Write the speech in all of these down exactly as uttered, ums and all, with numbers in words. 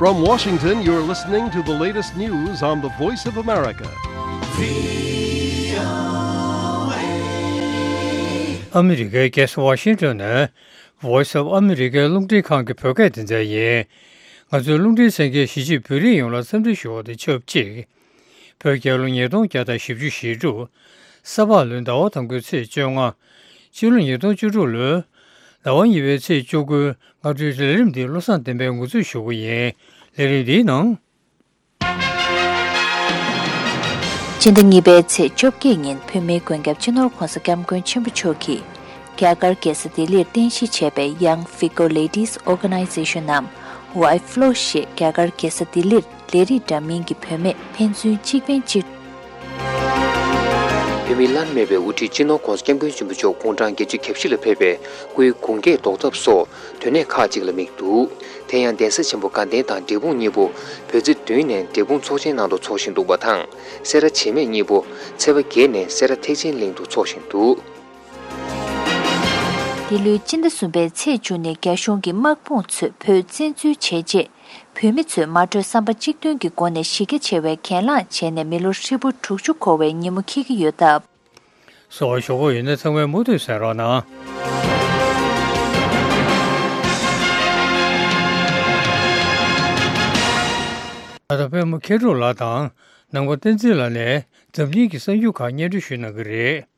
From Washington, you're listening to the latest news on the Voice of America. ཨ་མི་རི་ཀའི་རྒྱལ་ས་ཝ་ཤིང་ཊོན་ནས་Voice of America རླུང་འཕྲིན་ཁང་གི་བོད་སྐད་སྡེ་ཚན་ཡིན། ང་ཚོའི་རླུང་འཕྲིན་གསན་མཁན་གཞིས་བྱེས་བོད་རིགས་ཡོངས་ལ་འཚམས་འདྲི་ཞུ་བ་དང་ཆབས་ཅིག་བོད་རྒྱལ་ལོ་ཉིས་སྟོང་བརྒྱ་དང་བཞི་བཅུ་ཞེ་དྲུག་ས་ཕག་ལོའི་ཟླ་བ་དང་པོའི་ཚེས་བཅོ་ལྔ། ཕྱི་ལོ་ཉིས་སྟོང་བཅུ་དྲུག་ལོའི་ཟླ་བ་གཉིས་པའི་ཚེས་བཅུ་དགུའི་སྔ་དྲོའི་ལས་རིམ་འདི་བློ་བཟང་བསྟན་པས་ངོ་སྤྲོད་ཞུ་གི་ཡིན། ལས་རིམ་འདིའི་ནང་། སྤྱི་ཟླ་གཉིས་པའི་ཚེས་བཅོ་བརྒྱད་ཉིན་བོད་མིའི་མགོན་སྐྱབས་སྤྱི་ནོར་༧གོང་ས་༧སྐྱབས་མགོན་ཆེན་པོ་མཆོག་གིས་རྒྱ་གར་རྒྱལ་ས་ལྡི་ལིར་རྟེན་གཞི་བྱས་པའི་Young Figo Ladies Organization ནམ་ཝའི་ཕི་ལོ་ཞེས་རྒྱ་གར་རྒྱལ་ས་ལྡི་ལིར་ལས་རིགས་འདྲ་མིན་གྱི་བུད་མེད་ཕན་ཚུན་གཅིག་ཕན་གཅིག་བོད་མིའི་བླ་ན་མེད་པའི་དབུ་ཁྲིད་སྤྱི་ནོར་༧གོང་ས་༧སྐྱབས་མགོན་ཆེན་པོ་མཆོག་དགུང་གྲངས་བརྒྱད་ཅུ་གྱ་བཞི་ལ་ཕེབས་པའི་སྐུའི་དགུང་སྐེག་བཟློག་ཐབས་སོགས་དོན་གནད་ཁག་ཅིག་ལ་དམིགས་འདུག་དེ་ཡང་གདན་ས་ཆེན་པོ་དགའ་ལྡན་དང་འབྲས་སྤུངས་གཉིས་པོ་བོད་ཚེས་བདུན་ནས་འབྲས་སྤུངས་ཚོགས་ཆེན་ནང་དུ་འཚོགས་བཞིན་འདུག་པ་དང་། སེ་ར་བྱེས་སྨད་གཉིས་པོ་ཚེས་པ་བརྒྱད་ནས་སེ་ར་ཐེག་ཆེན་གླིང་དུ་འཚོགས་བཞིན་འདུག་འདི་ལོའི་སྤྱི་ཟླ་གསུམ་པའི་ཚེས་བཅུ་ནས་རྒྱ་གཞུང་གིས་དམག་དཔུང་ཚོས་བོད་བཙན་འཛུལ་བྱས་རྗེས། བོད་མི་ཚོས་མ་གྲོས་བསམ་པ་གཅིག་མཐུན་གྱི་སྒོ་ནས་གཞི་རྒྱ་ཆེ་བའི་གྱེན་ལངས་བྱས་ནས་མི་ལོ་ཧྲིལ་པོ་དྲུག་ཅུ་འཁོར་བའི་ཉིན་མོ་འཁེལ་གྱི་ཡོད་སྟབས། གསར་འགྱུར་ཞུ་དགོས་ཡོད་ན་ཚང་མས་མུ་མཐུད་གསན་རོགས་གནང་། ད་ལྟ་པད་མ་མཁས་གྲུབ་ལགས་དང་ནང་པ་བསྟན་འཛིན་ལགས་ནས་འཛམ་གླིང་གི་གསར་འགྱུར་ཁག་སྙན་སྒྲོན་ཞུ་གནང་གི་རེད།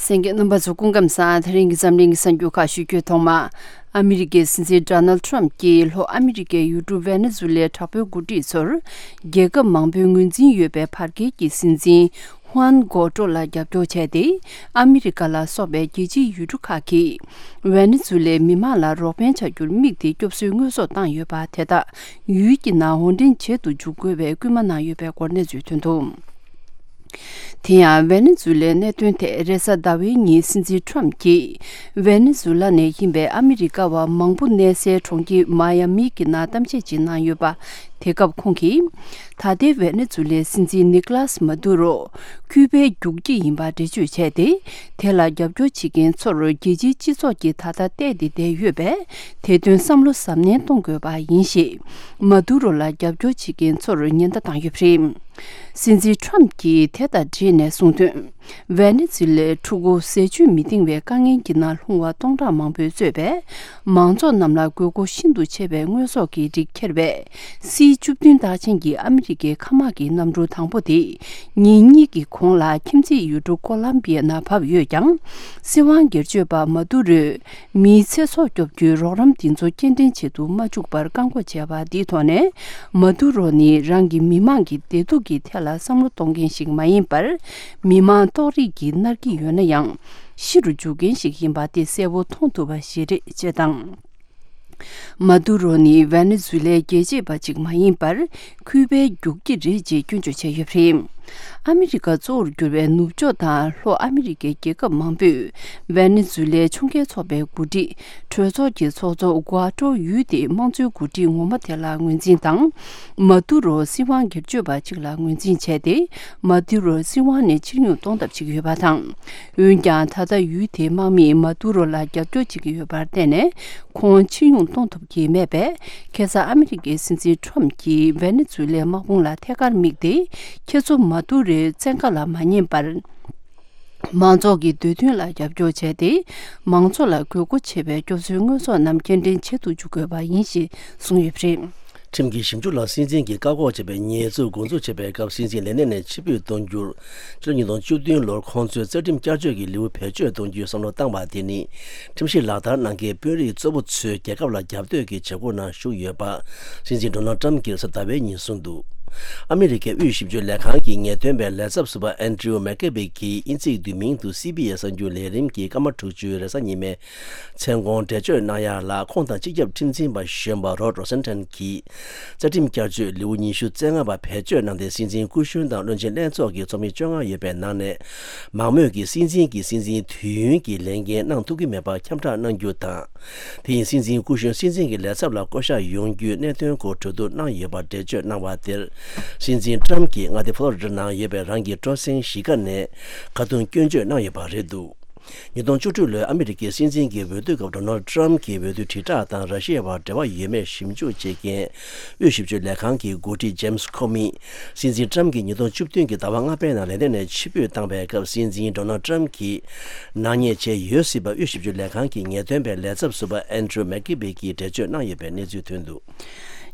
གསན་མཁན་རྣམ་པ་ཚོ་སྐུ་ཁམས་བཟང་། དེ་རིང་གི་འཛམ་གླིང་གི་གསར་འགྱུར་ཁག་ཞུ་རྒྱུའི་ཐོག་མ། ཨ་མི་རི་ཀའི་སྲིད་འཛིན་ཌོ་ནལ་ཊམ་གྱིས་ལྷོ་ཨ་མི་རི་ཀའི་ཡུལ་གྲུ་ཝེ་ནེ་ཛུ་ལའི་དྲག་པོའི་འགོ་ཁྲིད་ཚོར་རྒྱལ་ཁབ་མང་པོའི་ངོས་འཛིན་ཡོད་པའི་བར་བརྒལ་གྱི་སྲིད་འཛིན་ཧུའན་གོ་ཏྲོ་ལ་རྒྱབ་སྐྱོར་བྱས་ཏེ། ཨ་མི་རི་ཀ་ལ་སོགས་པའི་རྒྱལ་སྤྱིའི་ཡུལ་གྲུ་ཁག་གིས་ཝེ་ནེ་ཛུ་ལའི་མི་དམངས་ལ་རོགས་ཕན་བྱ་རྒྱུར་དམིགས་ཏེ་སྐྱོབ་གསོའི་དངོས་ཟོག་བཏང་ཡོད་པ་དེ་དག་ཡུལ་གྱི་ནང་འོར་འདྲེན་བྱེད་དུ་འཇུག་དགོས་པའི་སྐུལ་མ་གནང་ཡོད་པའི་སྐོར་གནས་ཚུལ་ཐོན་འདུག་དེ་ཡང་ཝེ་ནེ་ཛུ་ལའི་གནད་དོན་ཐད་རེས་གཟའ་ཟླ་བའི་ཉིན་སྲིད་འཛིན་ཊམ་གྱིས་ཝེ་ནེ་ཛུ་ལ་ནས་ཡིན་པའི་ཨ་མི་རི་ཀ་བ་མང་པོ་གནས་སའི་གྲོང་ཁྱེར་མ་ཡ་མི་གྱི་ནང་གཏམ་བཤད་ཅིག་གནང་ཡོད་པ། དེ་སྐབས་ཁོང་གིས། ད་ལྟའི་ཝེ་ནེ་ཛུ་ལའི་སྲིད་འཛིན་ནི་ཀ་ལཱས་མ་དུ་རོ། ཁུ་པའི་རྒྱུག་ཁྱི་ཡིན་པ་འགྲེལ་བརྗོད་བྱས་ཏེ། དེ་ལ་རྒྱབ་སྐྱོར་བྱེད་མཁན་ཚོར་རྒྱལ་སྤྱིའི་སྤྱི་ཚོགས་ཀྱིས་ད་ལྟ་བལྟས་ཏེ་བསྡད་ཡོད་པས། དེ་དོན་བསམ་བློ་གཟབ་ནན་གཏོང་དགོས་པ་ཡིན་ཞེས། མ་དུ་རོ་ལ་རྒྱབ་སྐྱོར་བྱེད་མཁན་ཚོར་ཉེན་བརྡ་བཏང་ཡོད་པ་རེད། སྲིད་འཛིན་ཊམ་གྱིས་དེ་དང་འབྲེལ་ནས་གསུངས་དོན། ཝེ་ནེ་ཛུ་ལའི་ཕྲུ་གུ་ཟས་བཅུད་མི་འདང་བའི་དཀའ་ངལ་གྱི་ནང་ལྷུང་བ་སྟོང་ཕྲག་མང་པོས་གཙོས་པའི་མང་ཚོགས་རྣམས་ལ་དགོས་མཁོ་ཤིན་ཏུ་ཆེ་བའི་དངོས་ཟོག་གི་རིགས་ཁྱེར་བའི་སི་བཅུ་བདུན་རྟགས་ཅན་གྱི་ཨ་མི་རི་ཀའི་མཁའ་དམག་གི་གནམ་གྲུ་དང་པོ་དེ་ཉིན་གཉིས་ཀྱི་གོང་ལ་ཁྱིམ་མཚེས་ཡུལ་གྲུ་ཀོ་ལམ་བི་ཡ་ནང་བབས་ཡོད་ཀྱང་། སྲིད་དབང་སྒེར་གཅོད་པ་མ་དུ་རོས། མིའི་ཚེ་སྲོག་སྐྱོབ་རྒྱུའི་རོགས་རམ་འདི་ཚོ་སྐྱེལ་འདྲེན་བྱེད་དུ་མ་བཅུག་པར་བཀག་འགོག་བྱས་པ་འདིའི་ཐོག་ནས། མ་དུ་རོ་ནི་རང་གི་མི་མང་གི་བདེ་སྡུག་གི་ཐད་ལ་བསམ་བློ་གཏོང་མཁན་ཞིག་མ་ཡིན་པར། མི་མང་སྟོབས་རིགས་ཀྱིས་མནར་གྱི་ཡོད་ན་ཡང་། ཤི་རུ་འཇུག་མཁན་ཞིག་ཡིན་པ་དེ་གསལ་པོ་མཐོང་ཐུབ་པ་ཞིག་རེད་ཅེས་དང་། མ་དུ་རོ་ནི་ཝེ་ནེ་ཛུ་ལའི་རྒྱལ་གཅེས་པ་ཅིག་མ་ཡིན་པར། ཁུ་པའི་རྒྱུག་ཁྱི་རེད་ཅེས་སྐྱོན་བརྗོད་བྱས་ཡོད་པ་རེད། ཨ་མི་རི་ཀ་གཙོ་བོར་གྱུར་བའི་ནུབ་ཕྱོགས་དང་ལྷོ་ཨ་མི་རི་ཀའི་རྒྱལ་ཁབ་མང་པོས་ཝེ་ནེ་ཛུ་ལའི་ཕྱོགས་འགལ་ཚོགས་པའི་འགོ་ཁྲིད་གྲོས་ཚོགས་ཀྱི་ཚོགས་གཙོ་གུ་ཨ་ཏྲོ་ཡུས་ཏེ་དམངས་གཙོའི་འགོ་ཁྲིད་ངོ་མ་དེ་ལ་ངོས་འཛིན་དང་། མ་དུ་རོ་སྲིད་དབང་སྒེར་གཅོད་པ་གཅིག་ལ་ངོས་འཛིན་བྱས་ཏེ། མ་དུ་རོ་སྲིད་དབང་ནས་ཕྱིར་འབྱུང་གཏོང་ཐབས་བྱེད་ཀྱི་ཡོད་པ་དང་། འོན་ཀྱང་ད་ལྟ་ཡུལ་དེའི་དམག་མིས་མ་དུ་རོ་ལ་རྒྱབ་སྐྱོར་བྱེད་ཀྱི་ཡོད་པར་བརྟེན་ནས། ཁོང་ཕྱིར་འབྱུང་གཏོང་ཐུབ་ཀྱི་མེད་པས། ཁ་སང་ཨ་མི་རི་ཀའི་སྲིད་འཛིན་ཁྲོམ་གྱིས་ཝེ་ནེ་ཛུ་ལའི་དམག་དཔུང་ལ་ཐད་ཀར་དམིགས་ཏེ། ཁྱེད་ཚོ་མ་དུ་རོའི་བཙན་བཀའ་ལ་མ་ཉན་པར། མང་ཚོགས་ཀྱི་འདོད་འདུན་ལ་རྒྱབ་སྐྱོར་བྱས་ཏེ། མང་ཚོགས་ལ་དགོས་མཁོ་ཆེ་བའི་སྐྱོབ་གསོའི་དངོས་ཟོག་རྣམས་སྐྱེལ་འདྲེན་བྱེད་དུ་འཇུག་དགོས་པ་ཡིན་ཞེས་གསུངས་ཡོད་པ་རེད། ཁྲིམས་ཀྱི་ཞིབ་འཇུག་ལ་སྲིད་འཛིན་གྱིས་བཀག་འགོག་བྱས་པའི་ཉེས་འཛུགས་འགོ་འཛུགས་བྱས་པའི་སྐབས་སྲིད་འཛིན་ལས་གནས་ནས་ཕྱིར་འབུད་གཏོང་རྒྱུར། ཕྱི་ལོ་ཉིས་སྟོང་བཅུ་བདུན་ལོར་ཁོང་ཚོའི་རྩ་ཁྲིམས་བསྐྱར་བཅོས་ཀྱི་ལེའུ་བེད་སྤྱོད་གཏོང་རྒྱུའི་བསམ་བློ་བཏང་བ་དེ་ནི། ཁྲིམས་གཞི་ལག་བསྟར་གནང་མཁན་དཔོན་རིགས་གཙོ་བོ་ཚོས་རྒྱལ་ཁབ་ལ་རྒྱབ་གཏོད་ཀྱི་བྱེད་སྒོ་ནང་ཞུགས་ཡོད་པ། སྲིད་འཛིན་ཌོ་ནལ་ཊམ་གྱིས་གཟའ་ཟླ་བའི་ཉིན་གསུངས་འདུག་ཨ་མི་རི་ཀའི་དབུས་ཞིབ་དཔྱོད་ལས་ཁང་གི་ངེས་སྟོན་པའི་ལས་ཚབ་ཟུར་པ་ཨན་ཌྲིའུ་མེག་ཀེ་བི་གིས་དབྱིན་ཚིག་བསྡུས་མིང་དུ་སི་བྷི་ཨེས་གསར་འགྱུར་ལས་རིམ་གྱི་སྐར་མ་དྲུག་ཅུའི་རེས་གཟའ་ཉི་མའི། མཚན་གུང་འགྲེལ་བརྗོད་གནང་ཡ་ལ། ཁོང་དང་སྤྱི་ཁྱབ་ཁྲིམས་འཛིན་པ་གཞོན་པ་རོ་ཌ་རོ་སན་ཊན་གྱིས། རྩ་ཁྲིམས་བསྐྱར་བཅོས་ལེའུ་ཉི་ཤུ་རྩ་ལྔ་པ་བེད་སྤྱོད་གནང་སྟེ། སྲིད་འཛིན་སྐུ་གཞོན་དང་བློན་ཆེན་ལྷན་ཚོགས་ཀྱི་ཚོགས་མི་བཅོ་ལྔ་ཡོད་པའི་ནང་ནས། མང་མོས་ཀྱིས་སྲིད་འཛིན་གྱི་སྲིད་འཛིན་དུས་ཡུན་གྱི་ལས་འགན་གནང་ཐུབ་ཀྱི་མེད་པ་ཁྱབ་བསྒྲགས་གནང་རྒྱུ་དང་། དེ་ཡིན་སྲིད་འཛིན་སྐུ་གཞོན་སྲིད་འཛིན་གྱི་ལས་ཚབ་ལ་བསྐོ་གཞག་ཡོང་རྒྱུའི་གནད་དོན་སྐོར་གྲོས་བསྡུར་གནང་ཡོད་པ་འགྲེལ་བརྗོད་གནང་བ་དེར། སྲིད་འཛིན་ཊམ་གྱིས་མངའ་སྡེ་ཕོ་ལོ་རི་ཌ་ནང་ཡོད་པའི་རང་གི་སྤྲོ་གསེང་གཞིས་ཀ་ནས་ཁ་རྡུང་སྐྱོན་བརྗོད་གནང་ཡོད་པ་རེད་འདུག་ཉིས་སྟོང་བཅུ་དྲུག་ལོའི་ཨ་མི་རི་ཀའི་སྲིད་འཛིན་གྱི་འོས་བསྡུ་སྐབས་ཌོ་ནལ་ཌི་ཊརམ་ཕི་གྱི་འོས་བསྡུ་དྲིལ་བསྒྲགས་དང་ར་ཤི་ཡའི་བར་འབྲེལ་བ་ཡོད་མེད་ཞིབ་འཇུག་བྱེད་མཁན་དབུས་ཞིབ་དཔྱོད་ལས་ཁང་གི་འགོ་ཁྲིད་ཇེམ་སི་ཁོ་མིས་སྲིད་འཛིན་ཊརམ་ཕི་གྱིས་ཉིས་སྟོང་བཅུ་བདུན་གྱི་ཟླ་བ་ལྔ་པའི་ནང་ལན་ཌན་ནས་ཕྱིར་འབུད་བཏང་བའི་སྐབས་སྲིད་འཛིན་ཌོ་ནལ་ཌི་ཊརམ་ཕི་གྱིས་ནག་ཉེས་བྱས་ཡོད་སྲིད་པ་དབུས་ཞིབ་དཔྱོད་ལས་ཁང་གི་ངེས་སྟོན་པའི་ལས་ཚབ་ཟུར་པ་ཨན་ཌྲུ་མེག་ཀི་བྷི་གིས་འགྲེལ་བརྗོད་གནང་ཡོད་པའི་གནས་ཚུལ་ཐོན་འདུག།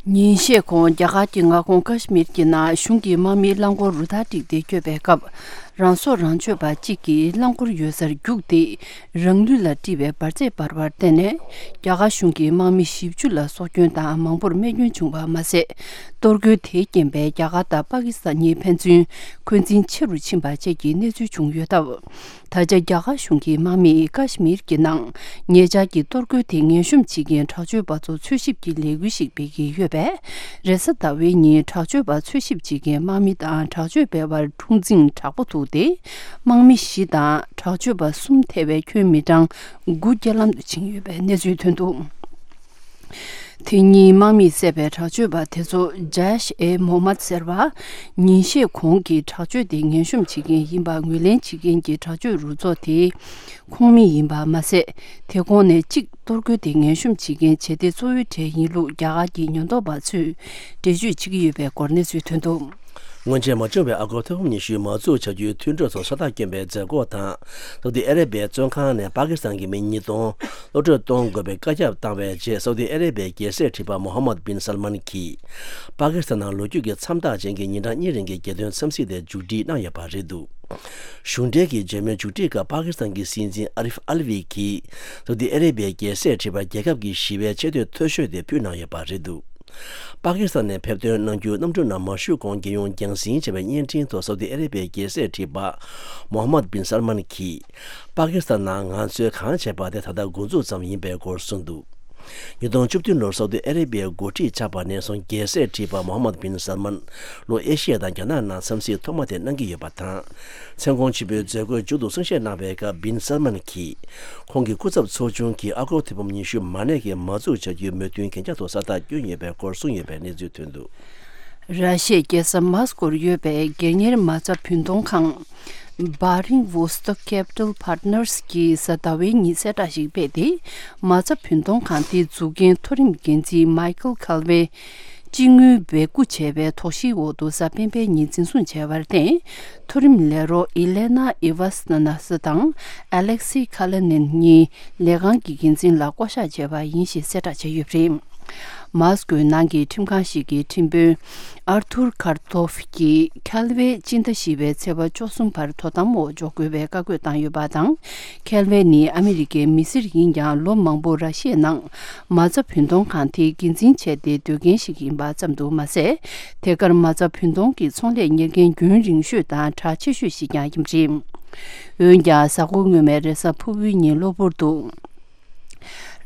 ཉིན་ཤས་གོང་རྒྱ་གར་གྱི་མངའ་ཁོངས་ཀ་ཤི་མིར་གྱི་ནང་གཞུང་གི་དམག་མིའི་རླངས་འཁོར་རུ་ཐག་བསྒྲིགས་ཏེ་བསྐྱོད་པའི་སྐབས། རང་སྲོག་རང་གཅོད་པ་གཅིག་གིས་རླངས་འཁོར་ཡོད་སར་རྒྱུགས་ཏེ། རང་ལུས་ལ་དཀྲིས་པའི་འབར་རྫས་འབར་བར་བརྟེན་ནས། རྒྱ་གར་གཞུང་གི་དམག་མི་བཞི་བཅུ་ལ་སྲོག་སྐྱོན་དང་མང་པོར་རྨས་སྐྱོན་བྱུང་བ་མ་ཟད། གཏོར་རྒོལ་དེའི་རྐྱེན་པས་རྒྱ་གར་དང་པ་ཀི་སི་ཐན་གཉིས་ཕན་ཚུན་འཁོན་འཛིན་ཆེ་རུ་ཕྱིན་པ་བཅས་ཀྱི་གནས་ཚུལ་བྱུང་ཡོད་སྟབས། ད་ཆ་རྒྱ་གར་གཞུང་གི་དམག་མིས་ཀ་ཤི་མིར་གྱི་ནང་ཉེ་ཆར་གྱི་གཏོར་རྒོལ་དེ་ངན་གཤོམ་བྱེད་མཁན་དྲག་སྤྱོད་པ་ཚོ་འཚོལ་ཞིབ་ཀྱི་ལས་འགུལ་ཞིག་སྤེལ་གྱི་ཡོད་པས། རེས་གཟའ་ཟླ་བའི་ཉིན་དྲག་སྤྱོད་པ་འཚོལ་ཞིབ་བྱེད་མཁན་དམག་མི་དང་དྲག་སྤྱོད་པའི་བར་འཁྲུག་འཛིང་དྲག་པོ་ཐུག་སྟེ། དམག་མི་བཞི་དང་དྲག་སྤྱོད་པ་གསུམ་ཐེ་བའི་ཁྱོན་མི་གྲངས་དགུ་རྐྱེན་ལམ་དུ་ཕྱིན་ཡོད་པའི་གནས་ཚུལ་ཐོན་འདུག། དེ་ཉིན་དམག་མིས་བསད་པའི་དྲག་སྤྱོད་པ་དེ་ཚོ་ཇཱ་ཤ་ཨེ་མོ་ཧམ་མད་ཟེར་བ། ཉིན་ཤས་གོང་གི་དྲག་སྤྱོད་དེ་ངན་གཤོམ་བྱེད་མཁན་ཡིན་པ་ངོས་ལེན་བྱེད་མཁན་གྱི་དྲག་སྤྱོད་རུ་ཚོགས་དེའི་ཁོངས་མི་ཡིན་པ་མ་ཟད། དེ་ཁོངས་ནས་གཅིག་གཏོར་རྒོལ་དེ་ངན་གཤོམ་བྱེད་མཁན་བྱེད་གཏེ་གཙོ་བོའི་གྲས་ཡིན་ལུགས་རྒྱ་གར་གྱི་ཉེན་རྟོག་པ་ཚོས་འགྲེལ་བརྗོད་བྱེད་ཀྱི་ཡོད་པའི་སྐོར་གནས་ཚུལ་ཐོན་འདུག། སྔོན་ཆད་མ་བྱུང་བའི་ཨ་སྒོར་ཐེར་འབུམ་ཉི་ཤུའི་མ་འཛུགས་བྱ་རྒྱུའི་མཐུན་གྲོས་ཐོག་ཕྱག་རྟགས་བསྐྱོན་པའི་མཛད་སྒོ་དང་། སའུ་ཏི་ཨ་རེ་བྷི་ཡའི་བཙོན་ཁང་ནས་པ་ཀི་སི་ཐན་གྱི་མི་ཉིས་སྟོང་གློད་གྲོལ་གཏོང་དགོས་པའི་བཀའ་ཁྱབ་བཏང་བའི་རྗེས། སའུ་ཏི་ཨ་རེ་བྷི་ཡའི་རྒྱལ་སྲས་ཁྲི་པ་མོ་ཧམ་མད་བིན་སལ་མན་གྱིས། པ་ཀི་སི་ཐན་ནང་ལོ་རྒྱུས་ཀྱི་མཚམས་རྟགས་ཅན་གྱི་ཉིན་གྲངས་གཉིས་རིང་གི་རྒྱལ་དོན་འཚམས་གཟིགས་དེ་མཇུག་སྒྲིལ་གནང་ཡོད་པ་རེད་འདུག། གཞུང་འབྲེལ་གྱི་མཇལ་མོལ་མཇུག་སྒྲིལ་སྐབས། པ་ཀི་སི་ཐན་གྱི་སྲིད་འཛིན་ཨ་རིཕ་ཨལ་ཝི་གིས། སའུ་ཏི་ཨ་རེ་བྷི་ཡའི་རྒྱལ་སྲས་ཁྲི་པར་རྒྱལ་ཁབ་ཀྱིས་ཞི་བའི་ཆེ་བསྟོད་མཐོ་ཤོས་དེ་ཕུལ་གནང་ཡོད་པ་རེད་འདུག། པ་ཀི་སི་ཐན་ནས་ཕེབས་ཐོན་གནང་རྒྱུའི་གནམ་གྲུ་ནང་མ་ཞུགས་གོང་། རྒྱལ་ཡོངས་རྒྱང་སྲིང་བྱས་པའི་བརྙན་འཕྲིན་ཐོག། སའུ་ཏི་ཨ་རེ་བྷི་ཡའི་རྒྱལ་སྲས་ཁྲི་པ་མོ་ཧམ་མད་བིན་སལ་མན་གྱིས། པ་ཀི་སི་ཐན་ནང་ང་ཚོས་གང་བྱས་པ་དེ་ད་ལྟ་འགོ་འཛུགས་ཙམ་ཡིན་པའི་སྐོར་གསུངས་འདུག། ཉིས་སྟོང་བཅུ་བདུན་ལོར་སའུ་ཏི་ཨ་རེ་བྷི་ཡའི་འགོ་ཁྲིད་ཆགས་པ་ནས་བཟུང་། རྒྱལ་སྲས་ཁྲི་པ་མོ་ཧམ་མད་བིན་སལ་མན་ལྷོ་ཨེ་ཤི་ཡ་དང་རྒྱ་ནག་ནང་འཚམས་གཟིགས་ཐོག་མ་དེ་གནང་གི་ཡོད་པ་དང་། མཚན་གུང་ཆེན་པོའི་མཛད་སྒོའི་མཇུག་ཏུ་གསུང་བཤད་གནང་བའི་སྐབས། བིན་སལ་མན་གྱིས། ཁོང་གི་སྐུ་ཚབ་ཚོགས་ཆུང་གིས་ཨ་སྒོར་ཐེར་འབུམ་ཉི་ཤུ་མ་གནས་ཀྱི་མ་འཛུགས་བྱ་རྒྱུའི་མོས་མཐུན་གན་རྒྱ་ཐོག་ས་རྟགས་བསྐྱོན་ཡོད་པའི་སྐོར་གསུངས་ཡོད་པའི་གནས་ཚུལ་ཐོན་འདུག། ར་ཤི་ཡའི་རྒྱལ་ས་མཱ་སི་ཀོར་ཡོད་པའི་སྒེར་གཉེར་མ་རྩ་བུན་གཏོང་ཁང་། Baring Vostok Capital Partners གིས་གཟའ་ཟླ་བའི་ཉིན་གསལ་བསྒྲགས་ཤིག་སྤེལ་ཏེ། མ་རྩ་བུན་གཏོང་ཁང་དེའི་འཛུགས་མཁན་མཐོ་རིམ་འགན་འཛིན་མའི་ཁལ་ཁལ་ཝེ། སྤྱི་དངུལ་སྦས་སྐུང་བྱས་པའི་དོགས་གཞིའི་འོག་ཏུ་གཟའ་སྤེན་པའི་ཉིན་འཛིན་བཟུང་བྱས་པར་བརྟེན། མཐོ་རིམ་ལས་རོགས་ཨི་ལེ་ན་ཨི་ཝ་སི་ན་ན་སི་དང་ཨ་ལེག་སི་ཁ་ལེ་ནིན་གཉིས་ལས་ཁང་གི་འགན་འཛིན་ལ་བསྐོ་གཞག་བྱས་པ་ཡིན་ཞེས་གསལ་བསྒྲགས་བྱས་ཡོད་པ་རེད། མཱ་སི་ཀོའི་ནང་གི་ཁྲིམས་ཁང་ཞིག་གི་ཁྲིམས་དཔོན་ཨར་ཐུར་ཁར་ཐོབ་ཀྱིས་ཁལ་ཝེ་སྤྱི་ཟླ་བཞི་པའི་ཚེས་པ་བཅུ་གསུམ་བར་དོ་དམ་འོག་འཇོག་དགོས་པའི་བཀའ་བཀོད་བཏང་ཡོད་པ་དང་། ཁལ་ཝེ་ནི་ཨ་མི་རི་ཀའི་མི་སེར་ཡིན་ཀྱང་། ལོ་མང་པོ་ར་ཤི་ཡའི་ནང་མ་རྩ་བུན་གཏོང་ཁང་དེའི་འགན་འཛིན་བྱས་ཏེ་སྡོད་མཁན་ཞིག་ཡིན་པ་ཙམ་དུ་མ་ཟད། དེ་གར་མ་རྩ་བུན་གཏོང་གི་ཚོང་ལས་གཉེར་མཁན་རྒྱུན་རིང་ཤོས་དང་གྲགས་ཆེ་ཤོས་ཤིག་ཀྱང་ཡིན་པ་རེད། འོན་ཀྱང་། གཟའ་འཁོར་སྔོན་མའི་རེས་གཟའ་ཕུར་བུའི་ཉིན་གློ་བུར་དུ།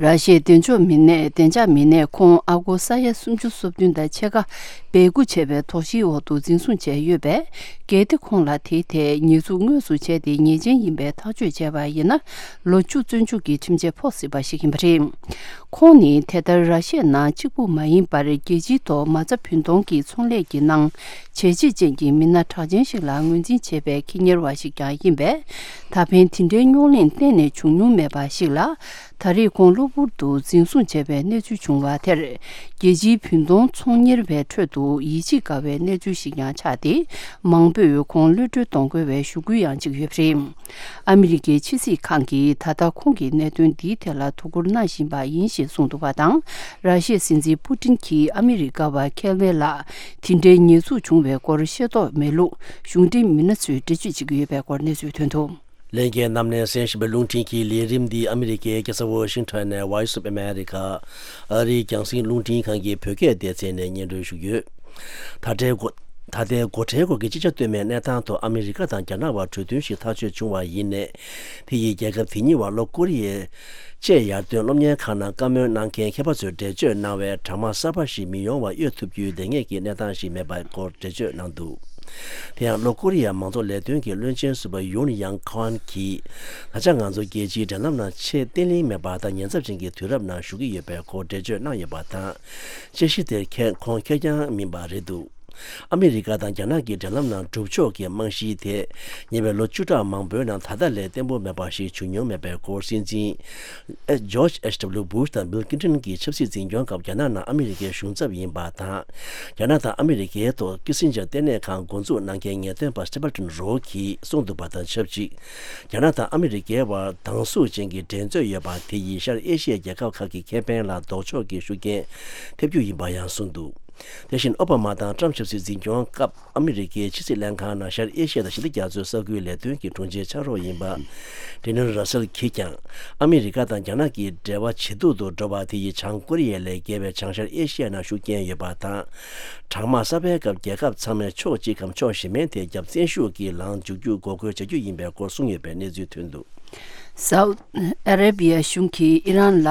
ར་ཤི་ཡའི་བདེ་འཇགས་མི་སྣས། བདེ་འཇགས་མི་སྣས་ཁོང་ཨ་སྒོར་ས་ཡ་སུམ་ཅུ་སོ་བདུན་དང་ཕྱེད་ཀ་སྦས་སྐུང་བྱས་པའི་དོགས་གཞིའི་འོག་ཏུ་འཛིན་བཟུང་བྱས་ཡོད་པས། གལ་ཏེ་ཁོང་ལ་དེའི་ཐད་ཉེས་འཛུགས་དངོས་སུ་བྱས་ཏེ། ཉེས་ཅན་ཡིན་པའི་ཐག་གཅོད་བྱས་པ་ཡིན་ན། ལོ་བཅུ་བཙོན་འཇུག་གི་ཁྲིམས་ཆད་ཕོག་སྲིད་པ་ཞིག་ཡིན་པ་རེད། ཁོང་ནི་དེ་ལྟར་ར་ཤི་ཡ་ནང་གཅིག་པུ་མ་ཡིན་པར། རྒྱལ་སྤྱིའི་ཐོག་མ་རྩ་བུན་གཏོང་གི་ཚོང་ལས་ཀྱི་ནང་བྱས་རྗེས་ཅན་གྱི་མི་སྣ་གྲགས་ཅན་ཞིག་ལ་ངོས་འཛིན་བྱེད་པའི་ཁེ་གཉེར་བ་ཞིག་ཀྱང་ཡིན་པས། ད་ཕན་དེ་འདྲའི་རྙོག་གླེང་གཏན་ནས་བྱུང་མྱོང་མེད་པ་ཞིག་ལ། ད་རེས་ཁོང་གློ་བུར་དུ་འཛིན་བཟུང་བྱས་པའི་གནས་ཚུལ་བྱུང་བ་དེར། རྒྱལ་སྤྱིའི་བུན་གཏོང་ཚོང་གཉེར་བའི་ཁྲོད་དུ་ཡིད་ཆེས་དཀའ་བའི་གནས་ཚུལ་ཞིག་ཀྱང་ཆགས་ཏེ། མང་པོས་ཁོང་གློད་གྲོལ་གཏོང་དགོས་པའི་ཞུ་སྐུལ་ཡང་བྱེད་ཀྱི་ཡོད་པ་རེད། ཨ་མི་རི་ཀའི་ཕྱི་སྲིད་ཁང་གིས་ད་ལྟ་ཁོང་གི་གནད་དོན་འདིའི་ཐད་ལ་དོ་ཁུར་གནང་བཞིན་པ་ཡིན་ཞེས་གསུངས་འདུག་པ་དང་། ར་ཤི་ཡའི་སྲིད་འཛིན་པུ་ཏིན་གྱིས་ཨ་མི་རི་ཀ་བ་ཁེལ་ཝེ་ལ་དེ་འདྲའི་ཉེས་འཛུགས་བྱུང་བའི་སྐོར་ཤེས་རྟོགས་མེད་ལུགས་གཞུང་འབྲེལ་མི་སྣ་ཚོས་འགྲེལ་བརྗོད་བྱེད་ཀྱི་ཡོད་པའི་སྐོར་གནས་ཚུལ་ཐོན་འདུག། ལྷན་རྒྱས་རྣམས་ནས་གསན་བཞིན་པའི་རླུང་འཕྲིན་གྱི་ལས་རིམ་འདི་ཨ་མི་རི་ཀའི་རྒྱལ་ས་ཝ་ཤིང་ཊོན་ནས་Voice of America ཨ་རིའི་རྒྱང་སྲིང་རླུང་འཕྲིན་ཁང་གི་བོད་སྐད་སྡེ་ཚན་ནས་སྙན་སྒྲོན་ཞུ་གི་ཡོད། ད་ལྟའི་སྒོ་ད་ལྟའི་སྒོ་ཁྲལ་སྐོར་གྱི་ཅི་བྱ་གཏོལ་མའི་གནས་སྟངས་ཐོག་ཨ་མི་རི་ཀ་དང་རྒྱ་ནག་བར་གྲོས་མཐུན་ཞིག་ཐག་གཅོད་བྱུང་བ་ཡིན་ནའི། དེ་ཡིས་རྒྱལ་ཁབ་དེ་གཉིས་བར་ལྷོ་ཀོ་རི་ཡའི་ཅེས་ཡར་ཐོན་སློབ་གཉེར་ཁང་ནང་བཀའ་མོལ་གནང་མཁན་མཁས་པ་ཚོས་འགྲེལ་བརྗོད་གནང་བའི་གྲངས་མང་གསར་པ་ཞིག་མི་ཡོང་བ་གཡོལ་ཐུབ་རྒྱུའི་ལས་འགན་གྱི་གནས་སྟངས་ཤིག་མེད་པའི་སྐོར་འགྲེལ་བརྗོད་གནང་འདུག། དེ་ཡང་ལྷོ་ཀོ་རི་ཡའི་མང་གཙོ་ལས་དོན་གྱི་བློན་ཆེན་ཟུར་པ་ཡུན་ཡང་ཁོན་གྱིས། ད་ཆ་ང་ཚོ་རྒྱལ་སྤྱིའི་འབྲེལ་ལམ་ནང་ཆེས་བརྟན་ལྷིང་མེད་པ་དང་ཉེན་ཚབས་ཅན་གྱི་དུས་རབས་ནང་ཞུགས་ཀྱི་ཡོད་པའི་སྐོར་འགྲེལ་བརྗོད་གནང་ཡོད་པ་དང་། དཔྱད་གཞི་དེར་ཁྱེད་ཁོང་ཁེར་རྐྱང་མིན་པ་རེད་འདུག། ཨ་མི་རི་ཀ་དང་རྒྱ་ནག་གི་འབྲེལ་ལམ་ནང་སྒྲུབ་ཕྱོགས་ཀྱི་རྨང་གཞི་དེ་ཉེ་བའི་ལོ་བཅུ་ཕྲག་མང་པོའི་ནང་ད་ལྟ་ལས་བརྟན་པོ་མེད་པ་ཞིག་བྱུང་མྱོང་མེད་པའི་སྐོར། སྲིད་འཛིན་George H W Bush དང་Bill Clinton གྱི་ཆབ་སྲིད་འཛིན་སྐྱོང་སྐབས་རྒྱ་ནག་ནང་ཨ་མི་རི་ཀའི་གཞུང་ཚབ་ཡིན་པ་དང་། རྒྱ་ནག་དང་ཨ་མི་རི་ཀའི་ཐོག་ཀི་སིན་ཇར་ལྟེ་གནས་ཁང་འགོ་འཛུགས་གནང་མཁན་ངེས་སྟོན་པ་Stephen Rowe གྱིས་གསུངས་འདུག་པ་དང་ཆབས་ཅིག་རྒྱ་ནག་དང་ཨ་མི་རི་ཀའི་བར་སྡང་ཟུག་ཅན་གྱི་འགྲན་རྩོད་ཡོད་པ་དེ་ཡིས་ཤར་ཨེ་ཤི་ཡའི་རྒྱལ་ཁབ་ཁག་གི་ཁེ་ཕན་ལ་ལྡོག་ཕྱོགས་ཀྱི་ཤུགས་རྐྱེན་ཐེབས་རྒྱུ་ཡིན་པ་ཡང་གསུངས་འདུག་དེ་བཞིན་ཨོ་བྷ་མ་དང་ཊམ་ཆབ་སྲིད་འཛིན་སྐྱོང་སྐབས་ཨ་མི་རི་ཀའི་ཕྱི་སྲིད་ལྷན་ཁང་ནང་ཤར་ཨེ་ཤི་ཡ་དང་ཞི་བདེ་རྒྱ་མཚོའི་ས་ཁུལ་ལས་དོན་གྱི་དྲུང་ཆེ་ཕྱག་རོགས་ཡིན་པ་Daniel Russell གྱིས་ཀྱང་ཨ་མི་རི་ཀ་དང་རྒྱ་ནག་གི་འབྲེལ་བ་ཇེ་སྡུག་ཏུ་འགྲོ་བ་དེ་ཡིས་བྱང་ཀོ་རི་ཡ་ལས་བརྒལ་བའི་བྱང་ཤར་ཨེ་ཤི་ཡ་ནང་ཤུགས་རྐྱེན་ཡོད་པ་དང་། གྲང་དམག་གསར་པའི་སྐབས་རྒྱལ་ཁབ་ཚང་མས་ཕྱོགས་གཅིག་གམ་ཕྱོགས་གཞན་མའི་ཐད་རྒྱབ་བརྟན་ཤུགས་ཀྱིས་ལངས་འཇུག་རྒྱུ་འགོག་རྒོལ་བྱ་རྒྱུ་ཡིན་པའི་སྐོར་གསུངས་ཡོད་པའི་གནས་ཚུལ་ཐོན་འདུག་སའུ་ཨ་རེ་བྷི་ཡ་གཞུང་གིས་ཨི་རན་ལ་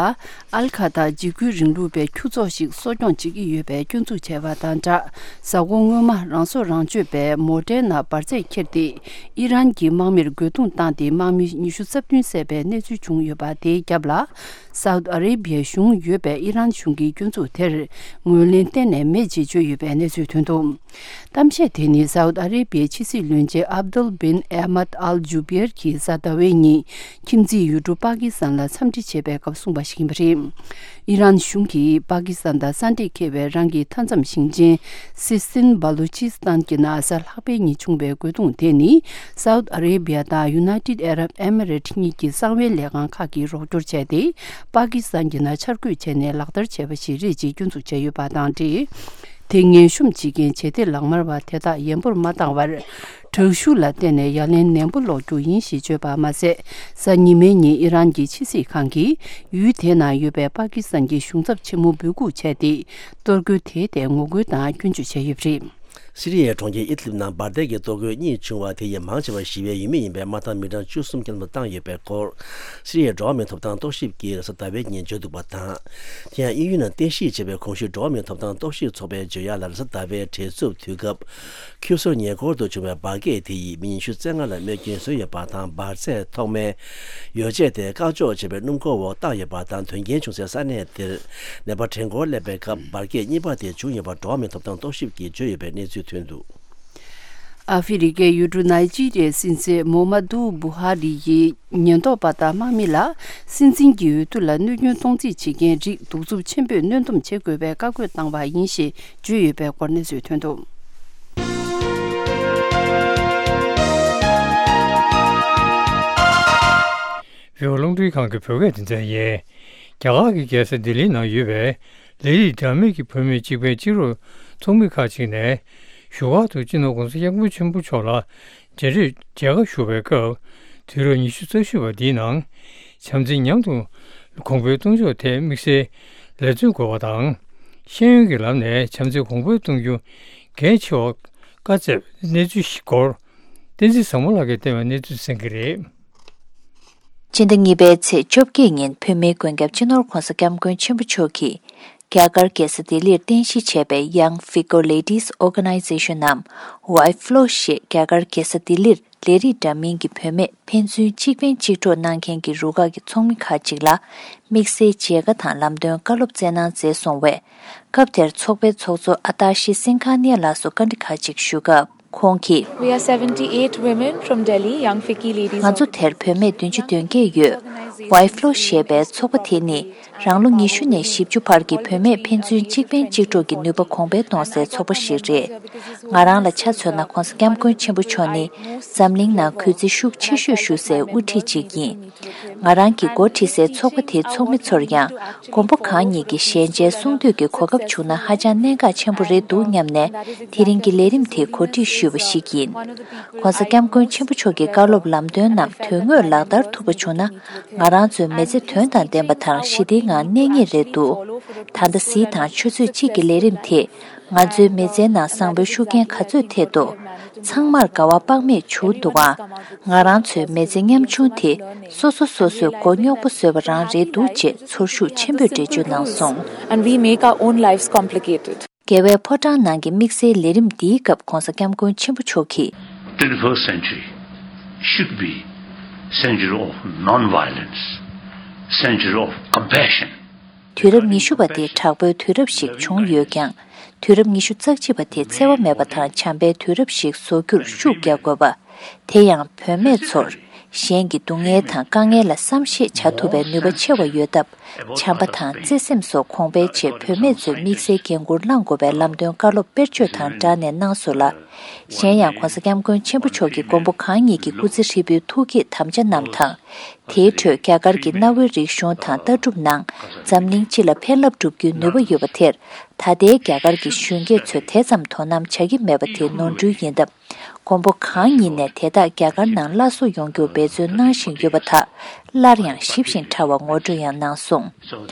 ཨལ་ཁ་ད་འཇིགས་སྐུལ་རིང་ལུགས་པའི་ཁྱུ་ཚོགས་ཤིག་གསོ་སྐྱོང་བྱེད་ཀྱི་ཡོད་པའི་སྐྱོན་འཛུགས་བྱས་པ་དང་སྦྲགས། གཟའ་འཁོར་སྔོན་མ་རང་སྲོག་རང་གཅོད་པས་མོ་ཊའི་ནང་འབར་རྫས་འཁྱེར་ཏེ་ཨི་རན་གྱི་དམག་མིར་རྒོལ་རྡུང་བཏང་སྟེ་དམག་མི་ཉི་ཤུ་རྩ་བདུན་བསད་པའི་གནས་ཚུལ་བྱུང་ཡོད་པ་དེའི་རྒྱབ་ལ། སའུ་ཨ་རེ་བྷི་ཡའི་གཞུང་ཡོད་པའི་ཨི་རན་གཞུང་གིས་སྐྱོན་འཛུགས་དེར་ངོས་ལེན་གཏན་ནས་མེད་ཅེས་བརྗོད་ཡོད་པའི་གནས་ཚུལ་ཐོན་འདུག་གཏམ་བཤད་དེ་ནི་སའུ་ཨ་རེ་བྷི་ཡའི་ཕྱི་སྲིད་བློན་ཆེན་ཨབ་དུལ་བིན་ཨེ་མད་ཨལ་ཇུ་བེར་གྱིས་གཟའ་ཟླ་བའི་ཉིན་ཁྱིམ་མཚེས་ཡུལ་གྲུ་པ་ཀི་སི་ཐན་ལ་འཚམས་འདྲི་བྱས་པའི་སྐབས་གསུངས་པ་ཞིག་ཡིན་པ་རེད། ཨི་རན་གཞུང་གིས་པ་ཀི་སི་ཐན་དང་ས་འདྲེས་འཁེལ་བའི་རང་གི་མཐའ་མཚམས་ཞིང་ཆེན་སི་སྟིན་བ་ལུ་ཆི་སི་ཐན་གྱི་ནང་གཟའ་ལྷག་པའི་ཉིན་བྱུང་བའི་རྒོལ་རྡུང་དེ་ནི་སའུ་ཨ་རེ་བྷི་ཡ་དང་ཡུ་ནའི་ཊེཌ་ཨ་རབ་ཨེ་མི་རེ་ཊི་གཉིས་ཀྱི་གསང་བའི་ལས་ཁང་ཁག་གིས་རོགས་སྐྱོར་བྱས་ཏེ། པ་ཀི་སི་ཐན་གྱི་ནང་འཆར་འགོད་བྱས་ནས་ལག་བསྟར་བྱས་པ་ཞིག་རེད་ཅེས་སྐྱོན་འཛུགས་བྱས་ཡོད་པ་དང་འབྲེལ། དེ་སྔོན་བཤུམ་བྱེད་མཁན་བྱེད་གཏེ་ལག་དམར་བ་དེ་དག་ཡན་པོར་མ་བཏང་བར། དྲག་ཤུགས་ལ་བརྟེན་ནས་ཡ་ལན་ནན་པོ་སློག་རྒྱུ་ཡིན་ཞེས་བརྗོད་པ་མ་ཟད། གཟའ་ཉི་མའི་ཉིན་ཨི་རན་གྱི་ཕྱི་སྲིད་ཁང་གིས་ཡུལ་དེའི་ནང་ཡོད་པའི་པ་ཀི་སི་ཐན་གྱི་གཞུང་ཚབ་ཆེན་མོ་འབོད་འགུག་བྱས་ཏེ། གཏོར་རྒོལ་དེའི་ཐད་ངོ་རྒོལ་དང་སྐྱོན་བརྗོད་བྱས་ཡོད་པ་རེད། སི་རི་ཡའི་གྲོང་ཁྱེར་ཨིད་ལིབ་ནང་འབར་མདེལ་གྱི་གཏོར་རྒོལ་གཉིས་བྱུང་བ་དེ་ཡིས་མང་ཆེ་བ་ཞི་བའི་ཡུལ་མི་ཡིན་པས་དམག་དང་མི་གྲངས་བཅུ་གསུམ་བསྐྱར་དུ་བཏང་ཡོད་པའི་སྐོར། སི་རི་ཡའི་འགྲོ་བ་མིའི་ཐོབ་ཐང་རྟོག་ཞིབ་ཀྱིས་རེས་གཟའ་ཟླ་བའི་ཉིན་བརྗོད་འདུག་པ་དང་། དེ་ཡང་དབྱིན་ཡུལ་ནང་རྟེན་གཞི་བྱས་པའི་གོང་ཞུས་འགྲོ་བ་མིའི་ཐོབ་ཐང་རྟོག་ཞིབ་ཚོགས་པའི་བརྗོད་ཡག་ལ། རེས་གཟའ་ཟླ་བའི་བྲེལ་འཚུབ་དུས་སྐབས་ཁྱུ་སོར་ཉེ་འཁོར་དུ་བྱུང་བའི་འབར་གས་དེ་ཡིས་མི་ཉི་ཤུ་རྩ་ལྔ་ལ་རྨས་སྐྱོན་བཟོས་ཡོད་པ་དང་། འབར་རྫས་ཐོག་མའི་ཡོ་བྱད་དེ་བཀག་འཇོག་བྱས་པའི་སྣུམ་འཁོར་འོག་བཏང་ཡོད་པ་དང་། དོན་རྐྱེན་བྱུང་སའི་ས་གནས་དེར་ནད་པ་གྲངས་འཁོར་སླེབས་པའི་སྐབས་འབར་གས་གཉིས་པ་དེ་བྱུང་ཡོད་པ་འགྲོ་བ་མིའི་ཐོབ་ཐང་རྟོག་ཞིབ་ཀྱིས་བརྗོད་ཡོད་པའི་གནས་ཚུལ་ཐོན་འདུག་ཨ་ཧྥེ་རི་ཁའི་ཡུལ་གྲུ་ནཱི་ཇི་རི་ཡའི་སྲིད་འཛིན་མོ་མ་དུ་བུ་ཧ་རི་ཡིས་ཉེན་རྟོག་པ་དང་དམག་མི་ལ་སྲིད་འཛིན་གྱི་འོས་བསྡུ་ལ་གནོད་སྐྱོན་གཏོང་རྩིས་བྱེད་མཁན་རིགས་གདུག་རྩུབ་ཆེན་པོས་གནོན་སྡོམ་བྱེད་དགོས་པའི་བཀའ་བཀོད་བཏང་བ་ཡིན་ཞེས་བརྗོད་ཡོད་པའི་སྐོར་གནས་ཚུལ་ཐོན་འདུག་བོད་རླུང་འཕྲིན་ཁང་གི་བོད་སྐད་སྡེ་ཚན་ཡིན། རྒྱ་གར་གྱི་རྒྱལ་ས་ལྡི་ལིའི་ནང་ཡོད་པའི་ལས་རིགས་འདྲ་མིན་གྱི་བུད་མེད་གཅིག་ཕན་གཅིག་རོགས་ཚོགས་མི་ཁག་ཅིག་ནས་བཞུགས་སྒར་དུ་སྤྱི་ནོར་༸གོང་ས་༸སྐྱབས་མགོན་ཆེན་པོ་མཆོག་ལ་མཇལ་འཕྲད་མཇལ་ཁ་ཞུ་བའི་སྐབས། དུས་རབས་ཉི་ཤུ་རྩ་བཞི་པ་འདིའི་ནང་བྱམས་བརྩེ་མཉམ་དུ་གོང་འཕེལ་གཏོང་ཕྱོགས་ཐད་དམིགས་བསལ་ལས་བརྩོན་དགོས་པ་དང་། ཤེས་ཡོན་གྱི་ལམ་ནས་བྱམས་བརྩེ་གོང་འཕེལ་གཏོང་རྒྱུ་གལ་ཆེ་བ་བཀའ་སྩལ་བའི་གནས་ཚུལ་ཞིག་སྐོར། བསྟན་འཛིན་བཟང་མོ་ལགས་ཀྱིས་བསྟན་པའི་གནས་ཚུལ་གསན་གྱི་རེད། སྤྱི་ཟླ་གཉིས་པའི་ཚེས་བཅོ་བརྒྱད་ཉིན་བོད་མིའི་མགོན་སྐྱབས་སྤྱི་ནོར་༸གོང་ས་༸སྐྱབས་མགོན་ཆེན་པོ་མཆོག་གིས་རྒྱ་གར་རྒྱལ་ས་ལྡི་ལིར་རྟེན་གཞི་བྱས་པའི་Young Figo Ladies Organization ནམ་ཝའི་ཕི་ལོ་ཞེས་རྒྱ་གར་རྒྱལ་ས་ལྡི་ལིར་ལས་རིགས་འདྲ་མིན་གྱི་བུད་མེད་ཕན་ཚུན་གཅིག་ཕན་གཅིག་གྲོགས་གནང་མཁན་གྱི་རུ་ཁག་གི་ཚོགས་མི་ཁག་ཅིག་ལ་དམིགས་བསལ་མཇལ་ཁ་དང་ལམ་སྟོན་བཀའ་སློབ་སྩལ་གནང་མཛད་སོང་བས། སྐབས་དེར་ཚོགས་པའི་ཚོགས་གཙོ་ཨ་ཏཱ་ཤི་སིང་གྷ་ནི་ཡ་ལགས་སུ་བཀའ་འདྲི་ཁག་ཅིག་ཞུས་སྐབས། ཁོང་གིས། We are seventy-eight women from Delhi, Young Fiki Ladies. ང་ཚོ་དེར་བུད་མེད་བདུན་ཅུ་དོན་བརྒྱད་ཡོད། ཝའི་ཕི་ལོ་ཞེས་པའི་ཚོགས་པ་དེ་ནི་རང་ལོ་ཉི་ཤུ་ནས་བཞི་བཅུ་བར་གྱི་བུད་མེད་ཕན་ཚུན་གཅིག་ཕན་གཅིག་གྲོགས་ཀྱི་ནུས་པ་གོང་འཕེལ་གཏོང་སའི་ཚོགས་པ་ཞིག་རེད། ང་རང་ལ་ཆ་མཚོན་ན་༸གོང་ས་༸སྐྱབས་མགོན་ཆེན་པོ་མཆོག་ནི་འཛམ་གླིང་ནང་གུས་བརྩི་ཤུགས་ཆེ་ཤོས་ཞུ་སའི་དབུ་ཁྲིད་ཅིག་ཡིན། ང་རང་གིས་འགོ་ཁྲིད་སའི་ཚོགས་པ་དེའི་ཚོགས་མི་ཚོར་ཡང་མགོན་པོ་གང་ཉིད་ཀྱི་ཞལ་མཇལ་གསུང་འདོད་ཀྱི་གོ་སྐབས་བྱུང་ན་ཧ་ཅང་གནད་འགག་ཆེན་པོ་རེད་འདུག་སྙམ་ནས་དེ་རིང་གི་ལས་རིམ་དེ་གོ་སྒྲིག་ཞུས་པ་ཞིག་ཡིན། ༸གོང་ས་༸སྐྱབས་མགོན་ཆེན་པོ་མཆོག་གི་བཀའ་སློབ་ལམ་སྟོན་རྣམས་དོན་དངོས་ལག་བསྟར་ཐུབ་པ་བྱུང་ན་ང་རང་ཚོའི་མི་ཚེ་དོན་དང་ལྡན་པ་དང་ཞི་བདེའི་ངང་གནས་ངེས་རེད་འདུག་ད་ལྟ་གཟིགས་དང་ཆུ་ཚོད་གཅིག་གི་ལས་རིམ་དེས། ང་ཚོའི་མི་ཚེའི་ནང་བཟང་པོའི་ཤུགས་རྐྱེན་ག་ཚོད་ཐེབས་འདུག་ཚང་མར་དགའ་བ་དཔག་མེད་བྱུང་འདུག་ཨང་། ང་རང་ཚོའི་མི་ཚེ་ཉམ་ཆུང་དེ་སོ་སོ་སོ་སོས་མགོ་རྙོག་པོ་བཟོས་པ་རང་རེད་འདུག་ཅེས་ཚོར་ཤུགས་ཆེན་པོས་འགྲེལ་བརྗོད་གནང་སོང་། And we make our own lives complicated. རྒྱལ་བའི་ཕོ་བྲང་ནང་གི་དམིགས་བསལ་ལས་རིམ་འདིའི་སྐབས་༸གོང་ས་༸སྐྱབས་མགོན་ཆེན་པོ་མཆོག་གིས། Twenty-first century should be century of non-violence, century of compassion. དུས་རབས་ཉི་ཤུ་པ་དེ་དྲག་པོའི་དུས་རབས་ཤིག་བྱུང་ཡོད་ཀྱང་ དུས་རབས་ཉི་ཤུ་རྩ་གཅིག་པ་དེ་འཚེ་བ་མེད་པ་དང་བྱམས་པའི་དུས་རབས་ཤིག་བཟོ་རྒྱུར་ཤུགས་རྒྱག་དགོས་པ། དེ་ཡང་བུད་མེད་ཚོར་གཞན་གྱི་སྡུག་བསྔལ་དང་དཀའ་ངལ་ལ་བསམ་ཤེས་བྱ་ཐུབ་པའི་ནུས་པ་ཆེ་བ་ཡོད་སྟབས། བྱམས་པ་དང་བརྩེ་སེམས་སོགས་གོང་འཕེལ་ཆེད་བུད་མེད་ཚོས་དམིགས་བསལ་འགན་འཁུར་བླང་དགོས་པའི་ལམ་སྟོན་བཀའ་སློབ་དཔེར་བརྗོད་དང་སྦྲགས་ནས་གནང་སོང་ལ། གཞན་ཡང་༧གོང་ས་༧སྐྱབས་མགོན་ཆེན་པོ་མཆོག་གིས་མགོན་པོ་གང་ཉིད་ཀྱི་སྐུ་ཚེ་ཧྲིལ་པོའི་ཐུགས་བསྐྱེད་དམ་བཅའ་རྣམས་དང་། དེའི་ཁྲོད་རྒྱ་གར་གྱི་གནའ་བོའི་རིག་གཞུང་དང་ལྟ་གྲུབ་ནང་འཛམ་གླིང་སྤྱི་ལ་ཕན་རླབས་སྒྲུབ་རྒྱུའི་ནུས་པ་ཡོད་པ་དེར། ད་ལྟའི་རྒྱ་གར་གྱི་གཞོན་སྐྱེས་ཚོས་དེ་ཙམ་དོ་སྣང་བྱ་གི་མེད་པ་དེ་ནོར་འཁྲུལ་ཡིན་སྟབས། མགོན་པོ་གང་ཉིད་ནས་དེ་དག་རྒྱ་གར་ནང་སླར་གསོ་ཡོང་རྒྱུར་འབད་བརྩོན་གནང་བཞིན་ཡོད་པ་དག་སླར་ཡང་ཞིབ་ཅིང་ཕྲ་བར་ངོ་སྤྲོད་ཡང་གནང་སོང་།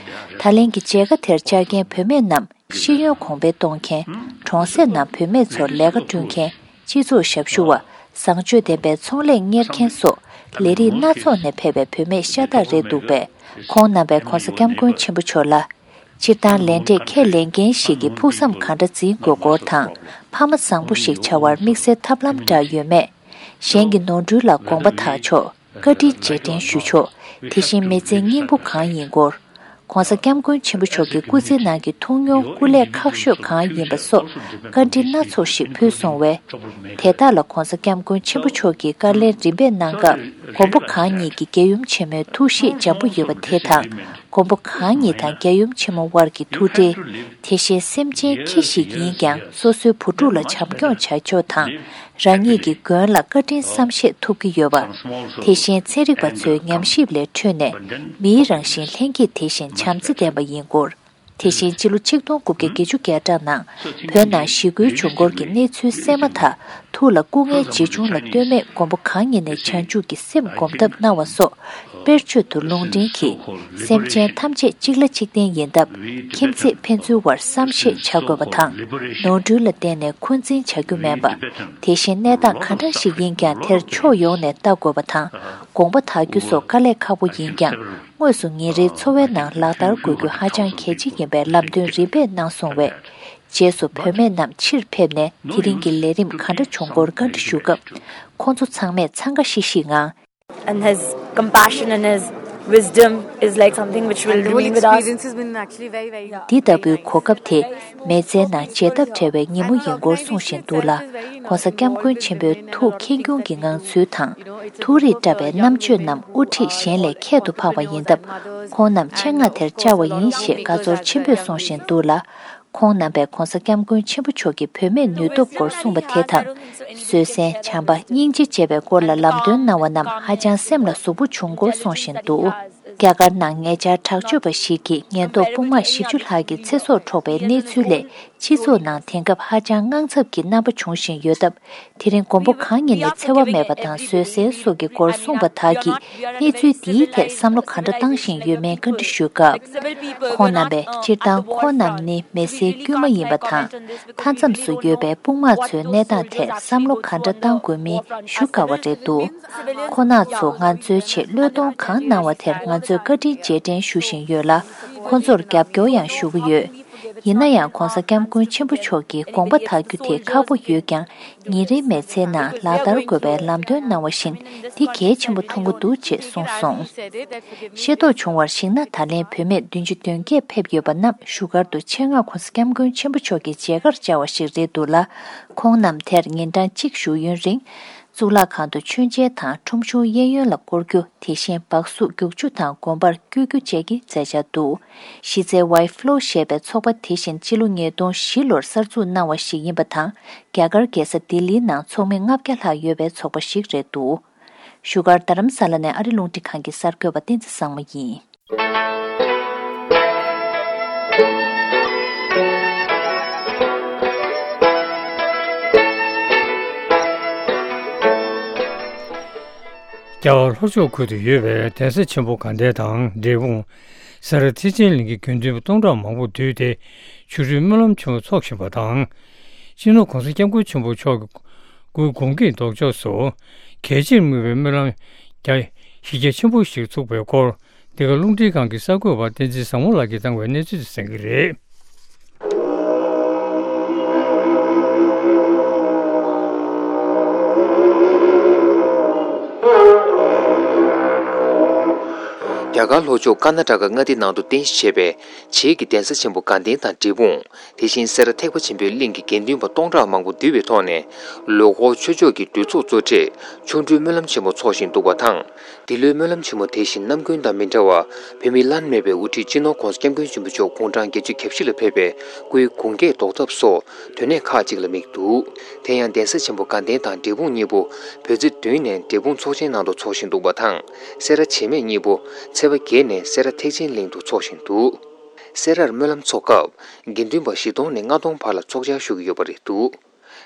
ད་ལན་གྱི་མཇལ་ཁ་དེར་བཅར་མཁན་བུད་མེད་རྣམས། ཤེས་ཡོན་གོང་འཕེལ་གཏོང་མཁན། གྲོང་གསེབ་ནང་བུད་མེད་ཚོར་ལས་ཀ་བསྐྲུན་མཁན། སྤྱི་ཚོགས་ཞབས་ཞུ་བ། བཟང་སྤྱོད་ལྡན་པའི་ཚོང་ལས་གཉེར་མཁན་སོགས་ལས་རིགས་སྣ་ཚོགས་ནས་ཕེབས་པའི་བུད་མེད་ཤ་སྟག་རེད་འདུག་པས། ཁོང་རྣམ་པས་༧གོང་ས་༧སྐྱབས་མགོན་ཆེན་པོ་མཆོག་ལ། སྤྱིར་བཏང་ལས་འབྲས་ཁས་ལེན་མཁན་ཞིག་གི་ཕུགས་བསམ་ག་འདྲ་འཛིན་དགོས་སྐོར་དང་། ཕ་མ་བཟང་པོ་ཞིག་བྱ་བར་དམིགས་བསལ་ཐབས་ལམ་འདྲ་ཡོད་མེད། གཞན་གྱི་ནོར་འཁྲུལ་ལ་དགོངས་པ་དག་ཆོག་བཀའ་དྲིན་རྗེས་དྲན་ཞུ་ཆོག་དེ་བཞིན་མི་ཚེའི་སྙིང་པོ་གང་ཡིན་སྐོར། ༸གོང་ས་༸སྐྱབས་མགོན་ཆེན་པོ་མཆོག་གི་སྐུ་ཚེའི་ནང་གི་ཐུགས་མྱོང་སྐུ་ལས་ཁག་ཤོས་གང་ཡིན་པ་སོགས་བཀའ་འདྲི་སྣ་ཚོགས་ཤིག་ཕུལ་སོང་བས། དེ་དག་ལ་༸གོང་ས་༸སྐྱབས་མགོན་ཆེན་པོ་མཆོག་གིས་བཀའ་ལན་རིམ་པས་གནང་སྐབས། མགོན་པོ་གང་ཉིད་ཀྱི་རྒྱལ་ཡུམ་ཆེན་མོའི་ཐུགས་བཞེད་འཇམ་པོ་ཡོད་པ་དེ་དང་། མགོན་པོ་གང་ཉིད་དང་རྒྱལ་ཡུམ་ཆེན་མོ་དབར་གྱི་ཐུགས་འབྲེལ། དེ་བཞིན་སེམས་ཅན་ཁྱི་ཞིག་ཡིན་ཀྱང་སོ་སོའི་བུ་ཕྲུག་ལ་བྱམས་སྐྱོང་བྱ་ཕྱོགས་དང་། རང་ཉིད་ཀྱི་མགོན་ལ་བཀའ་དྲིན་བསམ་ཤེས་ཐུབ་ཀྱི་ཡོད་པ། དེ་བཞིན་ཚན་རིག་པ་ཚོའི་ཉམས་ཞིབ་ལས་འཕྲོས་ནས་མིའི་རང་བཞིན་ལྷན་སྐྱེས་དེ་བཞིན་བྱམས་བརྩེ་ལྡན་པ་ཡིན་སྐོར། དེ་བཞིན་ཕྱི་ལོ་ཆིག་སྟོང་དགུ་བརྒྱ་བརྒྱད་ཅུ་གྱ་གྲངས་ནང་བོད་ནང་ཞི་རྒོལ་བྱུང་སྐོར་གྱི་གནས་ཚུལ་གསན་མ་ཐག་ཐུགས་ལ་སྐུ་ངལ་ཇི་བྱུང་ལ་ལྟོས་མེད་མགོན་པོ་གང་ཉིད་ནས་བྱང་ཆུབ་ཀྱི་སེམས་སྒོམ་ཐབས་གནང་བ་སོགས། དཔེར་བརྗོད་དུ་ལུང་འདྲེན་གྱིས། སེམས་ཅན་ཐམས་ཅད་གཅིག་ལ་གཅིག་བརྟེན་ཡིན་སྟབས། ཁྱིམ་མཚེས་ཕན་ཚུན་བར་བསམ་ཤེས་བྱ་དགོས་པ་དང་། ནོར་འཁྲུལ་ལ་བརྟེན་ནས་འཁོན་འཛིན་བྱ་རྒྱུ་མིན་པ། དེ་བཞིན་གནས་སྟངས་ག་འདྲ་ཞིག་ཡིན་ཀྱང་དེར་ཕྱོགས་ཡོངས་ནས་ལྟ་དགོས་པ་དང་། དགོངས་པ་དག་རྒྱུ་སོགས་དཀའ་ལས་ཁག་པོ་ཡིན་ཀྱང་། དངོས་སུ་ཉིན་རེའི་འཚོ་བའི་ནང་ལག་བསྟར་དགོས་རྒྱུ་ཧ་ཅང་གལ་ཆེ་ཡིན་པའི་ལམ་སྟོན་རིམ་པས་གནང་སོང་བས། རྗེས་སུ་བུད་མེད་རྣམས་ཕྱིར་ཕེབས་ནས་དེ་རིང་གི་ལས་རིམ་ག་འདྲ་བྱུང་སྐོར་བཀའ་འདྲི་ཞུ་སྐབས། ཁོང་ཚོ་ཚང་མས་འཚང་ཁ་ཤིག་ཤིག་ངང་། And his compassion and his wisdom is like something which will And the whole remain with us. Experience has been actually very, very འདི་ལྟ་བུའི་གོ་སྐབས་དེ་མི་ཚེའི་ནང་བརྗེད་ཐབས་བྲལ་བའི་ཉིན་མོ་ཡིན་སྐོར་གསུངས་བཞིན་འདུག་ལ། ༸གོང་ས་༸སྐྱབས་མགོན་ཆེན་པོའི་ཐུགས་ཁེངས་སྐྱུང་གི་ངང་ཚུལ་དང་། ཐུགས་རིག་བཀྲ་བའི་རྣམ་དཔྱོད་རྣམས་དབུ་ཁྲིད་གཞན་ལས་ཁྱད་དུ་འཕགས་པ་ཡིན་སྟབས། ཁོང་རྣམས་ཆེད་མངགས་དེར་བཅར་བ་ཡིན་ཞེས་དགའ་ཚོར་ཆེན་པོས་གསུངས་བཞིན་འདུག་ལ། ཁོང་རྣམ་པས་༸གོང་ས་༸སྐྱབས་མགོན་ཆེན་པོ་མཆོག་གི་བུད་མེད་ནུས་སྟོབས་སྐོར་གསུངས་པ་དེ་དང་། བཟོད་བསྲན། བྱམས་པ། སྙིང་རྗེ་བཅས་པའི་སྐོར་ལ་ལམ་སྟོན་གནང་བ་རྣམས་ཧ་ཅང་སེམས་ལ་ཟུག་པོ་བྱུང་སྐོར་གསུངས་བཞིན་འདུག་རྒྱ་གར་ནང་ཉེ་ཆར་དྲག་སྤྱོད་པ་ཞིག་གིས་ཉེན་རྟོག་དཔུང་དམག་བཞི་བཅུ་ལྷག་གི་ཚེ་སྲོག་འཕྲོག་པའི་གནས་ཚུལ་ལས་སྤྱི་ཚོགས་ནང་དེང་སྐབས་ཧ་ཅང་དངངས་འཚབ་ཀྱི་རྣམ་པ་འབྱུང་བཞིན་ཡོད་སྟབས། དེ་རིང་མགོན་པོ་གང་ཉིད་ནས་འཚེ་བ་མེད་པ་དང་བཟོད་བསྲན་སོགས་ཀྱི་སྐོར་གསུངས་པ་དག་གིས་གནས་ཚུལ་འདིའི་ཐད་བསམ་བློ་ག་འདྲ་བཏང་བཞིན་ཡོད་མེད་བཀའ་འདྲི་ཞུས་སྐབས། ཁོང་རྣམ་པས་སྤྱིར་བཏང་ཁོང་རྣམས་ནི་མི་སེར་དཀྱུས་མ་ཡིན་པ་དང་། མཐའ་མཚམས་སུ་ཡོད་པའི་དཔུང་དམག་ཚོའི་གནས་སྟངས་ཐད་བསམ་བློ་ག་འདྲ་བཏང་དགོས་མིན་ཞུ་དཀའ་བ་རེད་འདུག་ཁོང་རྣམ་ཚོ་ང་ཚོའི་ཆེད་བློས་གཏོང་གང་གནང་བ་དེར་ང་ཚོས་བཀའ་དྲིན་རྗེས་དྲན་ཞུ་བཞིན་ཡོད་ལ། ཁོང་ཚོར་རྒྱབ་སྐྱོར་ཡང་ཞུ་གི་ཡོད། ཡིན་ན་ཡང་༸གོང་ས་༸སྐྱབས་མགོན་ཆེན་པོ་མཆོག་གི་དགོངས་པ་དག་རྒྱུ་དེ་ཁག་པོ་ཡོད་ཀྱང་། ཉིན་རེའི་མི་ཚེའི་ནང་ལག་བསྟར་དགོས་པའི་ལམ་སྟོན་གནང་བ་བཞིན་འདི་གལ་ཆེན་པོ་མཐོང་གི་འདུག་ཅེས་གསུངས་སོང་། ཤེས་རྟོགས་བྱུང་བར་གཞིགས་ན། ད་ལན་བུད་མེད་བདུན་ཅུ་དོན་བརྒྱད་ཕེབས་ཡོད་པ་རྣམས་བཞུགས་སྒར་དུ་ཆེད་མངགས་༸གོང་ས་༸སྐྱབས་མགོན་ཆེན་པོ་མཆོག་གི་མཇལ་ཁར་བཅར་བ་ཞིག་རེད་འདུག་ལ། ཁོང་རྣམས་དེར་ཉིན་གྲངས་གཅིག་བཞུགས་ཡུན་རིང་། གཙུག་ལག་ཁང་དུ་མཆོད་མཇལ་དང་ཁྲོམ་གཞུང་གཡས་གཡོན་ལ་སྐོར་རྒྱུ། དེ་བཞིན་སྦག་སུག་རྒྱུག་ཆུ་དང་དགོན་པར་བསྐྱོད་རྒྱུ་བཅས་ཀྱི་མཛད་འཆར་འདུག་གཞི་རྩའི་White Flow ཞེས་པའི་ཚོགས་པ་དེ་བཞིན་ཕྱི་ལོ་ཉིས་སྟོང་བཞི་ལོར་གསར་འཛུགས་གནང་བ་ཞིག་ཡིན་པ་དང་། རྒྱ་གར་རྒྱལ་ས་ལྡི་ལིའི་ནང་ཚོགས་མི་ལྔ་བརྒྱ་ལྷག་ཡོད་པའི་ཚོགས་པ་ཞིག་རེད་འདུག་བཞུགས་སྒར་རྡ་རམ་ས་ལ་ནས་ཨ་རི་རླུང་འཕྲིན་ཁང་གི་གསར་འགོད་པ་བསྟན་འཛིན་བཟང་མོ་ཡིན། རྒྱ་གར་ལྷོ་ཕྱོགས་ཁུལ་དུ་ཡོད་པའི་གདན་ས་ཆེན་པོ་དགའ་ལྡན་དང་འབྲས་སྤུངས། ས་རཱ་ཐེག་ཆེན་གླིང་གི་དགེ་འདུན་པ་སྟོང་ཕྲག་མང་པོ་འདུས་ཏེ་ཆོ་འཕྲུལ་སྨོན་ལམ་ཆེན་མོ་འཚོགས་བཞིན་པ་དང་། སྤྱི་ནོར་༸གོང་ས་༸སྐྱབས་མགོན་ཆེན་པོ་མཆོག་གི་སྐུའི་དགུང་གི་ལྡོག་ཕྱོགས་སུ་གལ་ཆེར་དམིགས་པའི་སྨོན་ལམ་རྒྱ་གཞི་རྒྱ་ཆེན་པོ་ཞིག་ཚུགས་པའི་སྐོར། འདི་ག་རླུང་འཕྲིན་ཁང་གི་གསར་འགོད་པ་བསྟན་འཛིན་བཟང་མོ་ལགས་ཀྱིས་བཏང་བའི་གནས་ཚུལ་དེ་གསན་གྱི་རེད། རྒྱ་ རྒྱ་གར་ལྷོ་ཕྱོགས་ཀར་ན་ཊ་ཀ་མངའ་སྡེ་ནང་དུ་རྟེན་གཞི་བྱས་པའི་བྱེས་ཀྱི་གདན་ས་ཆེན་པོ་དགའ་ལྡན་དང་འབྲས་སྤུངས། དེ་བཞིན་སེ་ར་ཐེག་པ་ཆེན་པོའི་གླིང་གི་དགེ་འདུན་པ་སྟོང་ཕྲག་མང་པོ་འདུས་པའི་ཐོག་ནས། ལོ་འཁོར་ཆོས་ཕྱོགས་ཀྱི་འདུ་ཚོགས་གཙོ་གྲས་ཆོ་འཕྲུལ་སྨོན་ལམ་ཆེན་མོ་འཚོགས་བཞིན་འདུག་པ་དང་། འདི་ལོའི་སྨོན་ལམ་ཆེན་མོ་དེ་བཞིན་ནམ་རྒྱུན་དང་མི་འདྲ་བར། བོད་མིའི་བླ་ན་མེད་པའི་དབུ་ཁྲིད་སྤྱི་ནོར་༸གོང་ས་༸སྐྱབས་མགོན་ཆེན་པོ་མཆོག་དགུང་གྲངས་བརྒྱད་ཅུ་གྱ་བཞི་ལ་ཕེབས་པའི་སྐུའི་དགུང་རྒྱས་བཟློག་ཐབས་སོགས་དོན་གནད་ཁག་ཅིག་ལ་དམིགས་འདུག་དེ་ཡང་གདན་ས་ཆེན་པོ་དགའ་ལྡན་དང་འབྲས་སྤུངས་གཉིས་པོ་བོད་ཚེས་བདུན་ནས་འབྲས་སྤུངས་ཚོགས་ཆེན་ནང་དུ་འཚོགས་བཞིན་འདུག་པ་དང་། སེ་ར་བྱེས་སྨད་གཉིས་པོ་ཚེས་པ་བརྒྱད་ནས་སེ་ར་ཐེག་ཆེན་གླིང་དུ་འཚོགས་བཞིན་འདུག་སེ་རར་སྨོན་ལམ་འཚོགས་སྐབས་དགེ་འདུན་པ་བཞི་སྟོང་ནས་ལྔ་སྟོང་བར་ལ་ཚོགས་བཅར་ཞུ་གི་ཡོད་པ་རེད་འདུག་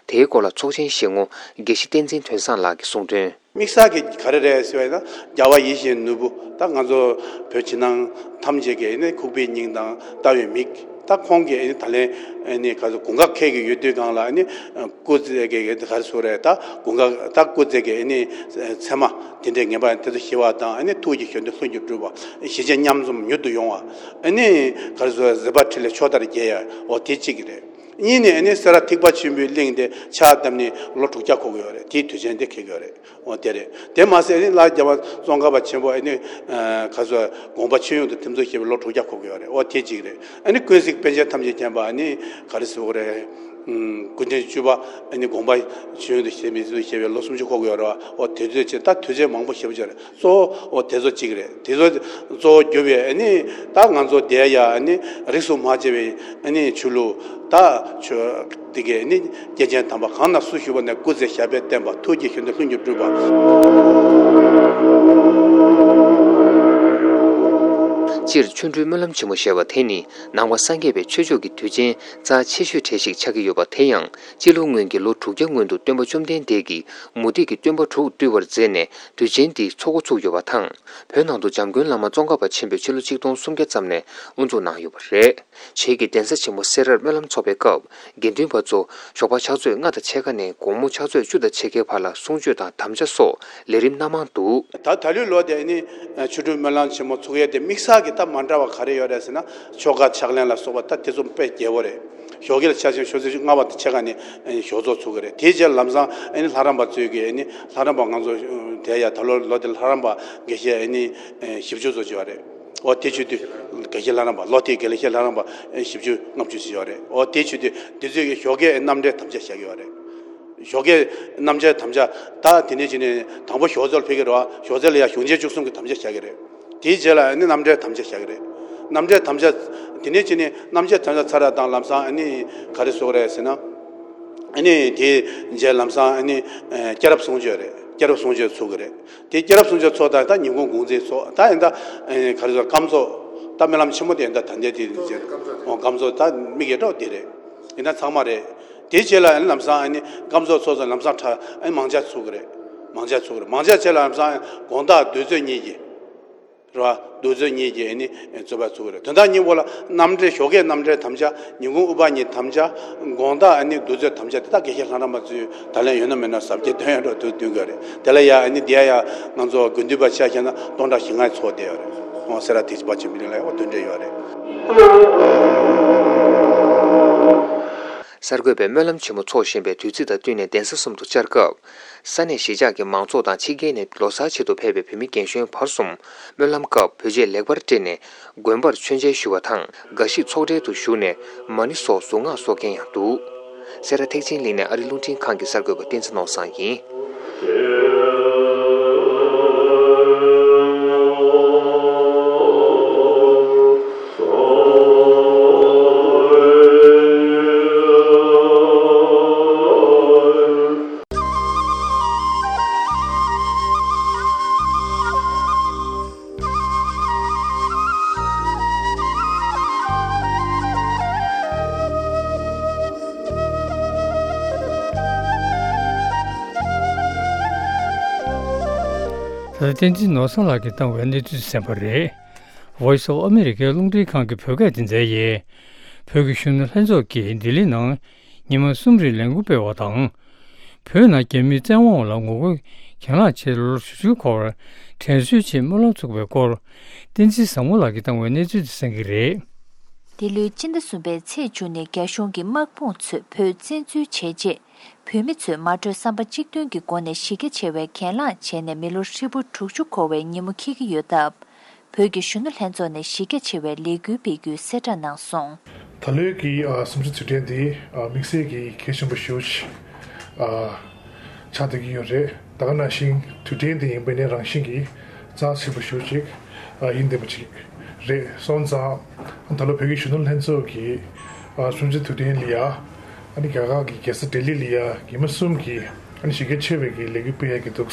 དེའི་སྐོར་ལ་ཚོགས་ཆེན་བཞེས་ངོ་དགེ་བཤེས་བསྟན་འཛིན་དོན་བཟང་ལགས་ཀྱིས་གསུངས་དོན། དམིགས་བསལ་གྱི་ག་རེ་རེད་ཟེར་བ་ཡིན་ན། རྒྱལ་བ་ཡིད་བཞིན་ནོར་བུ་ད་ང་ཚོ་བོད་ཕྱི་ནང་ཐམས་ཅད་ཀྱི་ཨ་ནི་ཁུག་པའི་སྙིང་དང་ལྟ་བའི་མིག་ད་ཁོང་གིས་ཨ་ནི་ད་ལན་ཨ་ནི་ག་ཚོད་དགུན་ཁ་འཁེལ་གྱི་ཡོད་དུས་སྒང་ལ་ཨ་ནི་སྐུ་ཚེ་གི་ག་རེ་ཟེར་རེད། ད་དགུན་ཁ་ད་སྐུ་ཚེ་གི་ཨ་ནི་མཚན་མ་དེ་འདྲའི་ངེས་པ་དེ་ཚོ་ཞི་བ་དང་ཨ་ནི་ཐུགས་ཀྱི་གཞོན་དུ་ལྷུན་གྱིས་གྲུབ་པ། ཞི་བྱེད་མཉམ་འཛོམས་མྱུར་དུ་ཡོང་བ། ཨ་ནི་ག་རེ་ཟེར་བ། བཟོད་པ་འཕྲིན་ལས་ཕྱོགས་མཐར་རྒྱས་ཡ། འོ་དེ་གཅིག་གི་རེད། གཉིས་ནས་ཨ་ནི་སེ་ར་ཐེག་པ་ཆེན་པོའི་གླིང་དེ་ཕྱག་བཏབ་ནས་ལོ་དྲུག་བརྒྱ་འཁོར་གི་ཡོད་རེད། དེའི་དུས་ཆེན་དེ་འཁེལ་གི་ཡོད་རེད། འོ་དེ་རེད། དེ་མ་ཟད་ཨ་ནི་ལྷ་རྒྱལ་བ་ཙོང་ཁ་པ་ཆེན་པོ་ཨ་ནི་ག་ཚོད་དགོངས་པ་ཆོས་ཡོངས་དང་ཐིམ་ཚོགས་ཞེས་པའི་ལོ་དྲུག་བརྒྱ་འཁོར་གི་ཡོད་རེད། འོ་དེ་གཅིག་རེད། ཨ་ནི་ཀུན་གཟིགས་པཎ་ཆེན་ཐམས་ཅད་མཁྱེན་པ་ཨ་ནི་ག་རེ་ཟེར་དགོས་རེད། ཀུན་མཁྱེན་བཅུ་པ་ཨ་ནི་དགོངས་པ་ཆོས་ཡོངས་དང་ཞེས་མི་ཚོས་ཞེས་པའི་ལོ་སུམ་ཅུ་འཁོར་གི་ཡོད་རེད་བ། འོ་དེ་ཚོད་ཅེས་ད་དུས་ཆེན་མང་པོ་ཞེ་པོ་ཅིག་རེད། གཙོ་བོ་འོ་དེ་ཚོ་གཅིག་རེད། དེ་ཚོ་གཙོ་བོ་གྱུར་པའི་ཨ་ནི་ད་ང་ཚོ་འདིར་ཡ་ཨ་ནི་རིས་སུ་མ་ཆད་པའི་ཨ་ནི་ཆོས་ལུགས་ད་ཆོས་དེ་གའི་ཨ་ནི་སྐྱེས་ཆེན་དམ་པ་གང་ན་སུ་བཞུགས་པ་ནས་སྐུ་ཚེ་ཞབས་པད་བརྟན་པ། ཐུགས་ཀྱི་གཞོན་དུ་ལྷུན་གྱིས་གྲུབ་པ། སྤྱིར་ཆོ་འཕྲུལ་སྨོན་ལམ་ཆེན་མོ་ཞེས་པ་དེ་ནི་ནང་པ་སངས་རྒྱས་པའི་ཆོས་ཕྱོགས་ཀྱི་དུས་ཆེན་རྩ་ཆེ་ཤོས་གྲས་ཤིག་ཆགས་ཀྱི་ཡོད་པ། དེ་ཡང་སྤྱི་ལོ་སྔོན་གྱི་ལོ་དྲུག་བརྒྱ་སྔོན་དུ་སྟོན་པ་བཅོམ་ལྡན་འདས་ཀྱིས་མུ་སྟེགས་ཀྱི་སྟོན་པ་དྲུག་བཏུལ་བར་མཛད་ནས་དུས་ཆེན་འདི་འཚོགས་འགོ་ཚུགས་ཡོད་པ་དང་། བོད་ནང་དུ་འཇམ་མགོན་བླ་མ་ཙོང་ཁ་པ་ཆེན་པོས་ཕྱི་ལོ་ཆིག་སྟོང་སུམ་བརྒྱ་ཙམ་ནས་དབུ་འཛུགས་གནང་ཡོད་པ་རེད། བྱེས་ཀྱི་གདན་ས་ཆེན་མོ་སེ་རར་སྨོན་ལམ་འཚོགས་པའི་སྐབས། དགེ་འདུན་པ་ཚོ་ཞོགས་པ་ཕྱག་ཚོད་ལྔ་དང་ཕྱེད་ཀ་ནས་དགོང་མོ་ཕྱག་ཚོད་བཅུ་དང་ཕྱེད་ཀའི་བར་ལ་གསུང་ཆོས་དང་དམ་བཅའ་སོགས་ལས་རིམ་སྣ་མང་འདུག་ད་ད་ལོའི་ལོ་དེ་ནི་ཆོ་འཕྲུལ་སྨོན་ལམ་ཆེན་མོ་ཚོགས་ཡས་དེ་དམིགས་བསལ་གྱི་ད་མ་འདྲ་བ་ག་རེ་ཡོད་རེད་ཟེར་ན། ཆོ་ག་ཕྱག་ལེན་ལ་སོགས་པ་ད་དེ་ཚོ་དཔེ་རྒྱས་པོ་རེད། ཞོགས་ཀས་ལ་ཆ་ཆེན་ཞོགས་ཚོད་ལྔ་པ་དང་ཕྱེད་ཀ་ནས་ཞོགས་ཚོགས་ཚོགས་ཀྱི་རེད། དེའི་རྗེས་ལམ་སང་ཨ་ནི་ལྷ་རམས་པ་ཚོས་ཀྱི་ཨ་ནི་ལྷ་རམས་པ་ང་ཚོ་དེ་ཡ་ད་ལོ་ལོ་དེ་ལྷ་རམས་པ་དགེ་བཤེས་ཨ་ནི་བཞི་བཅུ་ཚོ་བྱས་པ་རེད། འོ་དེ་བྱེད་དུས་དགེ་བཤེས་ལྷ་རམས་པ་ལོ་དེའི་དགེ་བཤེས་ལྷ་རམས་པ་བཞི་བཅུ་ལྔ་བཅུ་ཞིག་ཡོད་རེད། འོ་དེ་བྱེད་དུས་དེ་ཚོས་ཀྱི་ཞོགས་ཀས་རྣམ་འགྲེལ་དམ་བཅའ་བཞག་གི་ཡོད་རེད། ཞོགས་ཀས་རྣམ་འགྲེལ་དམ་བཅའ་ད་དེ་ནས་ཅི་ནས་དང་པོ་ཞོགས་ཚོད་ལ་ཕེབས་ཀྱི་རེད་བ། ཞོགས་ཚོད་ལ་ཡ་གཞུང་ཆེན་བཅུ་གསུམ་གྱི་དམ་བཅའ་བཞག་གི་རེད། དེའི་རྗེས་ལ་ཨ་ནི་རྣམ་འགྲེལ་དམ་བཅའ་བཞག་གི་རེད། རྣམ་འགྲེལ་དམ་བཅའ་དེ་ནས་ཅི་ནས་རྣམ་འགྲེལ་དམ་བཅའ་ཚར་བ་དང་ལམ་སང་ཨ་ནི་ག་རེ་ཟེར་དགོས་རེད་ཟེར་ན། ཨ་ནི་དེའི་རྗེས་ལམ་སང་ཨ་ནི་སྐྱེས་རབས་གསུང་ཆོས་རེད། སྐྱེས་རབས་གསུང་ཆོས་ཚོགས་ཀྱི་རེད། དེ་སྐྱེས་རབས་གསུང་ཆོས་ཚོགས་དང་ད་ཉིན་གུང་གུང་ཚིགས་ཚོགས་ད་ཡིན་ད། ཨེ་ག་རེ་ཟེར་སྐབས་ཚོགས་ད་སྨོན་ལམ་ཆེན་མོ་དེ་ཡིན་ད། ད་འདས་དེ་ཨོ་སྐབས་ཚོགས་ད་དམིགས་ཡས་འགྲོ་དེ་རེད། ཡིན་ད་ཚང་མ་རེད། དེའི་རྗེས་ལ་ཨ་ནི་ལམ་སང་ཨ་ནི་སྐབས་ཚོགས་ཚོགས་ཚོགས་ལམ་སང་ཁྲ་ཨ་ནི་མང་ཇ་ཚོགས་ཀྱི་རེད། མང་ཇ་ཚོགས་ཀྱི་རེད། མང་ཇ་རྗེས་ལ་ལམ་སང་དགོང་དག་གདུགས་ཚོད་གཉིས་ཀྱི་རེད་བ། གདུགས་ཚོད་གཉིས་ཀྱི་ཨ་ནི་རྩོད་པ་ཚོགས་ཀྱི་རེད། དོན་དག་གཉིས་པོ་ལ་རྣམ་འགྲེལ་ཞོགས་ཀས་རྣམ་འགྲེལ་དམ་བཅའ། ཉིན་གུང་ཨུཏྤལ་གཉིས་དམ་བཅའ། དགོང་དག་ཨ་ནི་གདུགས་ཚོད་དམ་བཅའ་དེ་དག་དགེ་བཤེས་ལྷ་རམས་པ་ཚོས་ད་ལན་ཡོད་ན་མེད་ན་གཟབ་རྒྱས་འདོན་ཡ་འགྲོ་དུས་འདོན་དགོས་རེད། དེ་ལ་ཡ་ཨ་ནི་འདི་ཡ་ཡ་ང་ཚོ་དགེ་འདུན་པ་ཆ་བཞག་ན་སྟོང་ཕྲག་བཞི་ལྔ་ཚོགས་བསྡད་ཡོད་རེད། ཨོ་སེ་ར་ཐེག་པ་ཆེན་པོའི་གླིང་ལ་ཡ་འོ་དེ་འདྲ་ཡོད་རེད། གསར་འགོད་པས་སྨོན་ལམ་ཆེན་མོ་འཚོགས་བཞིན་པའི་དུས་ཚིགས་དང་བསྟུན་ནས་གདན་ས་གསུམ་དུ་བཅར་སྐབས། ས་གནས་གཞིས་ཆགས་ཀྱི་མང་ཚོགས་དང་ཕྱི་རྒྱལ་ནས་ལོ་གསར་ཆེད་དུ་ཕེབས་པའི་བོད་མི་རྒན་གཞོན་བར་གསུམ་སྨོན་ལམ་སྐབས་བོད་ཆས་ལེགས་པར་སྤྲས་ནས་དགོན་པར་མཆོད་མཇལ་ཞུ་བ་དང་། དགའ་ཞིག་ཚོགས་གྲལ་དུ་བཞུགས་ནས་མ་ཎི་སོགས་གཟུངས་སྔགས་གསོག་མཁན་ཡང་འདུག་སེ་ར་ཐེག་ཆེན་གླིང་ནས་ཨ་རི་རླུང་འཕྲིན་ཁང་གི་གསར་འགོད་པ་བསྟན་འཛིན་ནོར་བཟང་ཡིན། ད་བསྟན་འཛིན་ནོར་བཟང་ལགས་ཀྱིས་བཏང་བའི་གནས་ཚུལ་གསན་པ་རེད། Voice of America རླུང་འཕྲིན་ཁང་གི་བོད་སྐད་སྡེ་ཚན་ཡིས། བོད་ཀྱི་གཞོན་ནུ་ལྷན་ཚོགས་ཀྱིས་ལྡི་ལི་ནང་ཉི་མ་གསུམ་རིང་ལས་འགུལ་སྤེལ་བ་དང་། བོད་ནང་རྒྱ་མིའི་བཙན་དབང་ལ་ངོ་རྒོལ་གྱེན་ལངས་ཆེད་ལོ་དྲུག་ཅུ་འཁོར་བར་དྲན་གསོའི་ཆེད་སྨོན་ལམ་ཚོགས་པའི་སྐོར། བསྟན་འཛིན་བཟང་མོ་ལགས་ཀྱིས་བཏང་བའི་གནས་ཚུལ་དེ་གསན་གྱི་རེད། འདི་ལོའི་སྤྱི་ཟླ་གསུམ་པའི་ཚེས་བཅུ་ནས་རྒྱ་གཞུང་གི་དམག་དཔུང་ཚོས་བོད་བཙན་འཛུལ་བྱས་རྗེས། བོད་མི་ཚོས་མ་གྲོས་བསམ་པ་གཅིག་མཐུན་གྱི་སྒོ་ནས་གཞི་རྒྱ་ཆེ་བའི་གྱེན་ལངས་བྱས་ནས་མི་ལོ་ཧྲིལ་པོ་དྲུག་ཅུ་འཁོར་བའི་ཉིན་མོ་འཁེལ་གྱི་ཡོད་སྟབས། བོད་ཀྱི་གཞོན་ནུ་ལྷན་ཚོགས་ནས་གཞི་རྒྱ་ཆེ་བའི་ལས་འགུལ་སྤེལ་རྒྱུའི་གསལ་བསྒྲགས་གནང་སོང་། ད་ལོའི་གི་ཨ་གསུམ་བཅུ་དུས་དྲན་འདི་ཨ་དམིགས་བསལ་གྱི་གལ་ཆེན་པོ་ཞེ་པོ་ཅིག་ཨ་ཆགས་བསྡད་ཀྱི་ཡོད་རེད། ད་ག་ནང་བཞིན་དུས་དྲན་འདི་ཡིན་པ་ནི་རང་བཞིན་གྱིས་རྩ་ཆེན་པོ་ཞེ་པོ་ཅིག་ཨ་ཡིན་བསྡད་པ་ཅིག་རེད་སོང་ཙང་། ད་ལོ་བོད་ཀྱི་གཞོན་ནུ་ལྷན་ཚོགས་ཀྱི་ཨ་གསུམ་བཅུ་དུས་དྲན་ལ་ཡ་ཨ་ནི་རྒྱ་གར་གྱི་རྒྱལ་ས་ལྡི་ལི་ལ་ཡ་རྒྱལ་མི་གསུམ་གྱིས་ཨ་ནི་གཞི་རྒྱ་ཆེ་བའི་གི་ལས་འགུལ་སྤེལ་ཡ་གི་འདུག་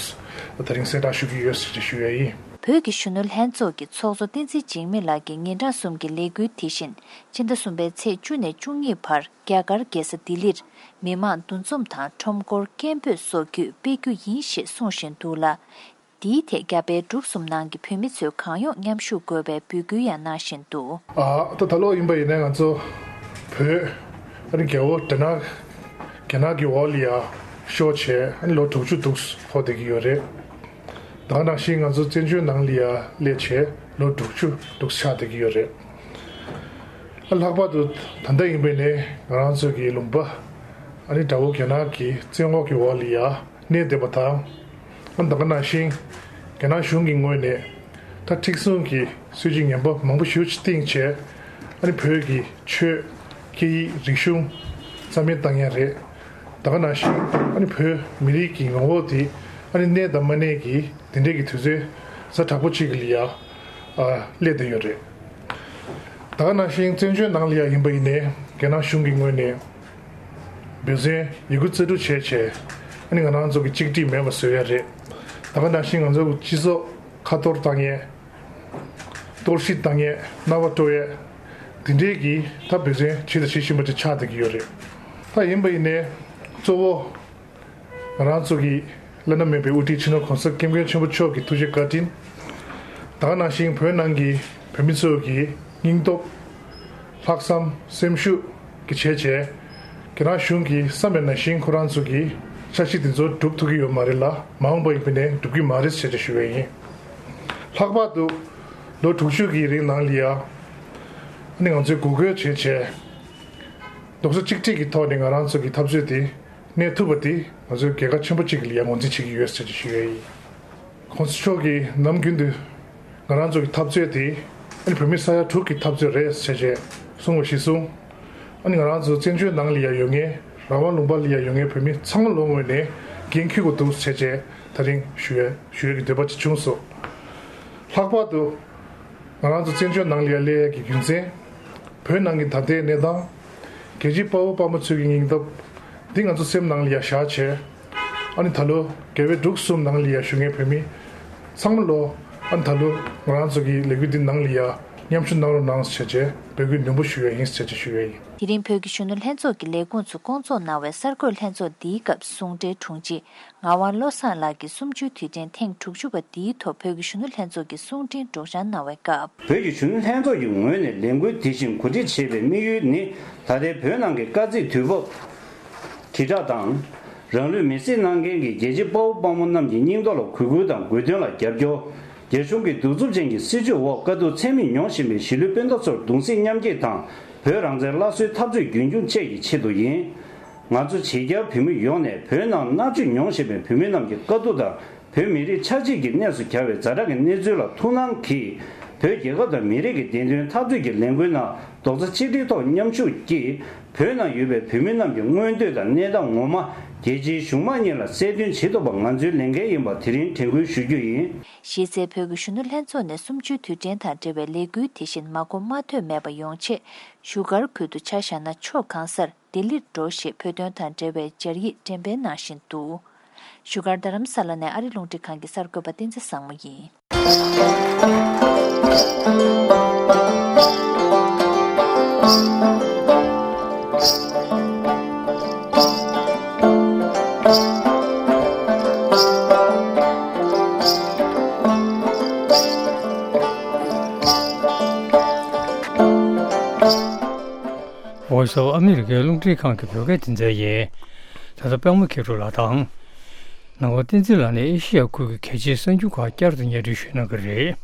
ད་རིང་གསལ་བསྒྲགས་ཞུ་གི་ཡོད་ཟེར་ཅིག་ཞུ་ཡ་ཡིན། བོད་ཀྱི་གཞོན་ནུ་ལྷན་ཚོགས་ཀྱི་ཚོགས་གཙོ་བསྟན་འཛིན་འཇིགས་མེད་ལགས་ཀྱིས་ཉིན་གྲངས་གསུམ་གྱི་ལས་འགུལ་དེ་བཞིན་ཕྱི་ཟླ་གསུམ་པའི་ཚེས་བཅུ་ནས་བཅུ་གཉིས་བར་རྒྱ་གར་རྒྱལ་ས་ལྡི་ལིར་མི་མང་འདུ་འཛོམས་དང་ཁྲོམ་སྐོར་སྐད་འབོད་སོགས་བརྒྱུད་སྤེལ་རྒྱུ་ཡིན་ཞེས་གསུངས་བཞིན་འདུག་ལ། འདིའི་ཐད་རྒྱ་བལ་འབྲུག་གསུམ་ནང་གི་བོད་མི་ཚོས་གང་ཡོང་མཉམ་ཞུགས་དགོས་པའི་འབོད་སྐུལ་ཡང་གནང་བཞིན་འདུག་ཨ་ད་ད་ལོ་ཡིན་པ་ཡིན་ན་ང་ཚོ་བོད་ཨ་ནི་རྒྱལ་པོ་རྒྱ་ནག་རྒྱ་ནག་གི་འོག་ལ་ཡ་ཤོར་བྱས་ཨ་ནི་ལོ་དྲུག་ཅུ་འདུག་འཁོར་བསྡད་ཀྱི་ཡོད་རེད། ད་ག་ནང་བཞིན་ང་ཚོ་བཙན་བྱོལ་ནང་ལ་ཡ་སླེབས་བྱས་ལོ་དྲུག་ཅུ་འདུག་ཆགས་བསྡད་ཀྱི་ཡོད་རེད། ཨ་ལྷག་པར་དུ་ད་ལྟ་ཡིན་པ་ཡིན་ནའི་ང་རང་ཚོ་གི་ལུང་པ་ཨ་ནི་དགྲ་བོ་རྒྱ་ནག་གི་བཙན་འོག་གི་འོག་ལ་ཡ་གནས་བསྡད་པ་དང་། ཨ་ད་ག་ནང་བཞིན་རྒྱ་ནག་གཞུང་གི་ངོས་ནས་ད་མཁྲེགས་བཟུང་གི་སྲིད་ཇུས་ངན་པ་མང་པོ་ཞེ་པོ་ཅིག་བཏིང་བྱས་ཨ་ནི་བོད་ཀྱི་ཆོས་སྐད་ཡིག་རིག་གཞུང་རྩ་མེད་བཏང་ཡ་རེད། ད་ག་ནང་བཞིན་ཨ་ནི་བོད་མི་རིགས་ཀྱི་ངོ་བོ་དེ་ཨ་ནི་གནས་དང་མ་གནས་ཀྱི་དེ་འདྲས་ཀྱི་དུས་ཚོད་ཛ་དྲག་པོ་ཅིག་ལ་ཡ་ཨ་སླེབས་བསྡད་ཡོད་རེད། ད་ག་ནང་བཞིན་བཙན་བྱོལ་ནང་ལ་ཡ་ཡིན་པ་ཡིན་ནའི་རྒྱ་ནག་གཞུང་གི་ངོས་ནས་འབད་བརྩོན་ཡི་གུ་རྩལ་སྤྲུགས་བྱས་བྱས་ཨ་ནི་ང་རང་ཚོ་གི་གཅིག་སྒྲིལ་མེད་པ་བཟོ་ཡ་རེད། ད་ག་ནང་བཞིན་ང་ཚོ་གི་སྤྱི་ཚོགས་ཁ་གཏོར་བཏང་ཡས། གཏོར་བཤིག་བཏང་ཡས། རྣ་བ་སྤྲོ་ཡས། འདི་འདྲས་ཀྱི་ད་འབད་བརྩོན་བྱེད་དང་བྱེད་བཞིན་པ་ཅིག་ཆགས་བསྡད་ཀྱི་ཡོད་རེད། ད་ཡིན་པ་ཡིན་ནའི་གཙོ་བོ། ང་རང་ཚོ་གི་བླ་ན་མེད་པའི་དབུ་ཁྲིད་སྤྱི་ནོར་གོང་ས་སྐྱབས་མགོན་ཆེན་པོ་མཆོག་གི་ཐུགས་རྗེ་བཀའ་དྲིན། ད་ག་ནང་བཞིན་བོད་ནང་གི་བོད་མི་ཚོ་གི་སྙིང་སྟོབས། ལྷག་བསམ་སེམས་ཤུགས་ཀྱི་བྱས་བྱས། རྒྱ་ནག་གཞུང་གིས་བསམ་པ་ནང་བཞིན་ཁོ་རང་ཚོ་གི་འཆར་གཞི་དེ་ཚོ་སྒྲུབ་ཐུབ་ཀྱི་ཡོད་མ་རེད་ལ་མ་འོངས་པ་ཡིན་པ་ནས་སྒྲུབ་ཀྱི་མ་རེད་ཟེར་ཏེ་ཞུ་བ་ཡིན། ལྷག་པར་དུ་ལོ་དྲུག་ཅུ་གི་རིང་ནང་ལ་ཡ། ཨ་ནི་ང་ཚོས་འགུག་སྐྱོད་བྱས་བྱས། རྡོག་རྩ་གཅིག་སྒྲིལ་གྱི་ཐོག་ནས་ང་རང་ཚོ་གི་འཐབ་རྩོད་དེ་གནས་ཐུབ་པ་དེ་ང་ཚོའི་རྒྱལ་ཁ་ཆེན་པོ་གཅིག་ལ་ཡང་ངོས་འཛིན་བྱེད་ཀྱི་ཡོད་ཟེར་ཅིག་ཞུ་ཡ་ཡིན། གོང་ས་མཆོག་གིས་ནམ་རྒྱུན་དུ་ང་རང་ཚོ་གི་འཐབ་རྩོད་དེ་ཨ་ནི་བོད་མི་ས་ཡ་དྲུག་གི་འཐབ་རྩོད་རེད་ཟེར་བྱས་གསུངས་པ་གཞིར་བཟུང་། ཨ་ནི་ང་རང་ཚོ་བཙན་བྱོལ་ནང་ལ་ཡང་ཡོད་མཁན་རང་དབང་ལུང་པ་ལ་ཡང་ཡོད་མཁན་བོད་མི་ཚང་མ་ལོ་ངོས་ནས་འགན་འཁུར་དགོས་འདུག་ཟེར་བྱས་ད་རིང་ཞུ་ཡ་ཞུ་ཡ་གི་འདོད་པ་ཅིག་བྱུང་སོང་། ལྷག་པར་དུ། ང་རང་ཚོ་བཙན་བྱོལ་ནང་ལ་ཡ་སླེབས་ཡས་ཀྱི་རྒྱུ་མཚན། བོད་ནང་གི་ད་ལྟའི་གནས་སྟངས། རྒྱལ་གཅེས་དཔའ་བོ་དཔའ་མོ་ཚོའི་གི་སྙིང་སྟོབས། འདི་ང་ཚོ་སེམས་ནང་ལ་ཡ་བཞག་བྱས། ཨ་ནི་ད་ལོ་རྒྱ་བལ་འབྲུག་གསུམ་ནང་ལ་ཡ་བཞུགས་མཁན་བོད་མི་ཚང་མ་ལོ། ཨ་ནི་ད་ལོ་ང་རང་ཚོ་གི་ལས་འགུལ་འདི་ནང་ལ་ཡ་མཉམ་ཞུགས་གནང་རོགས་གནང་ཟེར་བྱས་འབོད་སྐུལ་ནན་པོ་ཞུ་ཡ་ཡིན་ཟེར་བྱས་ཞུ་ཡ་ཡིན། དེ་རིང་བོད་ཀྱི་གཞོན་ནུ་ལྷན་ཚོགས་ཀྱི་ལས་ཁུངས་སུ་སྐོང་ཚོགས་གནང་བའི་གསར་འགོད་ལྷན་ཚོགས་འདིའི་སྐབས་གསུང་གྲོས་དྲུང་ཆེ་ངག་དབང་བློ་བཟང་ལགས་ཀྱིས་གསུམ་བཅུའི་དུས་དྲན་ཐེངས་དྲུག་ཅུ་པ་འདིའི་ཐོག་བོད་ཀྱི་གཞོན་ནུ་ལྷན་ཚོགས་ཀྱི་གསུང་འཕྲིན་སྒྲོག་སྦྱང་གནང་བའི་སྐབས། བོད་ཀྱི་གཞོན་ནུ་ལྷན་ཚོགས་ཀྱི་ངོས་ནས་ལས་འགུལ་དེ་བཞིན་གོ་སྒྲིག་བྱེད་པའི་དམིགས་ཡུལ་ནི། ད་ལྟའི་བོད་ནང་གི་དཀའ་ཚེགས་དུས་བབ་དྲིལ་བསྒྲགས་དང་། རང་ལུས་མེར་སྲེག་གནང་མཁན་གྱི་རྒྱལ་གཅེས་དཔའ་བོ་དཔའ་མོ་རྣམས་ཀྱི་སྙིང་སྟོབས་ལ་གུས་བཀུར་དང་དགོས་དོན་ལ་རྒྱབ་སྐྱོར། རྒྱ་གཞུང་གི་གདུག་རྩུབ་ཅན་གྱི་སྲིད་བྱུས་འོག་དཀའ་སྡུག་ཚད་མེད་མྱོང་བཞིན་པའི་གཞིས་ལུས་སྤུན་ཟླ་ཚོར་གདུང་སེམས་མཉམ་སྐྱེད་དང་། བོད་རང་བཙན་སླར་གསོའི་འཐབ་རྩོད་རྒྱུན་འཁྱོངས་བཅས་ཀྱི་ཆེད་དུ་ཡིན། ང་ཚོ་བྱེས་རྒྱ་བོད་མི་ཡོངས་ནས་བོད་ནང་མནར་གཅོད་མྱོང་བཞིན་པའི་བོད་མི་རྣམས་ཀྱི་དཀའ་སྡུག་དང་། བོད་མི་རིགས་ཆགས་འཇིག་གི་གནས་སུ་གྱར་བའི་ཛ་དྲག་གི་གནས་ཚུལ་ལ་ཐུགས་སྣང་གིས། བོད་རྒྱལ་ཁབ་དང་མི་རིགས་ཀྱི་བདེན་དོན་འཐབ་རྩོད་ཀྱི་ལས་འགུལ་ནང་རྡོག་རྩ་གཅིག་སྒྲིལ་ཐོག་མཉམ་ཞུགས་ཀྱིས། བོད་ནང་ཡོད་པའི་བོད་མི་རྣམས་ཀྱི་མངོན་འདོད་དང་གནས་སྟངས་ངོ་མ་རྒྱལ་སྤྱིའི་གཞུང་མང་གཉིས་ལ་གསལ་སྟོན་བྱེད་ཐུབ་པ་ང་ཚོའི་ལས་འགན་ཡིན་པ་དེ་རིང་དྲན་སྐུལ་ཞུ་རྒྱུ་ཡིན། གཞི་རྩའི་བོད་ཀྱི་གཞོན་ནུ་ལྷན་ཚོགས་ནས་གསུམ་བཅུའི་དུས་དྲན་དང་འབྲེལ་བའི་ལས་འགུལ་དེ་བཞིན་མ་གོ་མ་ཐོས་མེད་པ་ཡོང་ཆེད། བཞུགས་སྒར་ཁུལ་དུ་ཆ་བཞག་ན་ཕྱོགས་གང་སར་ལྡི་ལིར་འགྲོ་ཞེས་བོད་དོན་དང་འབྲེལ་བའི་སྦྱར་ཡིག་འགྲེམས་སྤེལ་གནང་བཞིན་འདུག་བཞུགས་སྒར་རྡ་རམ་ས་ལ་ནས་ཨ་རི་རླུང་འཕྲིན་ཁང་གི་གསར་འགོད་པ་བསྟན་འཛིན་བཟང་མོ་ཡིན། Voice of America རླུང་འཕྲིན་ཁང་གི་བོད་སྐད་སྡེ་ཚན་ཡིན། ད་ལྟ་པད་མ་མཁས་གྲུབ་ལགས་དང་། ནང་པ་བསྟན་འཛིན་ལགས་ནས་ཨེ་ཤི་ཡ་ཁུལ་གྱི་གལ་ཆེའི་གསར་འགྱུར་ཁག་བསྐྱར་དུ་སྙན་སྒྲོན་ཞུ་གནང་གི་རེད།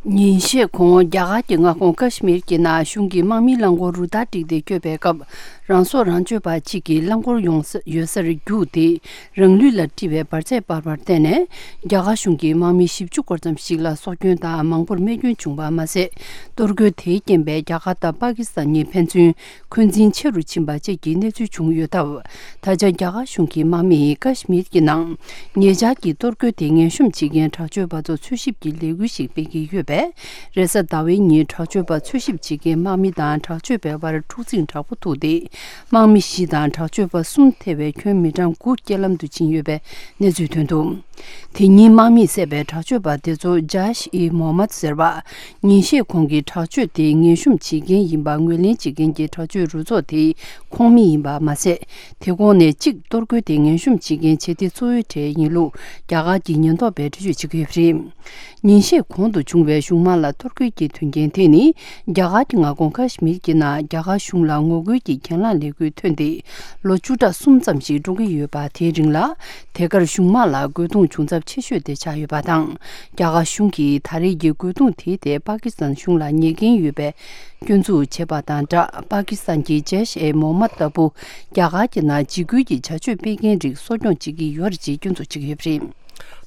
ཉིན་ཤས་གོང་རྒྱ་གར་གྱི་མངའ་ཁོངས་ཀ་ཤི་མིར་གྱི་ནང་གཞུང་གིས་དམག་མིའི་རླངས་འཁོར་རུ་སྟར་བསྒྲིགས་ཏེ་བསྐྱོད་པའི་སྐབས། རང་སྲོག་རང་གཅོད་པ་གཅིག་གིས་རླངས་འཁོར་ཡོང་ས་ཡོད་སར་རྒྱུགས་ཏེ། རང་ལུས་ལ་དཀྲིས་པའི་འབར་རྫས་སྤར་བར་བརྟེན་ནས། རྒྱ་གར་གཞུང་གིས་དམག་མི་བཞི་བཅུ་སྐོར་ཙམ་ཞིག་ལ་སྲོག་སྐྱོན་དང་མང་པོར་རྨས་སྐྱོན་བྱུང་བ་མ་ཟད། གཏོར་རྒོལ་དེའི་རྐྱེན་པས་རྒྱ་གར་དང་པ་ཀི་སི་ཐན་གཉིས་ཕན་ཚུན་འཁོན་འཛིན་ཆེ་རུ་ཕྱིན་པ་བཅས་ཀྱི་གནས་ཚུལ་བྱུང་ཡོད་སྟབས། ད་ཆ་རྒྱ་གར་གཞུང་གི་དམག་མིས་ཀ་ཤི་མིར་གྱི་ནང་ཉེ་ཆར་གྱི་གཏོར་རྒོལ་དེ་ངན་གཤོམ་བྱེད་མཁན་དྲག་སྤྱོད་པ་ཚོ་འཚོལ་ཞིབ་ཀྱི་ལས་འགུལ་ཞིག་སྤེལ་གྱི་ཡོད་པས། རེས་གཟའ་ཟླ་བའི་ཉིན་དྲག་སྤྱོད་པ་འཚོལ་ཞིབ་བྱེད་མཁན་དམག་མི་དང་དྲག་སྤྱོད་པའི་བར་འཁྲུག་འཛིང་དྲག་པོ་ཐུག་སྟེ། དམག་མི་བཞི་དང་དྲག་སྤྱོད་པ་གསུམ་ཐེ་བའི་ཁྱོན་མི་གྲངས་དགུ་རྐྱེན་ལམ་དུ་ཕྱིན་ཡོད་པའི་གནས་ཚུལ་ཐོན་འདུག་དེ་ཉིན་དམག་མིས་བསད་པའི་དྲག་སྤྱོད་པ་དེ་ཚོ་ཇཱཤ་ཨི་མོ་མད་ཟེར་བ། ཉིན་ཤས་གོང་གི་དྲག་སྤྱོད་དེ་ངན་གཤོམ་བྱེད་མཁན་ཡིན་པ་ངོས་ལེན་བྱེད་མཁན་གྱི་དྲག་སྤྱོད་རུ་ཚོགས་དེའི་ཁོངས་མི་ཡིན་པ་མ་ཟད། དེ་གོང་ནས་གཅིག་གཏོར་རྒོལ་དེ་ངན་གཤོམ་བྱེད་མཁན་བྱེད་གཏེ་གཙོ་བོའི་གྲས་ཡིན་ལུགས་རྒྱ་གར་གྱི་ཉེན་རྟོག་པས་འགྲེལ་བརྗོད་བྱེད་ཀྱི་ཡོད་པ་རེད། ཉིན་ཤས་གོང་དུ་བྱུང་བའི་གཞུང་དམག་ལ་གཏོར་རྒོལ་གྱི་དོན་རྐྱེན་དེ་ནི། རྒྱ་གར་གྱི་མངའ་ཁོངས་ཀ་ཤི་མིར་གྱི་ནང་རྒྱ་གར་གཞུང་ལ་ངོ་རྒོལ་གྱི་གྱེན་ལངས་ལས་འགུལ་ཐོན་ཏེ། ལོ་བཅུ་ཕྲག་གསུམ་ཙམ་ཞིག་འགྲོ་གི་ཡོད་པ། དེའི་རིང་ལ། དེ་གར་གཞུང་དམག་ལ་རྒོལ་རྡུང་བྱུང་ཚབས་ཆེ་ཤོས་དེ་ཆགས་ཡོད་པ་དང་། རྒྱ་གར་གཞུང་གིས་ད་རེས་ཀྱི་རྒོལ་རྡུང་དེའི་ཐད་པ་ཀི་སི་ཐན་གཞུང་ལ་ཉེས་འགན་ཡོད་པའི་སྐྱོན་འཛུགས་བྱས་པ་དང་སྦྲགས། པ་ཀི་སི་ཐན་གྱི་ཇེཤ་ཨེ་མོ་མད་ལྟ་བུ་རྒྱ་གར་གྱི་ནང་འཇིགས་སྐུལ་གྱི་བྱ་སྤྱོད་སྤེལ་མཁན་རིགས་གསོ་སྐྱོང་བྱེད་ཀྱི་ཡོད་རེད་ཅེས་སྐྱོན་འཛུགས་བྱེད་ཀྱི་ཡོད་པ་རེད།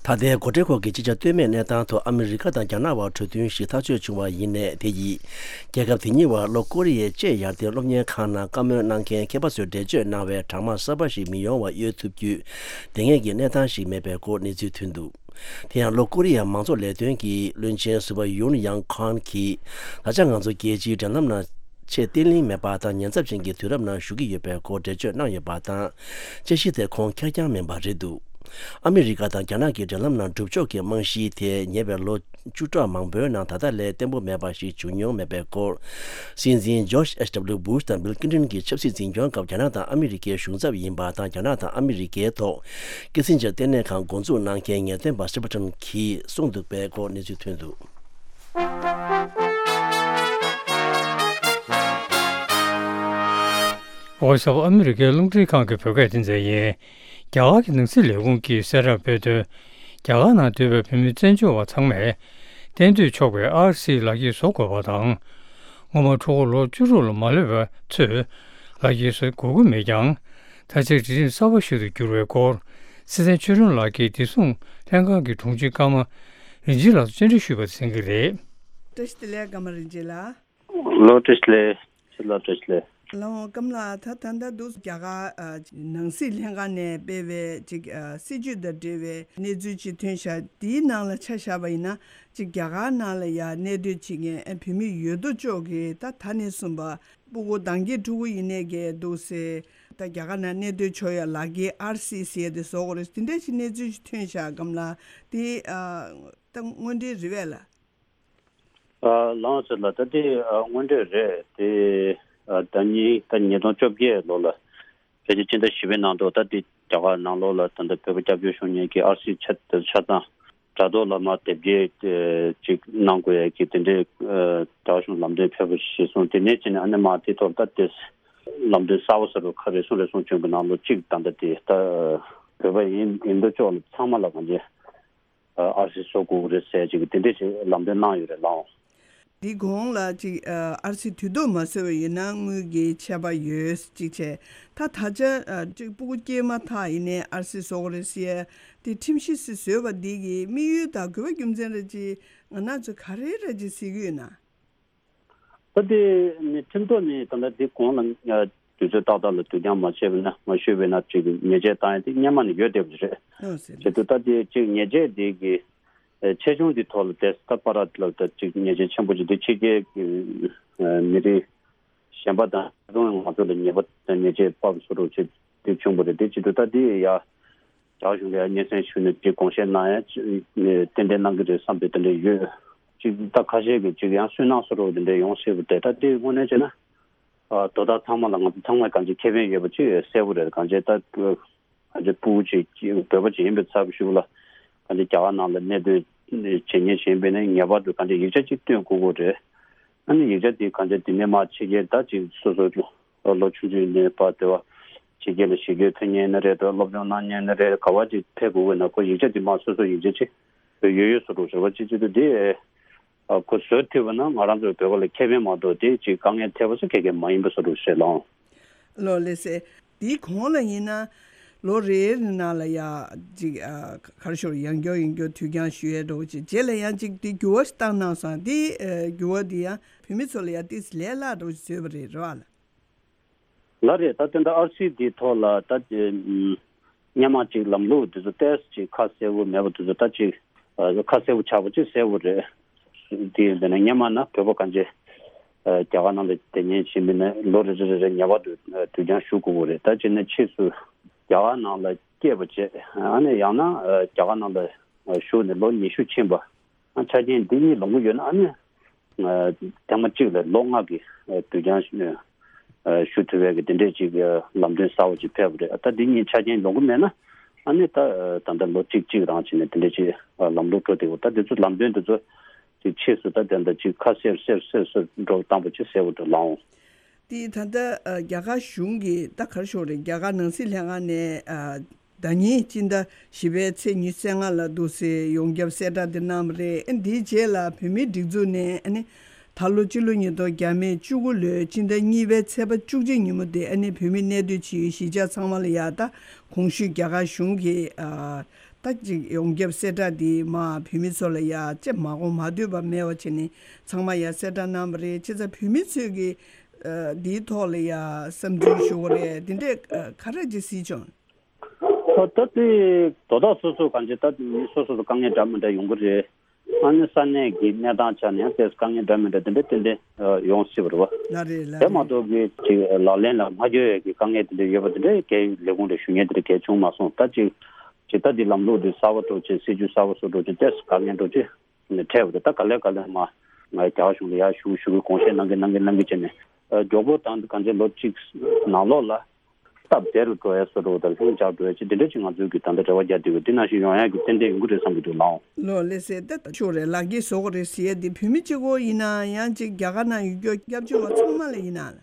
ད་ལྟའི་གོ་སྒྲིག་སྐོར་གྱི་ཅིག་ཆ་ལྟོས་མེད་གནས་སྟངས་ཐོག་ཨ་མི་རི་ཀ་དང་རྒྱ་ནག་བར་གྲོས་མཐུན་ཞིག་ཐག་གཅོད་བྱུང་བ་ཡིན་ནའི། དེ་ཡིས་རྒྱལ་ཁབ་དེ་གཉིས་བར་ལྷོ་ཀོ་རི་ཡའི་ཅེ་ཡར་ལྡན་སློབ་གཉེར་ཁང་ནང་བཀའ་མོལ་གནང་མཁན་མཁས་པ་ཚོས་འགྲེལ་བརྗོད་གནང་བའི་གྲངས་མང་གསར་པ་ཞིག་མི་ཡོང་བ་གཡོལ་ཐུབ་རྒྱུའི་དེ་སྔའི་གི་གནས་སྟངས་ཤིག་མེད་པའི་སྐོར་གནས་ཚུལ་ཐོན་འདུག་དེ་ཡང་ལྷོ་ཀོ་རི་ཡའི་མང་གཙོ་ལས་དོན་གྱི་བློན་ཆེན་ཟུར་པ་ཡུན་ཡང་ཁོན་གྱིས། ད་ཆ་ང་ཚོ་རྒྱལ་སྤྱིའི་འབྲེལ་ལམ་ནང་ཆེས་བརྟན་ལྷིང་མེད་པ་དང་ཉེན་ཚབས་ཅན་གྱི་དུས་རབས་ནང་ཞུགས་ཀྱི་ཡོད་པའི་སྐོར་འགྲེལ་བརྗོད་གནང་ཡོད་པ་དང་། དཔྱད་གཞི་དེ་ཁོང་ཁེར་རྐྱང་མིན་པ་རེད་འདུག་ཨ་མི་རི་ཀ་དང་རྒྱ་ནག་གི་འབྲེལ་ལམ་ནང་སྒྲུབ་ཕྱོགས་ཀྱི་རྨང་གཞི་དེ་ཉེ་བའི་ལོ་བཅུ་ཕྲག་མང་པོའི་ནང་ད་ལྟ་ལས་བརྟན་པོ་མེད་པ་ཞིག་བྱུང་མྱོང་མེད་པའི་སྐོར། སྲིད་འཛིན་ཇོརྗ་ཨེཆ་ཌབ་ལིའུ་བྷུཤ་དང་བྷིལ་ཀླིན་ཏོན་གྱི་ཆབ་སྲིད་འཛིན་སྐྱོང་སྐབས་རྒྱ་ནག་དང་ཨ་མི་རི་ཀའི་གཞུང་ཚབ་ཡིན་པ་དང་། རྒྱ་ནག་དང་ཨ་མི་རི་ཀའི་ཐོག་ཀི་སིན་ཇར་ལྟེ་གནས་ཁང་འགོ་འཛུགས་གནང་མཁན་ངེས་སྟོན་པ་སི་པ་ཊོན་གྱིས་གསུངས་འདུག་པའི་སྐོར་གནས་ཚུལ་ཐོན་འདུག་ཝོ་ཡིས་ཨོཕ་ཨ་མི་རི་ཀའི་རླུང་འཕྲིན་ཁང་གི་བོད་སྐད་སྡེ་ཚན་ཡིན། རྒྱ་གར་གྱི་ནང་སྲིད་ལས་ཁུངས་ཀྱིས་གསལ་བསྒྲགས་སྤེལ་དོན། རྒྱ་གར་ནང་སྡོད་པའི་བོད་མི་བཙན་བྱོལ་བ་ཚང་མས་གཏན་སྡོད་ཆོག་པའི་ཨར་སི་ལག་འཁྱེར་བཟོ་དགོས་པ་དང་། སྔོན་མ་ཕྲུ་གུ་ལོ་བཅུ་དྲུག་ལ་མ་ལོན་པ་ཚོས་ལག་འཁྱེར་བཟོ་དགོས་ཀྱི་མེད་ཀྱང་། ད་ཆ་སྒྲིག་ཁྲིམས་གསར་པ་ཞིག་ཏུ་བསྒྱུར་བའི་སྐོར། སྲིད་བརྟན་ཆོས་སྒྲོན་ལགས་ཀྱིས་བདེ་སྲུང་ལྷན་ཁང་གི་དྲུང་ཆེ་ཀརྨ་རིན་ཆེན་ལགས་སུ་བཅར་འདྲི་ཞུས་པ་གསན་གྱི་རེད། བཀྲ་ཤིས་བདེ་ལེགས། ཀརྨ་རིན་ཆེན་ལགས། ལོ། བཀྲ་ཤིས་བདེ་ལེགས། ཁྱེད་ལ་བཀྲ་ཤིས་བདེ་ལེགས། ལགས་འོང་། ཀརྨ་ལགས། ད་ད་ལྟ་འདུག་རྒྱ་གར་ཨ་ནང་སྲིད་ལྷན་ཁང་ནས་སྤེལ་བའི་ཅིག་ཨ་སྲིད་བྱུས་དང་འབྲེལ་བའི་གནས་ཚུལ་ཅིག་ཐོན་ཤག་དེའི་ནང་ལ་ཆ་བཞག་པ་ཡིན་ན། ཅིག་རྒྱ་གར་ནང་ལ་ཡ་གནས་སྡོད་བྱེད་མཁན་ཨ་བོད་མི་ཡོད་དོ་ཅོག་གིས་ད་ད་ནས་བཟུང་པ་སྤུ་གུ་འདང་གི་ཕྲུ་གུ་ཡིན་ནའི་གི་འདུག་སེ། ད་རྒྱ་གར་ནང་གནས་སྡོད་ཆོག་ཡ་ལག་འཁྱེར་ཨར་སི་ཟེར་ཡ་དེ་བཟོ་དགོས་རེད། དེ་འདྲ་ཞིག་གནས་ཚུལ་ཞིག་ཐོན་ཤག་ཀརྨ་ལགས། དེ་ཨ་ད་དངོས་འབྲེལ་རེད་པས་ལགས། ཨ་ལགས་འོང་། ཟེར་ལ་ད་དེ་ཨ་དངོས་འབྲེལ་རེད་དེ། ཨ་ཟླ་ཉིན་ད་ཉིས་སྟོང་བཅོ་བརྒྱད་ལོ་ལ་ཕལ་ཆེར་སྤྱི་ཟླ་བཞི་པའི་ནང་དུ་ད་དེ་རྒྱ་གར་ནང་ལོགས་ལ་ད་ལྟ་བོད་པ་སྐྱབས་བཅོལ་བྱུང་མཁན་གྱི་ཨར་སི་ཆ་ཆ་ཚང་དྲ་ཐོག་ལ་མར་དེབ་སྐྱེལ་ཅིག་གནང་དགོས་ཡ་གི་དེ་འདྲའི་ཨ་རྒྱ་གར་གཞུང་ལམ་སྟོན་ཕེབས་པ་ཞིག་སོང་། དེ་ནས་བྱས་ནས་ཨ་ནི་མར་དེ་ཐོག་ད་དེ་ལམ་སྟོན་གསར་པ་ཟེར་རུ་ཁ་རེ་ཟུང་རེ་ཟུང་བྱུང་གི་ནང་ལོ་གཅིག་ད་ལྟ་དེ་ད་བོད་པ་ཡིན་ཡིན་དོ་ཅོག་ལ་ཚང་མ་ལ་གང་ཅི། ཨར་སི་བཟོ་དགོས་ཀྱི་རེད་ཟེར་ཅིག་དེ་འདྲས་ཅིག་ལམ་སྟོན་གནང་ཡོད་རེད་ལགས། འདི་གོང་ལ་ཅིག་ཨར་སི་དུས་ཐོག་མ་བཟོས་པ་ཡིན་ན་དངུལ་གྱི་ཆད་པ་ཡོད་ཅིག་བྱས། ད་ད་ཆ་ཅིག་སྤུ་གུ་སྐྱེས་མ་ཐག་ཡིན་ནའི་ཨར་སི་བཟོ་དགོས་རེད་ཟེར་ཡ་དེ་ཁྲིམས་གཞི་ཞིག་བཟོས་པ་འདི་གི་དམིགས་ཡུལ་དང་དགོས་པ་རྒྱུ་མཚན་རེ་ཅིག་ང་རང་ཚོ་ག་རེ་རེ་ཅིག་གཟིགས་ཀྱི་ཡོད་ན། ད་དེ་ནི་ཁྲིམས་ཐོག་ནས་ད་ལྟ་འདི་གོང་ལ་དུས་ཚོད་ཏག་ཏག་ལ་དུས་འགྱངས་མ་བྱས་པ་ན་མ་ཞུས་པ་ན་ཅིག་ཉེས་ཆད་བཏང་ཡ་དེ་སྔོན་མ་ནས་ཡོད་བསྡད་པ་རེད། ཨོ་ཟེར། བྱས་དུས་ད་དེ་ཅིག་ཉེས་ཆད་དེ་གི་ཆེ་ཆུང་དེ་ཐོག་ལ་དེ་ད་པ་ར་ལ་ད་ཅིག་ཉེས་ཆད་ཆེན་པོ་ཅིག་དེ་ཕྱི་རྒྱལ་གི་མི་རིགས་གཞན་པ་དང་ད་དུང་ང་ཚོ་ལ་ཉེས་པ་ཉེས་ཆད་སྤར་བཟོ་འདྲ་ཅིག་དེ་བྱུང་བ་རེད། དེ་བྱས་དུས་ད་དེ་ཡ། རྒྱ་གཞུང་ལ་སྙན་སེང་ཞུས་ནས་ཅིག་དགོངས་བཞེས་གནང་ཡ་ཅིག་ཏན་ཏན་གནང་གི་རེད་བསམ་པའི་དེ་འདྲ་ཡོད། ཅིག་ད་ཁ་ཤས་ཀྱིས་ཅིག་ཡང་སུན་སྣང་བཟོ་འདྲ་དེ་འདྲ་ཡོང་སྲིད་པ་དེ་ད་དེ་དངོས་གནས་བྱས་ན། ཨ་དོ་བདག་ཚང་མ་ལ་ང་ཚོ་ཚང་མས་གང་ཅི་ཁེ་ཕན་ཡོད་པ་ཅིག་གསལ་པོ་རེད། གང་ཅི་ད་གང་ཅི་སྤུ་གུ་ཅིག་བོད་པ་ཅིག་ཡིན་པའི་ཚབ་ཞུ་ལ་གང་ཅི་རྒྱ་གར་ནང་ལ་གནས་སྡོད་བྱེད་མཁན་ཞིག་ཡིན་པས་ན་ངེས་པར་དུ་གང་ཅི་ཡིག་ཆ་ཅིག་སྟོན་དགོས་ཀྱི་རེད། ཨ་ནི་ཡིག་ཆ་དེ་གང་ཅི་དེ་ནས་མར་ཕྱི་རྒྱལ་ད་ཅིག་སོ་སོ་ལོ་ཆུང་ཆུང་ནས་ཕར་དེ་བ་ཕྱི་རྒྱལ་ལ་གཞིས་སྐྱོད་ཐོན་མཁན་ཡིན་ན་རེད་དོ། སློབ་སྦྱོང་གནང་མཁན་ཡིན་ན་རེད། ག་བ་ཅིག་ཕེབས་དགོས་ཀྱི་ན་ཁོ་ཡིག་ཆ་དེ་མར་སོ་སོ་ཡིག་ཆ་ཅིག་ཡོད་ཡོད་བཟོ་འདྲ་བཟོ་བ་ཅིག་བྱེད་དུས་དེ་ ཨ་ཁོ་བཟོ་ཐུབ་པ་ན་ང་རང་ཚོའི་བོད་པ་ལ་ཁེ་ཕན་མ་གཏོགས་དེ་ཅིག་དཀའ་ངལ་འཕྲད་པ་སོགས་ག་གེ་མ་ཡིན་པ་བཟོ་འདྲ་ཞིག་རེད་ལགས། ལགས་ལགས་སེ། དེའི་གོང་ལ་ཡིན་ན་ལོ་རེ་རེ་ནང་ལ་ཡ་ཅིག་ཨ་ག་རེ་ཞུ་ཡང་བསྐྱར་ཡང་བསྐྱར་དུས་འགྱངས་ཞུ་ཡས་འདྲ་བོ་ཅིག་རྗེས་ལ་ཡང་ཅིག་དེ་འགྱུར་བ་ཞིག་བཏང་གནང་སོང་། དེ་ཨ་འགྱུར་བ་དེ་ཡང་བོད་མི་ཚོ་ལ་ཡང་ཏོག་ཙམ་ལས་སླ་འདྲ་བོ་ཞིག་བཟོས་པ་རེད། རེད་བ་ལགས། ལགས་རེད། ད་དེ་འདྲ་ཨར་སི་འདིའི་ཐོག་ལ་ད་དེ་ཨམ་སྔོན་མ་ཅིག་ལམ་ལུགས་དེ་ཚོ་ཏོག་ཙམ་ཅིག་ཁ་གསལ་པོ་མེད་པ་དེ་ཚོ་ད་ཅིག་ཨ་ཁ་གསལ་པོ་ཆགས་པ་ཅིག་གསལ་པོ་རེད། དེ་ཡིན་ཟེར་ན་སྔོན་མ་ན་བོད་པ་གང་ཅི་ཨ་རྒྱ་གར་ནང་ལ་བསྡད་ཉེན་བྱེད་མི་ནི་ལོ་རེ་རེ་རེ་རེ་ངེས་པར་དུ་ཨ་དུས་འགྱངས་ཞུ་དགོས་ཀྱི་རེད། ད་བྱས་ན་ཕྱིས་སུ་རྒྱ་གར་ནང་ལ་སྐྱེས་པ་བྱས་ཨ་ནི་ཡང་ན་ཨ་རྒྱ་གར་ནང་ལ་ཨ་བཞུགས་ནས་ལོ་ཉི་ཤུ་ཕྱིན་པ། ཨ་ཆ་རྐྱེན་འདི་གཉིས་ལོངས་ཀྱི་ཡོད་ན་ཨ་ནི་ཨ་ཐེངས་མ་གཅིག་ལ་ལོ་ལྔ་གི་ཨ་དུས་འགྱངས་ཨ་ཞུ་ཐུབ་པའི་གི་དེ་འདྲས་ཅིག་ཨ་ལམ་སྟོན་གསར་པ་ཅིག་ཕེབས་པ་རེད། ད་འདི་གཉིས་ཆ་རྐྱེན་ལོངས་ཀྱི་མེད་ན་ཨ་ནི་ད་ཨ་ད་ལྟ་ལོ་གཅིག་གཅིག་རང་བྱས་ནས་དེ་འདྲས་ཅིག་ཨ་ལམ་ལུགས་འགྲོ་བསྡད་ཡོད། ད་འདི་ཚོ་ལམ་སྟོན་འདི་ཚོ་ཅིག་ཕྱིས་སུ་ད་དེ་འདྲ་ཅིག་ཁ་གསལ་གསལ་གསལ་གསལ་འགྲོ་བཏང་པ་ཅིག་གསལ་པོ་འདུག་ལགས། དེ་ད་ལྟ་ཨ་རྒྱ་གར་གཞུང་གིས་ད་ག་རེ་ཞུ་དགོས་རེད། རྒྱ་གར་ནང་སྲིད་ལྷན་ཁང་ནས་ཨ་ཟླ་ཉིན་སྤྱི་ཟླ་བཞི་པའི་ཚེས་ཉི་ཤུ་རྩ་ལྔ་ལ་འདུག་སེ་ཡོངས་ཁྱབ་གསལ་བསྒྲགས་དེ་གནང་བ་རེད། ཨ་འདིའི་རྗེས་ལ་བོད་མིའི་སྒྲིག་འཛུགས་ནས་ཨ་ནི་ད་ལོ་སྤྱི་ལོ་ཉིས་སྟོང་བརྒྱ་མེད་བཅུ་དགུ་ལོའི་སྤྱི་ཟླ་གཉིས་པའི་ཚེས་པ་བཅུ་གཅིག་ཉིན་མོ་དེ་ཨ་ནི་བོད་མི་གནས་སྡོད་བྱེད་ཡུལ་གཞིས་ཆགས་ཚང་མ་ལ་ཡ་ད་གོང་ཞུས་རྒྱ་གར་གཞུང་གིས་ཨ་ད་ཅིག་ཡོངས་ཁྱབ་གསལ་བསྒྲགས་འདི་མ་བོད་མི་ཚོ་ལ་ཡ་ཅེ་མ་གོ་མ་ཐོས་པ་མེད་པ་བྱས་ནས་ཚང་མ་ཡ་གསལ་བསྒྲགས་གནང་བ་རེད། བྱས་ཙང་བོད་མི་ཚོས་ཀྱིས་ཨ་འདིའི་ཐོག་ལ་ཡ་བསམ་ཚུལ་ཞུ་བ་རེད། འདི་འདྲས་ཨ་ག་རེ་ཅིག་གཟིགས་བྱུང་། ཨ་ད་དེ་དོ་བདག་སོ་སོ་གང་ཅི་ད་མི་སོ་སོ་སོ་དཀའ་ངལ་འདྲ་མི་འདྲ་ཡོང་གི་རེད། ཨ་ནི་ས་གནས་ཀྱི་གནས་སྟངས་ཆ་ནས་ཡང་ཏོག་ཙམ་དཀའ་ངལ་འདྲ་མི་འདྲ་དེ་འདྲ་ཏན་ཏན་ཡོང་སྲིད་པ་རེད་བ། ལགས་རེད་ལགས་རེད། དེ་མ་གཏོགས་ཀྱི་ཅིག་ལག་ལེན་ལ་མ་འཁྱོལ་ཡས་ཀྱི་དཀའ་ངལ་དེ་འདྲ་ཡོད་པ་དེ་འདྲ་གའི་ལས་ཁུངས་ལ་ཞུ་མཁན་དེ་འདྲ་གའི་བྱུང་མ་སོང་། ད་ཅིག་ཅིག་ད་འདི་ལམ་ལུགས་འདི་གསར་པ་འགྲོ་ཆེད་སྲིད་ཇུས་གསར་པ་བཟོ་འགྲོ་ཆེད་ཏོག་ཙམ་དཀའ་ངལ་འགྲོ་ཆེད་འཕྲད་པ་རེད། ད་ག་ལེ་ག་ལེ་མ་ང་རྒྱ་གར་གཞུང་ལ་ཡར་ཞུ་ཞུ་གི་དགོངས་བཞེས་གནང་གི་གནང་གི་གནང་གི་བྱས་ནས་མགྱོགས་པོ་དང་གང་ཅི་ལོ་གཅིག་ནང་ལོགས་ལ། སྟབས་བདེ་རུ་འགྲོ་ཡ་བཟོ་འདྲ་བོ་དང་ལྷིང་འཇགས་འགྲོ་ཡ་ཅིག་དེ་འདྲ་ཅིག་ང་ཚོས་ཀྱི་ད་ལྟ་རེ་བ་རྒྱག་བསྡད་ཡོད། འདི་ནང་བཞིན་ཡོང་ཡ་གི་ཏན་ཏན་ཡོང་གི་རེད་བསམ་གྱི་འདུག་ལགས། ལགས་ལགས་སེ། ད་ལྟ་ཤོག་རེད་ལགས་ཀྱིས་བཟོ་གི་རེད་ཟེར་ཡ་འདི་བོད་མི་གཅིག་པོ་ཡིན་ན་ཡང་ཅིག་རྒྱ་གར་ནང་ཡུལ་སྐྱོར་སྐྱབས་བཅོལ་བ་ཚང་མ་ལ་ཡིན་ན་ལ།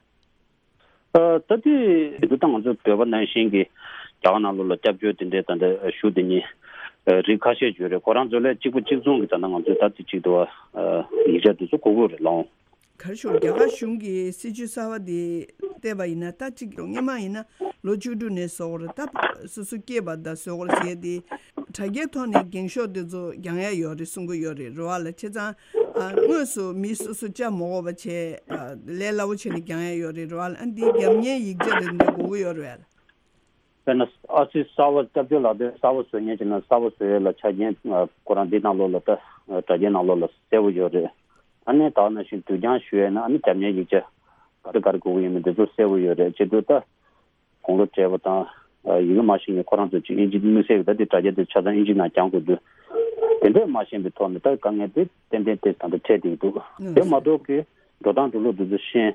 ཨ་ད་དེ་འདི་ད་ང་ཚོ་བོད་པ་ནང་བཞིན་གྱི་རྒྱ་གར་ནང་ལོགས་ལ་སྐྱབས་བཅོལ་དེ་འདྲའི་ད་ལྟ་ཞུ་དེ་ཉིད་རིགས་ཁ་ཤས་ཡོད་རེད། ཁོ་རང་ཚོ་ལས་གཅིག་པ་གཅིག་མཚུངས་ཀྱི་ད་ལྟ་ང་ཚོས་ད་དེ་གཅིག་ཏུ་ཡིག་ཆ་དེ་ཚོ་དགོས་ཀྱི་རེད་ལགས། ག་རེ་ཞུ། རྒྱ་གར་གཞུང་གིས་སྲིད་ཇུས་གསར་པ་དེ་བལྟས་པ་ཡིན་ན་ད་གཅིག་སྔོན་མ་ཡིན་ན་ལོ་བཅུ་དྲུག་ནས་བཟོ་དགོས་རེད། ད་སོ་སོ་སྐྱེས་པ་དང་བཟོ་དགོས་རེད་ཟེར་ཏེ་དྲ་རྒྱའི་ཐོག་ནས་འགེངས་ཤོག་དེ་ཚོ་རྒྱག་ཡ་ཡོད་རེད་གསུང་གི་ཡོད་རེད། རེད་བ་ལ། བྱས་ཙང་ཨ་དངོས་སུ་མི་སོ་སོ་བཅར་མ་དགོས་པ་བྱས་ཨ་ལས་སླ་པོ་བྱས་ནས་རྒྱག་ཡ་ཡོད་རེད། རེད་བ་ལ། ཨ་འདི་རྒྱབ་གཉེར་ཡིག་ཆ་དེ་འདྲ་དགོས་ཀྱི་ཡོད་རེད་བ་ལ། དཔེར་ན་ཨ་སི་གསར་པ་སྐྱབས་བཅོལ་ལག་དེབ་གསར་པ་བཟོ་མཁན་བྱས་ན་གསར་པ་བཟོ་ཡས་ལ་ཆ་རྐྱེན་ཁོ་རང་འདི་ནང་ལོགས་ལ་ད་དྲ་རྒྱའི་ནང་ལོགས་ལ་གསལ་པོ་ཡོད་རེད། ཨ་ནི་ད་ག་ནང་བཞིན་དུས་འགྱངས་ཞུ་ཡས་ན་ཨ་ནི་རྒྱབ་གཉེར་ཡིག་ཆ་ག་རེ་ག་རེ་དགོས་ཀྱི་ཡོད་མེད་འདི་ཚོ་གསལ་པོ་ཡོད་རེད། བྱེད་དུས་ད་དགུང་ལོ་བགྲེས་པ་དང་ཡི་གེ་མ་ཤེས་མཁན་ཁོ་རང་ཚོ་ཅིག་ཨིན་ཇི་དམིགས་བསལ་གྱི་ད་འདི་དྲ་རྒྱ་འདི་ཆ་ཚང་ཨིན་ཇི་ནང་བརྒྱངས་དགོས་དུས་དེ་འདྲས་མ་ཤེས་པའི་ཐོག་ནས་ད་དཀའ་ངལ་དེ་ཏན་ཏན་དེ་ད་ལྟ་འཕྲད་བསྡད་ཀྱི་འདུག་དེ་མ་གཏོགས་ཀྱི་འགྲོ་སྟངས་འགྲོ་ལུགས་འདི་ཚོ་ཤེས།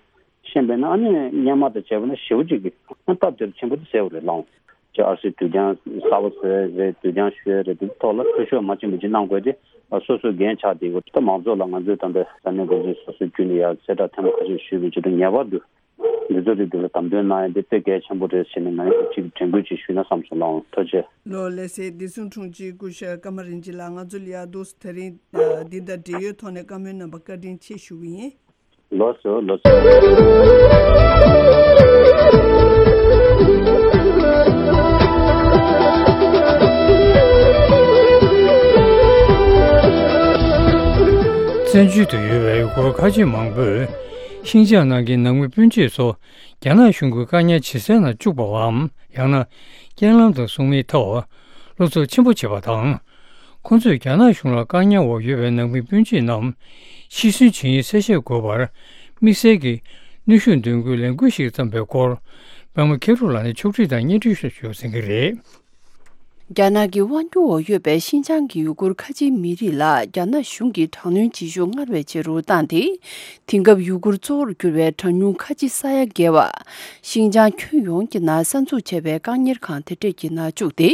ཤེས་པས་ན་ཨ་ནི་སྔོན་མ་དང་བྱས་པ་ན་ཞེ་པོ་ཅིག་གི་སྟབས་བདེ་རུ་ཕྱིན་པ་དེ་གསལ་པོ་རེད་ལགས། ཅིག་ཨར་སི་དུས་འགྱངས་གསར་པ་བཟོ་ཡས་རེད། དུས་འགྱངས་ཞུ་ཡས་རེད། དེ་ཐོག་ལ་འཐུས་ཤོར་མ་ཕྱིན་པ་ཅིག་གནང་དགོས་ཏེ་སོ་སོའི་འགན་ཆགས་བསྡད་ཡོད། ད་མང་ཚོགས་ལ་ང་ཚོས་ད་ལྟ་ས་གནས་འགོ་འཛིན་སོ་སོའི་བརྒྱུད་ནས་ཡར་གསལ་བསྒྲགས་ཐེངས་མ་ཁ་ཤས་ཞུས་པའི་ཆེད་དུ་ངེས་པར་དུ་འདི་ཚོ་རིགས་འདི་ལ་དམ་དོན་གནང་ཡས་འདི་དཔེ་གལ་ཆེན་པོ་རེད་ཟེར་ནས་ང་ཡང་ཅིག་དྲན་སྐུལ་ཅིག་ཞུས་ན་བསམ་སོང་ལགས། ཐུགས་རྗེ་ཆེ། ལགས་ལགས་སེ། བདེ་སྲུང་དྲུང་ཆེ་སྐུ་ཞབས་ཀརྨ་རིན་ཆེན་ལགས་ང་ཚོ་ལ་ཡར་འདུག་སེ་དེ་རིང་འདི་དང་འབྲེལ་ཡོད་ཐོག་ནས་བཀའ་མོལ་གནང་བར་བཀའ་དྲིན་ཆེ་ཞུ་གི་ཡིན། ལགས་སོ་ལགས་སོ། བཙན་བྱོལ་དུ་ཡོད་པའི་ཡུ་གུར་ཁ་ཆེ་མང་པོས་ཤིན་ཅང་ནང་གི་ནང་མི་སྤུན་མཆེད་ཚོ་རྒྱ་ནག་གཞུང་གིས་བཀག་ཉར་བྱེད་སའི་ནང་བཅུག་པའམ་ཡང་ན་རྐྱེན་ལམ་དུ་སོང་མིའི་ཐོག་སློབ་གསོ་ཆེན་པོ་བྱེད་པ་དང་། ཁོང་ཚོས་རྒྱ་ནག་གཞུང་ལ་བཀག་ཉར་འོག་ཡོད་པའི་ནང་མི་སྤུན་མཆེད་རྣམས་ཕྱིར་ཚོང་བྱེད་ཡུལ་གསལ་བཤད་དགོས་པར་དམིགས་བསལ་གྱི་གནོན་ཤུགས་འདོན་དགོས་ལས་འགུལ་ཞིག་བརྩམས་པའི་སྐོར་པད་མ་མཁས་གྲུབ་ལགས་ནས་ཕྱོགས་སྒྲིག་དང་སྙན་སྒྲོན་ཞུས་ཡོད་ཟིན་གྱི་རེད། རྒྱ་ནག་གི་དབང་སྒྱུར་འོག་ཡོད་པའི་ཤིན་ཅང་གི་ཡུ་གུར་ཁ་ཆེའི་མི་རིགས་ལ་རྒྱ་ནག་གཞུང་གིས་དྲག་གནོན་བྱེད་ཤུགས་སྔར་བས་ཆེ་རུ་བཏང་སྟེ། དེང་སྐབས་ཡུ་གུར་གཙོ་བོར་གྱུར་བའི་གྲངས་ཉུང་ཁ་ཆེ་ས་ཡ་བརྒལ་བ། ཤིན་ཅང་ཁྱོན་ཡོངས་ཀྱི་ནང་གསར་འཛུགས་བྱས་པའི་བཀག་གཉེར་ཁང་དེ་འདྲས་ཀྱི་ནང་བཅུག་སྟེ།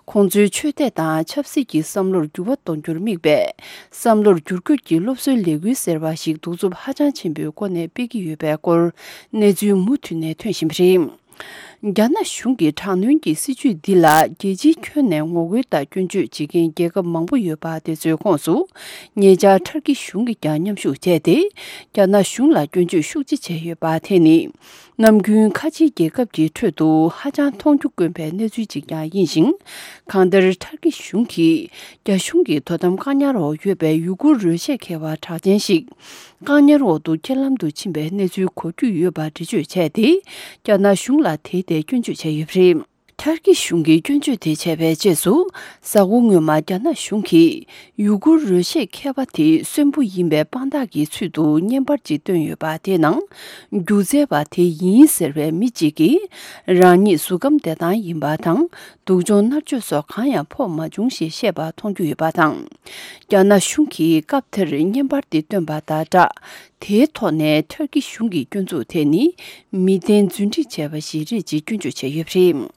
ཁོང་ཚོའི་ཆོས་དད་དང་ཆབ་སྲིད་ཀྱི་བསམ་བློར་འགྱུར་བ་གཏོང་རྒྱུར་དམིགས་པའི་བསམ་བློར་འགྱུར་བཀོད་ཀྱི་སློབ་གསོའི་ལས་འགུལ་ཟེར་བ་ཞིག་གདུག་རྩུབ་ཧ་ཅང་ཆེན་པོའི་སྒོ་ནས་སྤེལ་གྱི་ཡོད་པའི་སྐོར་གནས་ཚུལ་མུ་མཐུད་ནས་ཐོན་བཞིན་པ་རེད། རྒྱ་ནག་གཞུང་གི་དྲག་གནོན་གྱི་སྲིད་བྱུས་འདི་ལ་རྒྱལ་སྤྱིའི་ཁྱོན་ནས་ངོ་རྒོལ་དང་སྐྱོན་བརྗོད་བྱེད་མཁན་རྒྱལ་ཁབ་མང་པོ་ཡོད་པ་དེ་ཚོའི་ཁོངས་སུ། ཉེ་ཆར་ཐར་ཀི་གཞུང་གིས་ཀྱང་མཉམ་ཞུགས་བྱས་ཏེ། རྒྱ་ནག་གཞུང་ལ་སྐྱོན་བརྗོད་ཤུགས་ཆེ་བྱས་ཡོད་པ་དེ་ནི། ནམ་རྒྱུན་ཁ་ཆེའི་རྒྱལ་ཁབ་ཀྱི་ཁྲོད་དུ་ཧ་ཅང་མཐོང་རྒྱུ་དཀོན་པའི་གནས་ཚུལ་ཅིག་ཀྱང་ཡིན་ཞིང་། གང་ལྟར་ཐར་ཀི་གཞུང་གིས་རྒྱ་གཞུང་གི་དོ་དམ་བཀག་ཉར་འོག་ཡོད་པའི་ཡུ་གུར་རོལ་ཆས་མཁས་པ་གྲགས་ཅན་ཞིག་བཀག་ཉར་འོག་ཏུ་རྐྱེན་ལམ་དུ་ཕྱིན་པའི་གནས་ཚུལ་གོ་རྒྱུ་ཡོད་པ་འགྲེལ་བརྗོད་བྱས་ཏེ། རྒྱ་ནག་གཞུང་ལ་དེའི་ཐད་སྐྱོན་བརྗོད་བྱས་ཡོད་པ་རེད། ཐར་ཀི་གཞུང་གིས་སྐྱོན་བརྗོད་དེ་བྱས་པའི་རྗེས་སུ། གཟའ་འཁོར་སྔོན་མ་རྒྱ་ནག་གཞུང་གིས་ཡུ་གུར་རོལ་ཆས་མཁས་པ་དེ་གསོན་པོ་ཡིན་པའི་དཔང་རྟགས་ཀྱི་ཚུལ་དུ་བརྙན་པར་ཅིག་བཏོན་ཡོད་པ་དེའི་ནང་། སྒྱུ་རྩལ་བ་དེ་ཡིན་ཟེར་བའི་མི་གཅིག་གིས། རང་ཉིད་གཟུགས་ཁམས་བདེ་ཐང་ཡིན་པ་དང་། སྡུག་སྦྱོང་མནར་གཅོད་སོགས་གང་ཡང་ཕོག་མ་བྱུང་ཞེས་བཤད་པ་མཐོང་རྒྱུ་ཡོད་པ་དང་། རྒྱ་ནག་གཞུང་གིས་སྐབས་དེར་བརྙན་པར་དེ་བཏོན་པ་དང་སྦྲགས། དེའི་ཐོག་ནས་ཐར་ཀི་གཞུང་གི་སྐྱོན་འཛུགས་དེ་ནི་མི་བདེན་རྫུན་སྒྲིག་བྱས་པ་ཞིག་རེད་ཅེས་སྐྱོན་བརྗོད་བྱས་ཡོད་པ་རེད།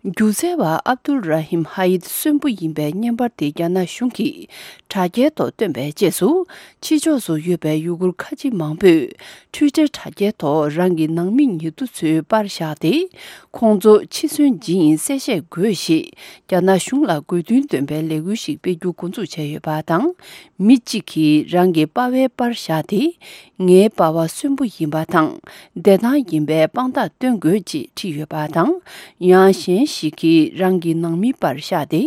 སྒྱུ་རྩལ་བ་ཨབ་དུལ་ར་ཧིམ་ཧ་ཡིད་གསོན་པོ་ཡིན་པའི་བརྙན་པར་དེ་རྒྱ་ནག་གཞུང་གིས་དྲ་རྒྱའི་ཐོག་བཏོན་པའི་རྗེས་སུ། ཕྱི་ཕྱོགས་སུ་ཡོད་པའི་ཡུ་གུར་ཁ་ཆེ་མང་པོས་ཊུའི་ཊར་དྲ་རྒྱའི་ཐོག་རང་གི་ནང་མི་ཉེ་དུ་ཚོའི་པར་བཞག་སྟེ། ཁོང་ཚོ་འཆི་གསོན་ཇི་ཡིན་གསལ་བཤད་དགོས་ཞེས་རྒྱ་ནག་གཞུང་ལ་དགོས་འདུན་འདོན་པའི་ལས་འགུལ་ཞིག་སྤེལ་རྒྱུ་འགོ་འཛུགས་བྱས་ཡོད་པ་དང་། མི་གཅིག་གིས་རང་གི་པ་ཕའི་པར་བཞག་སྟེ། ངའི་པ་ཕ་གསོན་པོ་ཡིན་པ་དང་བདེ་ཐང་ཡིན་པའི་དཔང་རྟགས་སྟོན་དགོས་ཅེས་བྲིས་ཡོད་པ་དང་། ཡང་གཞན་ཞིག་གིས་རང་གི་ནང་མིའི་པར་བཞག་སྟེ།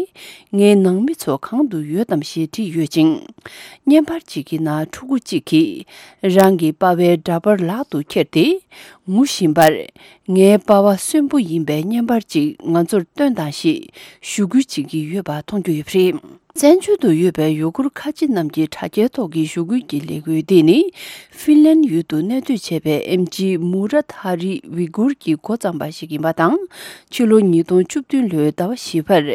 ངའི་ནང་མི་ཚོ་གང་དུ་ཡོད་དམ་ཞེས་བྲིས་ཡོད་ཅིང་། བརྙན་པར་གཅིག་གི་ནང་ཕྲུ་གུ་གཅིག་གིས་རང་གི་པ་ཕའི་འདྲ་པར་ལག་ཏུ་ཁྱེར་ཏེ། ངུ་བཞིན་པར། ངའི་པ་ཕ་གསོན་པོ་ཡིན་པའི་བརྙན་པར་གཅིག་ང་ཚོར་སྟོན་དང་ཞེས་ཞུ་སྐུལ་བྱེད་ཀྱི་ཡོད་པ་མཐོང་རྒྱུ་ཡོད་པ་རེད། བཙན་བྱོལ་དུ་ཡོད་པའི་ཡུ་གུར་ཁ་ཆེ་རྣམས་ཀྱི་དྲ་རྒྱའི་ཐོག་གི་ཞུ་སྐུལ་གྱི་ལས་འགུལ་འདི་ནི། ཧྥིན་ལན་ཡུལ་དུ་གནས་སྡོད་བྱས་པའི་ཨེམ་ཆི་མུ་ར་ཐ་རི་ཝི་གུར་གྱིས་འགོ་བརྩམས་པ་ཞིག་ཡིན་པ་དང་། ཕྱི་ལོ་ཉིས་སྟོང་བཅུ་བདུན་ལོའི་ཟླ་བ་བཞི་པར།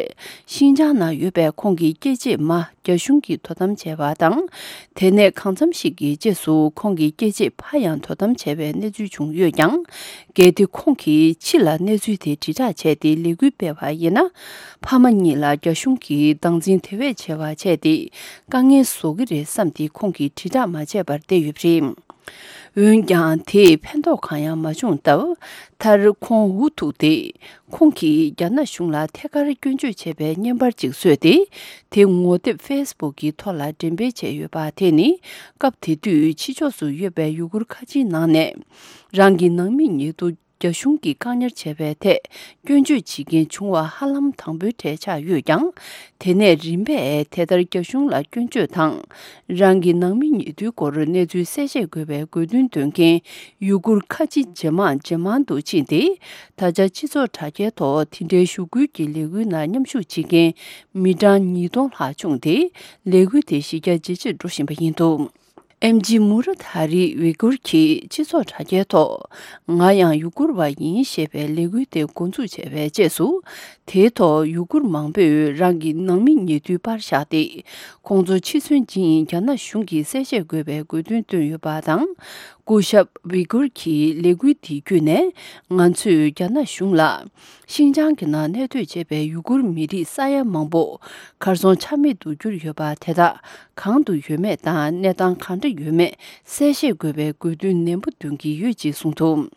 ཤིན་ཅང་ནང་ཡོད་པའི་ཁོང་གི་སྐྱེས་ཆེད་མ་རྒྱ་གཞུང་གིས་དོ་དམ་བྱས་པ་དང་། དེ་ནས་གང་འཚམ་ཞིག་གི་རྗེས་སུ་ཁོང་གི་སྐྱེས་ཆེད་ཕ་ཡང་དོ་དམ་བྱས་པའི་གནས་ཚུལ་བྱུང་ཡོད་ཀྱང་། གལ་ཏེ་ཁོང་གིས་ཕྱི་ལ་གནས་ཚུལ་དེ་དྲིལ་བསྒྲགས་བྱས་ཏེ་ལས་འགུལ་སྤེལ་བ་ཡིན་ན། ཕ་མ་གཉིས་ལ་རྒྱ་གཞུང་གིས་སྡང་འཛིན་དེ་བས་ཆེ་བ་བྱས་ཏེ། དཀའ་ངལ་བཟོ་གི་རེད་བསམ་སྟེ་ཁོང་གིས་དྲིལ་བསྒྲགས་མ་བྱས་པར་བསྡད་ཡོད་པ་རེད། འོན་ཀྱང་། དེས་ཕན་ཐོགས་གང་ཡང་མ་བྱུང་སྟབས། མཐར་ཁོང་འུ་ཐུག་སྟེ། ཁོང་གིས་རྒྱ་ནག་གཞུང་ལ་ཐད་ཀར་སྐྱོན་བརྗོད་བྱས་པའི་བརྙན་པར་ཅིག་བཟོས་ཏེ། དེ་ངོ་དེབ་ཕེ་སི་བུག་གི་ཐོག་ལ་འགྲེམས་སྤེལ་བྱས་ཡོད་པ་དེ་ནི། སྐབས་དེ་དུས་ཕྱི་ཕྱོགས་སུ་ཡོད་པའི་ཡུ་གུར་ཁ་ཆེའི་ནང་ནས། རང་གི་ནང་མི་ཉེ་དུ་རྒྱ་གཞུང་གིས་བཀག་ཉར་བྱས་པའི་ཐད་སྐྱོན་བརྗོད་བྱེད་མཁན་བྱུང་བ་ཧ་ལམ་དང་པོའི་གྲས་ཆགས་ཡོད་ཀྱང་། དེ་ནས་རིམ་པས་དེ་ལྟར་རྒྱ་གཞུང་ལ་སྐྱོན་བརྗོད་དང་། རང་གི་ནང་མི་ཉེ་དུའི་སྐོར་གནས་ཚུལ་གསལ་བཤད་དགོས་པའི་དགོས་འདུན་འདོན་མཁན་ཡུ་གུར་ཁ་ཆེ་ཇེ་མང་ཇེ་མང་དུ་ཕྱིན་ཏེ། ད་ཆ་སྤྱི་ཚོགས་དྲ་རྒྱའི་ཐོག་དེ་འདྲའི་ཞུ་སྐུལ་གྱི་ལས་འགུལ་ནང་མཉམ་ཞུགས་བྱེད་མཁན་མི་གྲངས་ཉིས་སྟོང་ལྷག་བྱུང་སྟེ། ལས་འགུལ་དེ་གཞི་རྒྱ་ཇེ་ཆེར་འགྲོ་བཞིན་པ་ཡིན་འདུག་ཨེམ་ཆི་མུ་ར་ཐ་རི་ཝི་གུར་གྱིས་སྤྱི་ཚོགས་དྲ་རྒྱའི་ཐོག་ང་ཡང་ཡུ་གུར་བ་ཡིན་ཞེས་པའི་ལས་འགུལ་དེ་འགོ་འཛུགས་བྱས་པའི་རྗེས་སུ། དེའི་ཐོག་ཡུ་གུར་མང་པོས་རང་གི་ནང་མི་ཉེ་དུའི་པར་བཞག་སྟེ། ཁོང་ཚོ་འཆི་གསོན་ཇི་ཡིན་རྒྱ་ནག་གཞུང་གིས་གསལ་བཤད་དགོས་པའི་དགོས་འདུན་བཏོན་ཡོད་པ་དང་། སྐུ་ཞབས་ཝི་གུར་གྱིས་ལས་འགུལ་འདི་བརྒྱུད་ནས། ང་ཚོས་རྒྱ་ནག་གཞུང་ལ། ཤིན་ཅང་གི་ནང་གནས་སྡོད་བྱེད་པའི་ཡུ་གུར་མི་རིགས་ས་ཡ་མང་པོ་གར་སོང་ཆ་མེད་དུ་གྱུར་ཡོད་པ་དེ་དག་གང་དུ་ཡོད་མེད་དང་གནས་སྟངས་གང་འདྲ་ཡོད་མེད་གསལ་བཤད་དགོས་པའི་དགོས་འདུན་ནན་པོ་འདོན་གྱི་ཡོད་ཅེས་གསུངས་འདུག་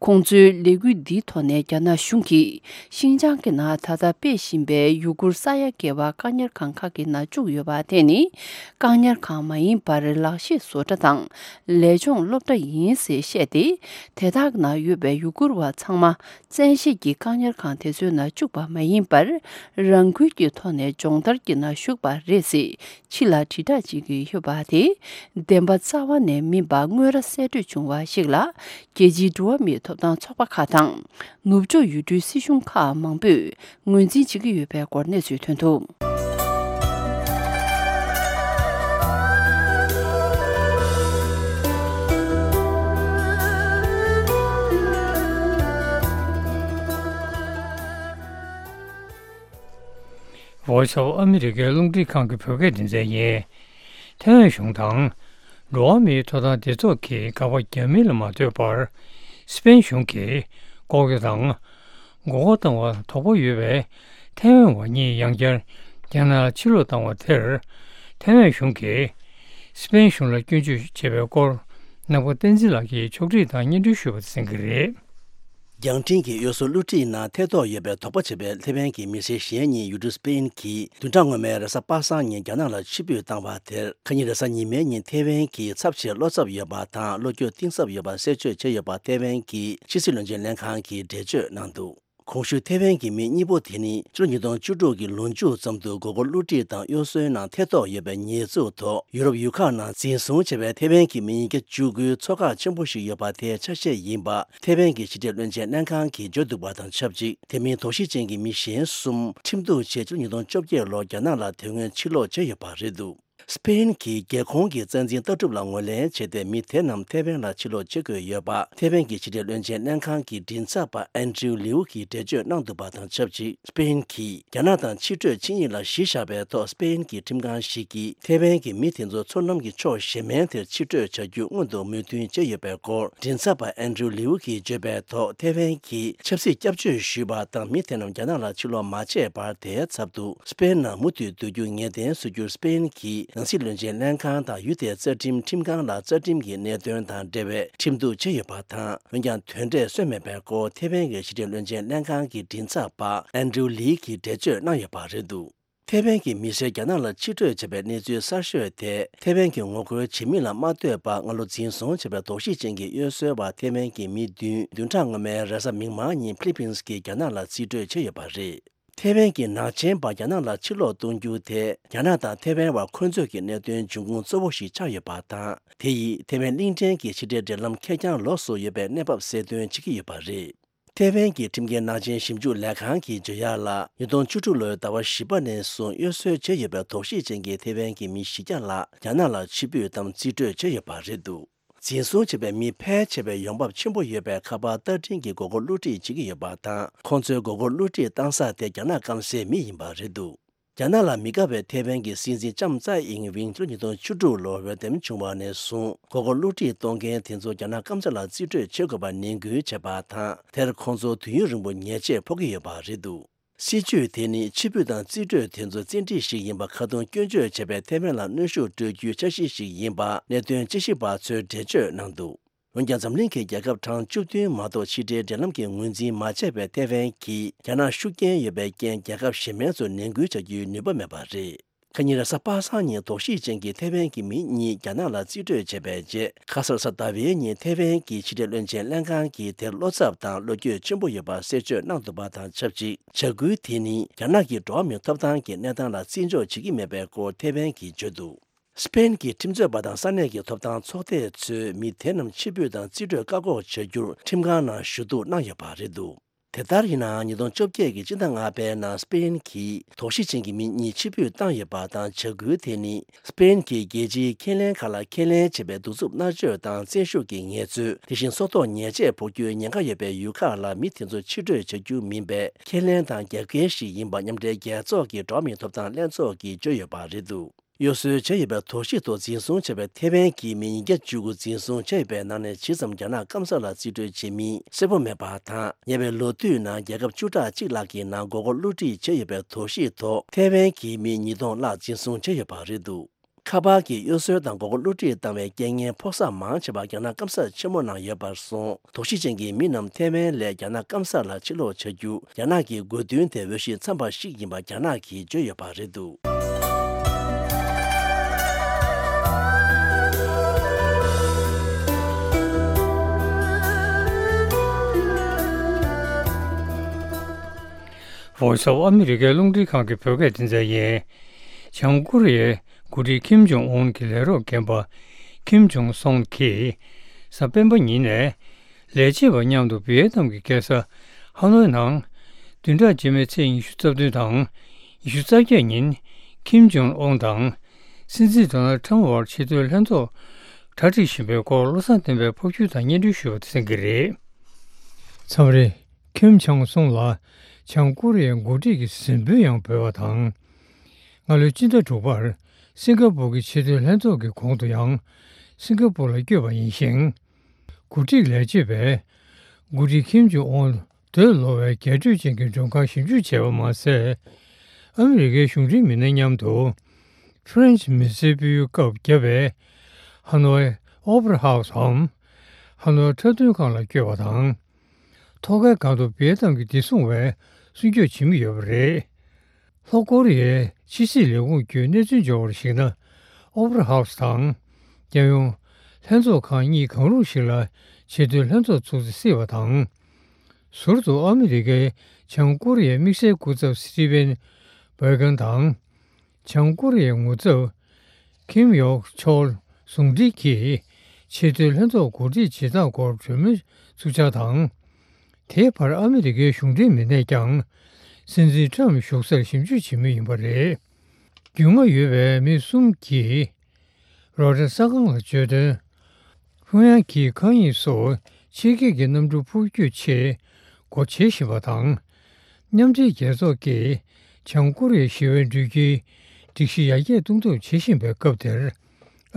ཁོང་ཚོའི་ལས་འགུལ་འདིའི་ཐོག་ནས་རྒྱ་ནག་གཞུང་གིས་ཤིན་ཅང་གི་ནང་ད་ལྟ་སྤེལ་བཞིན་པའི་ཡུ་གུར་ས་ཡ་བརྒལ་བ་བཀག་ཉར་ཁང་ཁག་གི་ནང་བཅུག་ཡོད་པ་དེ་ནི་བཀག་ཉར་ཁང་མ་ཡིན་པར་ལག་ཤེས་བཟོ་གྲྭ་དང་ལས་སྦྱོང་སློབ་གྲྭ་ཡིན་ཞེས་བཤད་དེ། དེ་དག་ནང་ཡོད་པའི་ཡུ་གུར་བ་ཚང་མ་བཙན་ཤེད་ཀྱིས་བཀག་ཉར་ཁང་དེ་ཚོའི་ནང་བཅུག་པ་མ་ཡིན་པར། རང་འགུལ་གྱི་ཐོག་ནས་སྦྱོང་བརྡར་གྱི་ནང་ཞུགས་པ་རེད་ཅེས་ཕྱི་ལ་དྲིལ་བསྒྲགས་བྱེད་ཀྱི་ཡོད་པ་དེ། བདེན་པ་རྩ་བ་ནས་མིན་པ་དངོས་ར་གསལ་བཀྲོལ་བྱུང་བ་ཞིག་ལ། རྒྱལ་སྤྱིའི་འགྲོ་བ་མིའི་ཐོབ་ཐང་ཚོགས་པ་ཁག་དང་། ནུབ་ཕྱོགས་ཡུལ་གྲུའི་སྲིད་གཞུང་ཁག་མང་པོས་ངོས་འཛིན་བྱེད་ཀྱི་ཡོད་པའི་སྐོར་གནས་ཚུལ་ཐོན་འདུག Voice of America རླུང་འཕྲིན་ཁང་གི་བོད་སྐད་སྡེ་ཚན་ཡིན། ཐའེ་ཝན་གཞུང་དང་། འགྲོ་བ་མིའི་ཐོབ་ཐང་སྡེ་ཚོགས་ཀྱིས་དགག་པ་རྒྱག་མིན་ལ་མ་ལྟོས་པར། སི་པེན་གཞུང་གིས་ལྐོག་གྱོད་དང་། མགོ་སྐོར་བཏང་བར་དོགས་པ་ཡོད་པའི་ཐའེ་ཝན་བ་གཉིས་ཡང་བསྐྱར་རྒྱ་ནག་ལ་ཕྱིར་ལོག་བཏང་བ་དེར། ཐའེ་ཝན་གཞུང་གིས་སི་པེན་གཞུང་ལ་སྐྱོན་བརྗོད་བྱས་པའི་སྐོར། ནག་པ་བསྟན་འཛིན་ལགས་ཀྱིས་ཕྱོགས་སྒྲིག་དང་སྙན་སྒྲོན་ཞུས་པ་དེ་གསན་གྱི་རེད། རྒྱང་འཕྲིན་གྱི་གཡོ་ཟོལ་བསླུ་བྲིད་ནང་ཐེ་གཏོགས་ཡོད་པའི་དོགས་པ་བྱས་པའི་ཐེ་ཝན་གྱི་མི་སེར་གཞན་གཉིས་ཡུལ་གྲུ་སྤེན་གྱིས་བདུན་ཕྲག་སྔོན་མའི་རེས་གཟའ་པ་སངས་ཉིན་རྒྱ་ནག་ལ་ཕྱིར་འབུད་བཏང་བ་དེར། ཁ་ཉིན་རེས་གཟའ་ཉི་མའི་ཉིན་ཐེ་ཝན་གྱི་ཚབ་བྱས་བློ་འཚབ་ཡོད་པ་དང་བློ་འགྱོད་གཏིང་ཟབ་ཡོད་པ་གསལ་བརྗོད་བྱས་ཡོད་པ་ཐེ་ཝན་གྱི་ཕྱི་སྲིད་བློན་ཆེན་ལྷན་ཁང་གིས་འགྲེལ་བརྗོད་གནང་འདུག་གོང་ཞུས་ཐེ་ཝན་གྱི་མི་གཉིས་པོ་དེ་ནི་ཕྱི་ལོ་ཉིས་སྟོང་བཅུ་དྲུག་གི་ལོ་མཇུག་ཙམ་དུ་མགོ་སྐོར་བསླུ་བྲིད་དང་གཡོ་ཟོལ་ནང་ཐེ་གཏོགས་ཡོད་པའི་ཉེས་འཛུགས་ཐོག་ཡུ་རོབ་ཡུལ་ཁག་ནང་འཛིན་བཟུང་བྱས་པའི་ཐེ་ཝན་གྱི་མི་ཉིས་བརྒྱ་བཅུ་དགུའི་ཚོགས་ཁག་ཆེན་པོ་ཞིག་ཡོད་པ་དེའི་ཆ་ཤས་ཡིན་པ་ཐེ་ཝན་གྱི་ཕྱི་དྲིལ་བློན་ཆེན་ལྷན་ཁང་གིས་བརྗོད་འདུག་པ་དང་ཆབས་ཅིག་དེ་མིན་དོགས་གཞི་ཅན་གྱི་མི་གཞན་གསུམ་ཁྲིམས་གཏུག་ཆེད་ཕྱི་ལོ་ཉིས་སྟོང་བཅོ་བརྒྱད་ལོར་རྒྱ་ནག་ལ་དེ་སྔོན་ཕྱིར་ལོག་བྱས་ཡོད་པ་རེད་འདུག་སྤེན་གྱི་རྒྱལ་ཁོངས་ཀྱི་རྩ་འཛིན་ལྟ་གྲུབ་ལ་ངོས་ལེན་བྱས་ཏེ། མི་དེ་རྣམས་ཐེ་ཝན་ལ་ཕྱིར་ལོག་བྱེད་དགོས་ཡོད་པ་ཐེ་ཝན་གྱི་ཕྱི་དྲིལ་བློན་ཆེན་ལྷན་ཁང་གི་མགྲིན་ཚབ་པ་ཨན་ཌྲིའུ་ལིའུ་གིས་འགྲེལ་བརྗོད་གནང་འདུག་པ་དང་ཆབས་ཅིག་སྤེན་གྱིས་རྒྱ་ནག་དང་ཕྱི་སྤྲོད་ཆིངས་ཡིག་ལ་གཞི་བཞག་པའི་ཐོག་སྤེན་གྱི་ཁྲིམས་ཁང་ཞིག་གིས་ཐེ་ཝན་གྱི་མི་དེ་ཚོ་མཚོ་ནམ་གྱི་ཕྱོགས་གཞན་མའི་དེར་ཕྱིར་སྤྲོད་བྱ་རྒྱུ་སྔོན་དུ་མོས་མཐུན་བྱས་ཡོད་པའི་སྐོར། མགྲིན་ཚབ་པ་ཨན་ཌྲིའུ་ལིའུ་གིས་བརྗོད་པའི་ཐོག་ཐེ་ཝན་གྱིས་ཆབ་སྲིད་སྐྱབས་བཅོལ་ཞུས་པ་དང་མི་དེ་རྣམས་རྒྱ་ནག་ལ་ཕྱིར་ལོག་མ་བྱས་བར་དེའི་ཚབ་ཏུ། སྤེན་ནང་མུ་མཐུད་སྡོད་རྒྱུ་ངེས་གཏན་བཟོ་རྒྱུར་སྤེན་གྱིས་ནང་སྲིད་བློན་ཆེན་ལྷན་ཁང་དང་ཡུལ་དེའི་རྩ་ཁྲིམས་ཁྲིམས་ཁང་ལ་རྩ་ཁྲིམས་ཀྱི་གནད་དོན་དང་འབྲེལ་བའི་ཁྲིམས་གཏུག་བྱས་ཡོད་པ་དང་། འོན་ཀྱང་དོན་འབྲས་སོན་མེད་པའི་སྐོར་ཐེ་ཝན་གྱི་ཕྱི་དྲིལ་བློན་ཆེན་ལྷན་ཁང་གི་མགྲིན་ཚབ་པ་ཨན་ཌྲིའུ་ལི་གིས་འགྲེལ་བརྗོད་གནང་ཡོད་པ་རེད་འདུག་ཐེ་ཝན་གྱི་མི་སེར་རྒྱ་ནག་ལ་ཕྱིར་སྤྲོད་བྱས་པའི་གནས་ཚུལ་གསར་ཤོས་དེ། ཐེ་ཝན་གྱི་ངོ་རྒོལ་བྱེད་མི་ལ་མ་ལྟོས་པར་སྔ་ལོ་འཛིན་བཟུང་བྱས་པའི་དོགས་གཞི་ཅན་གྱི་གཡོ་ཟོལ་བ་ཐེ་ཝན་གྱི་མི་བདུན་བདུན་ཕྲག་སྔོན་མའི་རེས་གཟའ་མིག་དམར་ཉིན་ཕི་ལི་པིན་གྱིས་རྒྱ་ནག་ལ་རྩིས་སྤྲོད་བྱས་ཡོད་པ་རེད། ཐེ་ཝན་གྱི་ནག་ཆེན་པ་རྒྱ་ནག་ལ་ཕྱིར་ལོག་གཏོང་རྒྱུ་དེ་རྒྱ་ནག་དང་ཐེ་ཝན་བར་འཁོན་རྩོད་ཀྱི་གནད་དོན་འབྱུང་ཁུངས་གཙོ་བོ་ཞིག་ཆགས་ཡོད་པ་དང་། དེ་ཡིས་ཐེ་ཝན་གླིང་ཕྲན་གྱི་ཕྱི་འབྲེལ་འབྲེལ་ལམ་ཁེར་རྐྱང་ལོགས་སུ་ཡོད་པའི་གནས་བབ་གསལ་སྟོན་བྱེད་ཀྱི་ཡོད་པ་རེད། ཐེ་ཝན་གྱི་ཁྲིམས་འགལ་ནག་ཆེན་ཞིབ་འཇུག་ལས་ཁང་གིས་བརྗོད་ཡག་ལ། ཉིས་སྟོང་བཅུ་དྲུག་ལོའི་ཟླ་བ་བཞི་པ་ནས་བཟུང་གཡོ་ཟོལ་བྱས་ཡོད་པའི་དོགས་གཞི་ཅན་གྱི་ཐེ་ཝན་གྱི་མི་བཞི་བརྒྱ་ལ་རྒྱ་ནག་ལ་ཕྱིར་འབུད་དམ་རྩིས་སྤྲོད་བྱས་ཡོད་པ་རེད་འདུག་འཛིན་བཟུང་བྱས་པའི་མི་ཕལ་ཆེ་བའི་ཡོང་འབབ་ཆེན་པོ་ཡོད་པའི་ཁ་པར་ལྟ་འཕྲིན་གྱི་མགོ་སྐོར་བསླུ་བྲིད་བྱེད་ཀྱི་ཡོད་པ་དང་། ཁོང་ཚོའི་མགོ་སྐོར་བསླུ་བྲིད་བཏང་ས་དེ་རྒྱ་ནག་སྐམ་སའི་མི་ཡིན་པ་རེད་འདུག་རྒྱ་ནག་ལ་མི་དགའ་བའི་ཐེ་ཝན་གྱི་སྲིད་འཛིན་ལྕམ་ཙའེ་ཨིང་ཝེན་ཕྱི་ལོ་ཉིས་སྟོང་བཅུ་དྲུག་ལོར་འོས་འདེམས་བྱུང་བ་ནས་བཟུང་མགོ་སྐོར་བསླུ་བྲིད་གཏོང་མཁན་དེ་ཚོ་རྒྱ་ནག་སྐམ་ས་ལ་རྩིས་སྤྲོད་བྱེད་དགོས་པ་ནན་སྐུལ་བྱས་པ་དང་། དེར་ཁོང་ཚོ་དུས་ཡུན་རིང་པོ་ཉེས་ཆད་ཕོག་གི་ཡོད་པ་རེད་འདུག་སྲིད་ཇུས་དེ་ནི་ཕྱིར་འབུད་དང་རྩིས་སྤྲོད་དེ་ཚོ་བཙན་ཁྲིད་ཞིག་ཡིན་པ་ཁ་རྡུང་སྐྱོན་བརྗོད་བྱས་པའི་ཐེ་ཝན་ལ་གནོན་ཤུགས་སྤྲོད་རྒྱུའི་འཆར་གཞི་ཞིག་ཡིན་པ་གནད་དོན་དཔྱད་ཞིབ་པ་ཚོས་འགྲེལ་བརྗོད་གནང་འདུག་འོན་ཀྱང་། འཛམ་གླིང་གི་རྒྱལ་ཁབ་གྲངས་བཅུ་བདུན་མ་གཏོགས་ཕྱི་འབྲེལ་འབྲེལ་ལམ་གྱི་ངོས་འཛིན་མ་བྱས་པའི་ཐེ་ཝན་གྱིས་རྒྱ་ནག་ཤུགས་རྐྱེན་ཡོད་པའི་རྐྱེན། རྒྱལ་ཁབ་གཞན་མའི་ཚོ་ནན་སྐུལ་བྱ་རྒྱུའི་ནུས་པ་མེད་པ་རེད། ཁ་ཉིན་རེས་གཟའ་པ་སངས་ཉིན་དོགས་གཞི་ཅན་གྱི་ཐེ་ཝན་གྱི་མི་གཉིས་རྒྱ་ནག་ལ་རྩིས་སྤྲོད་བྱས་པའི་རྗེས། ཁ་སང་རེས་གཟའ་ཟླ་བའི་ཉིན་ཐེ་ཝན་གྱི་ཕྱི་འབྲེལ་བློན་ཆེན་ལྷན་ཁང་གིས་དེར་བློ་འཚབ་དང་བློ་འགྱོད་ཆེན་པོ་ཡོད་པ་གསལ་བརྗོད་གནང་འདུག་པ་དང་ཆབས་ཅིག་བྱ་འགུལ་དེ་ནི་རྒྱ་ནག་གི་འགྲོ་བ་མིའི་ཐོབ་ཐང་གི་གནས་སྟངས་ལ་བརྩི་འཇོག་བྱེད་ཀྱི་མེད་པའི་སྐོར་ཐེ་ཝན་གྱིས་བརྗོད་འདུག་སྤེན་གྱི་ཁྲིམས་རྩོད་པ་དང་ས་གནས་ཀྱི་ཐོབ་ཐང་ཚོགས་སྡེ་ཚོས་མི་དེ་རྣམས་ཕྱིར་འབུད་དང་རྩིས་སྤྲོད་བཀག་འགོག་བྱ་རྒྱུར་ཁྲིམས་ཁང་ནང་ཞུ་གཏུག་གནང་ཡོད་པ་རེད་འདུག་དེ་ལྟར་ཡིན་ནའང་། ཉིས་སྟོང་བཅོ་བརྒྱད་ཀྱི་སྤྱི་ཟླ་ལྔ་པའི་ནང་སྤེན་གྱིས་དོགས་གཞི་ཅན་གྱི་མི་གཉིས་ཕྱིར་འབུད་བཏང་ཡོད་པ་དང་། བྱ་འགུལ་དེ་ནི་སྤེན་གྱིས་རྒྱལ་སྤྱིའི་ཁས་ལེན་ཁག་ལ་ཁས་ལེན་བྱས་པའི་གདུག་རྩུབ་མནར་གཅོད་དང་བཙན་ཤུགས་ཀྱི་ངལ་རྩོལ། དེ་བཞིན་སྲོག་ཐོག་ཉེས་ཆད་ཕོག་རྒྱུའི་ཉེན་ཁ་ཡོད་པའི་ཡུལ་ཁག་ལ་མི་དེ་ཚོ་ཕྱིར་སྤྲོད་བྱ་རྒྱུ་མིན་པའི་ཁས་ལེན་དང་རྒྱབ་འགལ་ཞིག་ཡིན་པ་མཉམ་འབྲེལ་རྒྱལ་ཚོགས་ཀྱི་འགྲོ་བ་མིའི་ཐོབ་ཐང་ལྷན་ཚོགས་ཀྱིས་བརྗོད་ཡོད་པ་རེད་འདུག་གཡོ་ཟོལ་བྱས་ཡོད་པའི་དོགས་གཞི་ཐོག་འཛིན་བཟུང་བྱས་པའི་ཐེ་ཝན་གྱི་མི་ཉིས་བརྒྱ་བཅུ་དགུ་འཛིན་བཟུང་བྱས་ཡོད་པའི་ནང་ནས་ཇི་ཙམ་རྒྱ་ནག་སྐམ་ས་ལ་རྩིས་སྤྲོད་བྱེད་མིན་གསལ་པོ་མེད་པ་དང་། ཉེ་བའི་ལོ་དུས་ནང་རྒྱལ་ཁབ་བཅུ་ཕྲག་གཅིག་ལྷག་གི་ནང་མགོ་སྐོར་བསླུ་བྲིད་བྱས་ཡོད་པའི་དོགས་གཞི་ཐོག་ཐེ་ཝན་གྱི་མི་ཉིས་སྟོང་ལྷག་འཛིན་བཟུང་བྱས་ཡོད་པ་རེད་འདུག་ཁ་པར་གྱི་གཡོ་ཟོལ་དང་མགོ་སྐོར་བསླུ་བྲིད་བཏང་བའི་རྐྱེན་ངན་ཕོག་ས་མང་ཆེ་བ་རྒྱ་ནག་སྐམ་ས་ཆེན་མོ་ནང་ཡོད་པར་སོང་། དོགས་གཞི་ཅན་གྱི་མི་རྣམས་ཐེ་ཝན་ལས་རྒྱ་ནག་སྐམ་ས་ལ་ཕྱིར་ལོག་བྱ་རྒྱུ་རྒྱ་ནག་གི་དགོས་འདུན་དེ་འོས་གཞི་འཚམ་པ་ཞིག་ཡིན་པ་རྒྱ་ནག་གིས་བརྗོད་ཡོད་པ་རེད་འདུག Voice of America རླུང་འཕྲིན་ཁང་གི་བོད་སྐད་སྡེ་ཚན་ཡིན། བྱང་ཀོ་རི་ཡའི་འགོ་ཁྲིད་ཁིམ་ཇོང་ཨུན་གྱི་ལས་རོགས་རྒན་པ་ཁིམ་ཇོང་སོང་གིས་གཟའ་སྤེན་པ་ཉིན་ནས་ལས་བྱེད་པ་མཉམ་དུ་བི་ཡེ་ནམ་གྱི་རྒྱལ་ས་ཧ་ནོའི་ནང་བདུན་ཕྲག་རྗེས་མའི་ཚེས་ཉི་ཤུ་རྩ་བདུན་དང་ཉི་ཤུ་རྩ་བརྒྱད་ཉིན་ཁིམ་ཇོང་ཨུན་དང་སྲིད་འཛིན་ཌོ་ནལ་ཁྲམ་བར་ཆེས་མཐོའི་ལྷན་ཚོགས་གྲ་སྒྲིག་བཞིན་པའི་སྐོར་བློ་བཟང་བསྟན་པས་ཕབ་སྒྱུར་དང་སྙན་སྒྲོན་ཞུས་པ་དེ་གསན་གྱི་རེད། མཚམས་རེ་ཁིམ་ཇོང་སུང་ལ་བྱང་ཀོ་རི་ཡའི་འགོ་ཁྲིད་ཀྱི་གཟིམ་དཔོན་ཡང་འབོད་པ་དང་། སྔ་ལོའི་སྤྱི་ཟླ་དྲུག་པར་སིང་ག་པུར་གྱི་ཆེས་མཐོའི་ལྷན་ཚོགས་ཀྱི་གོང་དུ་ཡང་སིང་ག་པུར་ལ་བསྐྱོད་པ་ཡིན་ཞིང་། འགོ་ཁྲིད་ལས་བྱེད་པས་འགོ་ཁྲིད་ཁིམ་ཇོང་ཨུན་འདོད་ལོ་བའི་རྒྱས་སྤྲོས་ཅན་གྱི་མགྲོན་ཁང་ཞིབ་འཇུག་བྱས་པ་མ་ཟད། ཨ་མི་རི་ཀའི་གཞུང་འབྲེལ་མི་སྣ་མཉམ་དུ་ཕ་རན་སི་མི་སེར་ཕུལ་བའི་སྐབས་བརྒྱབ་པའི་ཧ་ནོའི་ཨོ་པེ་ར་ཧའུ་སི་འམ་ཧ་ནོའི་འཁྲབ་སྟོན་ཁང་ལ་བསྐྱོད་པ་དང་། ཐོག་ཁའི་སྒང་དུ་བི་ཡེ་ཏམ་གྱི་བདེ་སྲུང་བས་སྲུང་སྐྱོབ་བྱེད་མུས་ཡོད་པ་རེད། ལྷོ་ཀོ་རི་ཡའི་ཕྱི་སྲིད་ལས་ཁུངས་བརྒྱུད་གནས་ཚུལ་འབྱོར་བར་གཞིགས་ན། ཨོ་པ་ར་ཧའུ་སི་དང་། རྒྱལ་ཡོངས་ལྷན་ཚོགས་ཁང་གཉིས་གང་རུང་ཞིག་ལ་ཆེས་མཐོའི་ལྷན་ཚོགས་ཚུགས་ཚེ་སྲིད་པ་དང་། ཟུར་དུ་ཨ་མི་རི་ཀའི་བྱང་ཀོ་རི་ཡའི་དམིགས་བསལ་སྐུ་ཚབ་སི་ཊི་ཝེན་བྷོལ་ཀན་དང་། བྱང་ཀོ་རི་ཡའི་ངོ་ཚབ་ཁིམ་ཡོག་ཆོལ་ཟུང་འབྲེལ་གྱིས་ཆེས་མཐོའི་ལྷན་ཚོགས་གོ་སྒྲིག་བྱེད་སྟངས་སྐོར་གྲོས་མོལ་ཚུགས་འཆར་དང་། དེའི་བར་ཨ་མི་རི་ཀའི་གཞུང་འབྲེལ་མི་སྣས་ཀྱང་སྲིད་འཛིན་ཊམ་བཞུགས་སར་ཞིབ་འཇུག་བྱེད་མུས་ཡིན་པ་རེད། རྒྱུས་མངའ་ཡོད་པའི་མི་གསུམ་གྱིས་རོའི་ཊར་གསར་ཁང་ལ་བརྗོད་དོན། ཕྱོགས་མཚུངས་ཀྱི་མཁའ་དབྱིངས་སུ་ཕྱི་རྒྱལ་གྱི་གནམ་གྲུ་འཕུར་སྐྱོད་ཆེད་སྒོ་འབྱེད་བཞིན་པ་དང་། མཉམ་འབྲེལ་རྒྱལ་ཚོགས་ཀྱིས་བྱང་ཀོ་རི་ཡའི་ཞི་བའི་འགྲུལ་སྐྱེལ་སྒྲིག་གཞི་ཡར་རྒྱས་གཏོང་ཐབས་བྱེད་བཞིན་པའི་སྐབས་དེར།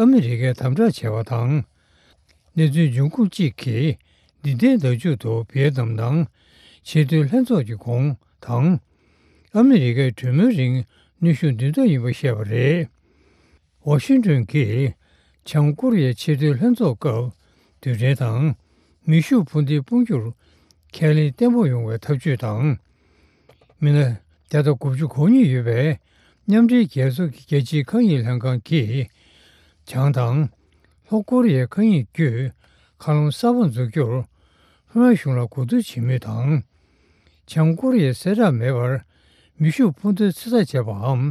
ཨ་མི་རི་ཀས་དམ་དྲག་བྱས་པ་དང་། གནས་ཚུལ་འབྱུང་ཁུངས་གཅིག་གིས་འདི་ཟླའི་ཟླ་མཇུག་ཏུ་བི་ཡེ་ཏམ་ནང་ཆེས་མཐོའི་ལྷན་ཚོགས་ཀྱི་གོང་དང་། ཨ་མི་རི་ཀའི་གྲོས་མོལ་རིང་གནོན་ཤུགས་འདོན་ཐབས་ཡིན་པ་བཤད་པ་རེད། ཝ་ཤིང་ཏོན་གྱིས་བྱང་ཀོ་རི་ཡའི་ཆེས་མཐོའི་ལྷན་ཚོགས་སྐབས་རྡུལ་ཕྲན་དང་མེ་ཤུགས་འཕུར་མདེལ་སྤུངས་རྒྱུར་ཁས་ལེན་བརྟན་པོ་ཡོང་བའི་ཐབས་ཇུས་དང་། མི་སྣ་བརྒྱ་དང་དགུ་བཅུ་གོ་གཉིས་ཡོད་པའི་མཉམ་འབྲེལ་རྒྱལ་ཚོགས་ཀྱི་རྒྱལ་སྤྱིའི་མཁའ་དབྱིངས་ལྷན་ཁང་གིས་བྱང་དང་ལྷོ་ཀོ་རི་ཡའི་མཁའ་དབྱིངས་བརྒྱུད་མཁའ་རླུང་གསར་པ་འཛུགས་རྒྱུར་ལྷོ་ཡང་གཞུང་ལ་གོ་བསྡུར་བྱེད་མུས་དང་། བྱང་ཀོ་རི་ཡས་གསལ་བསྒྲགས་མེད་པར་མེ་ཤུགས་འཕུར་མདེལ་ཚོད་ལྟ་བྱས་པའམ།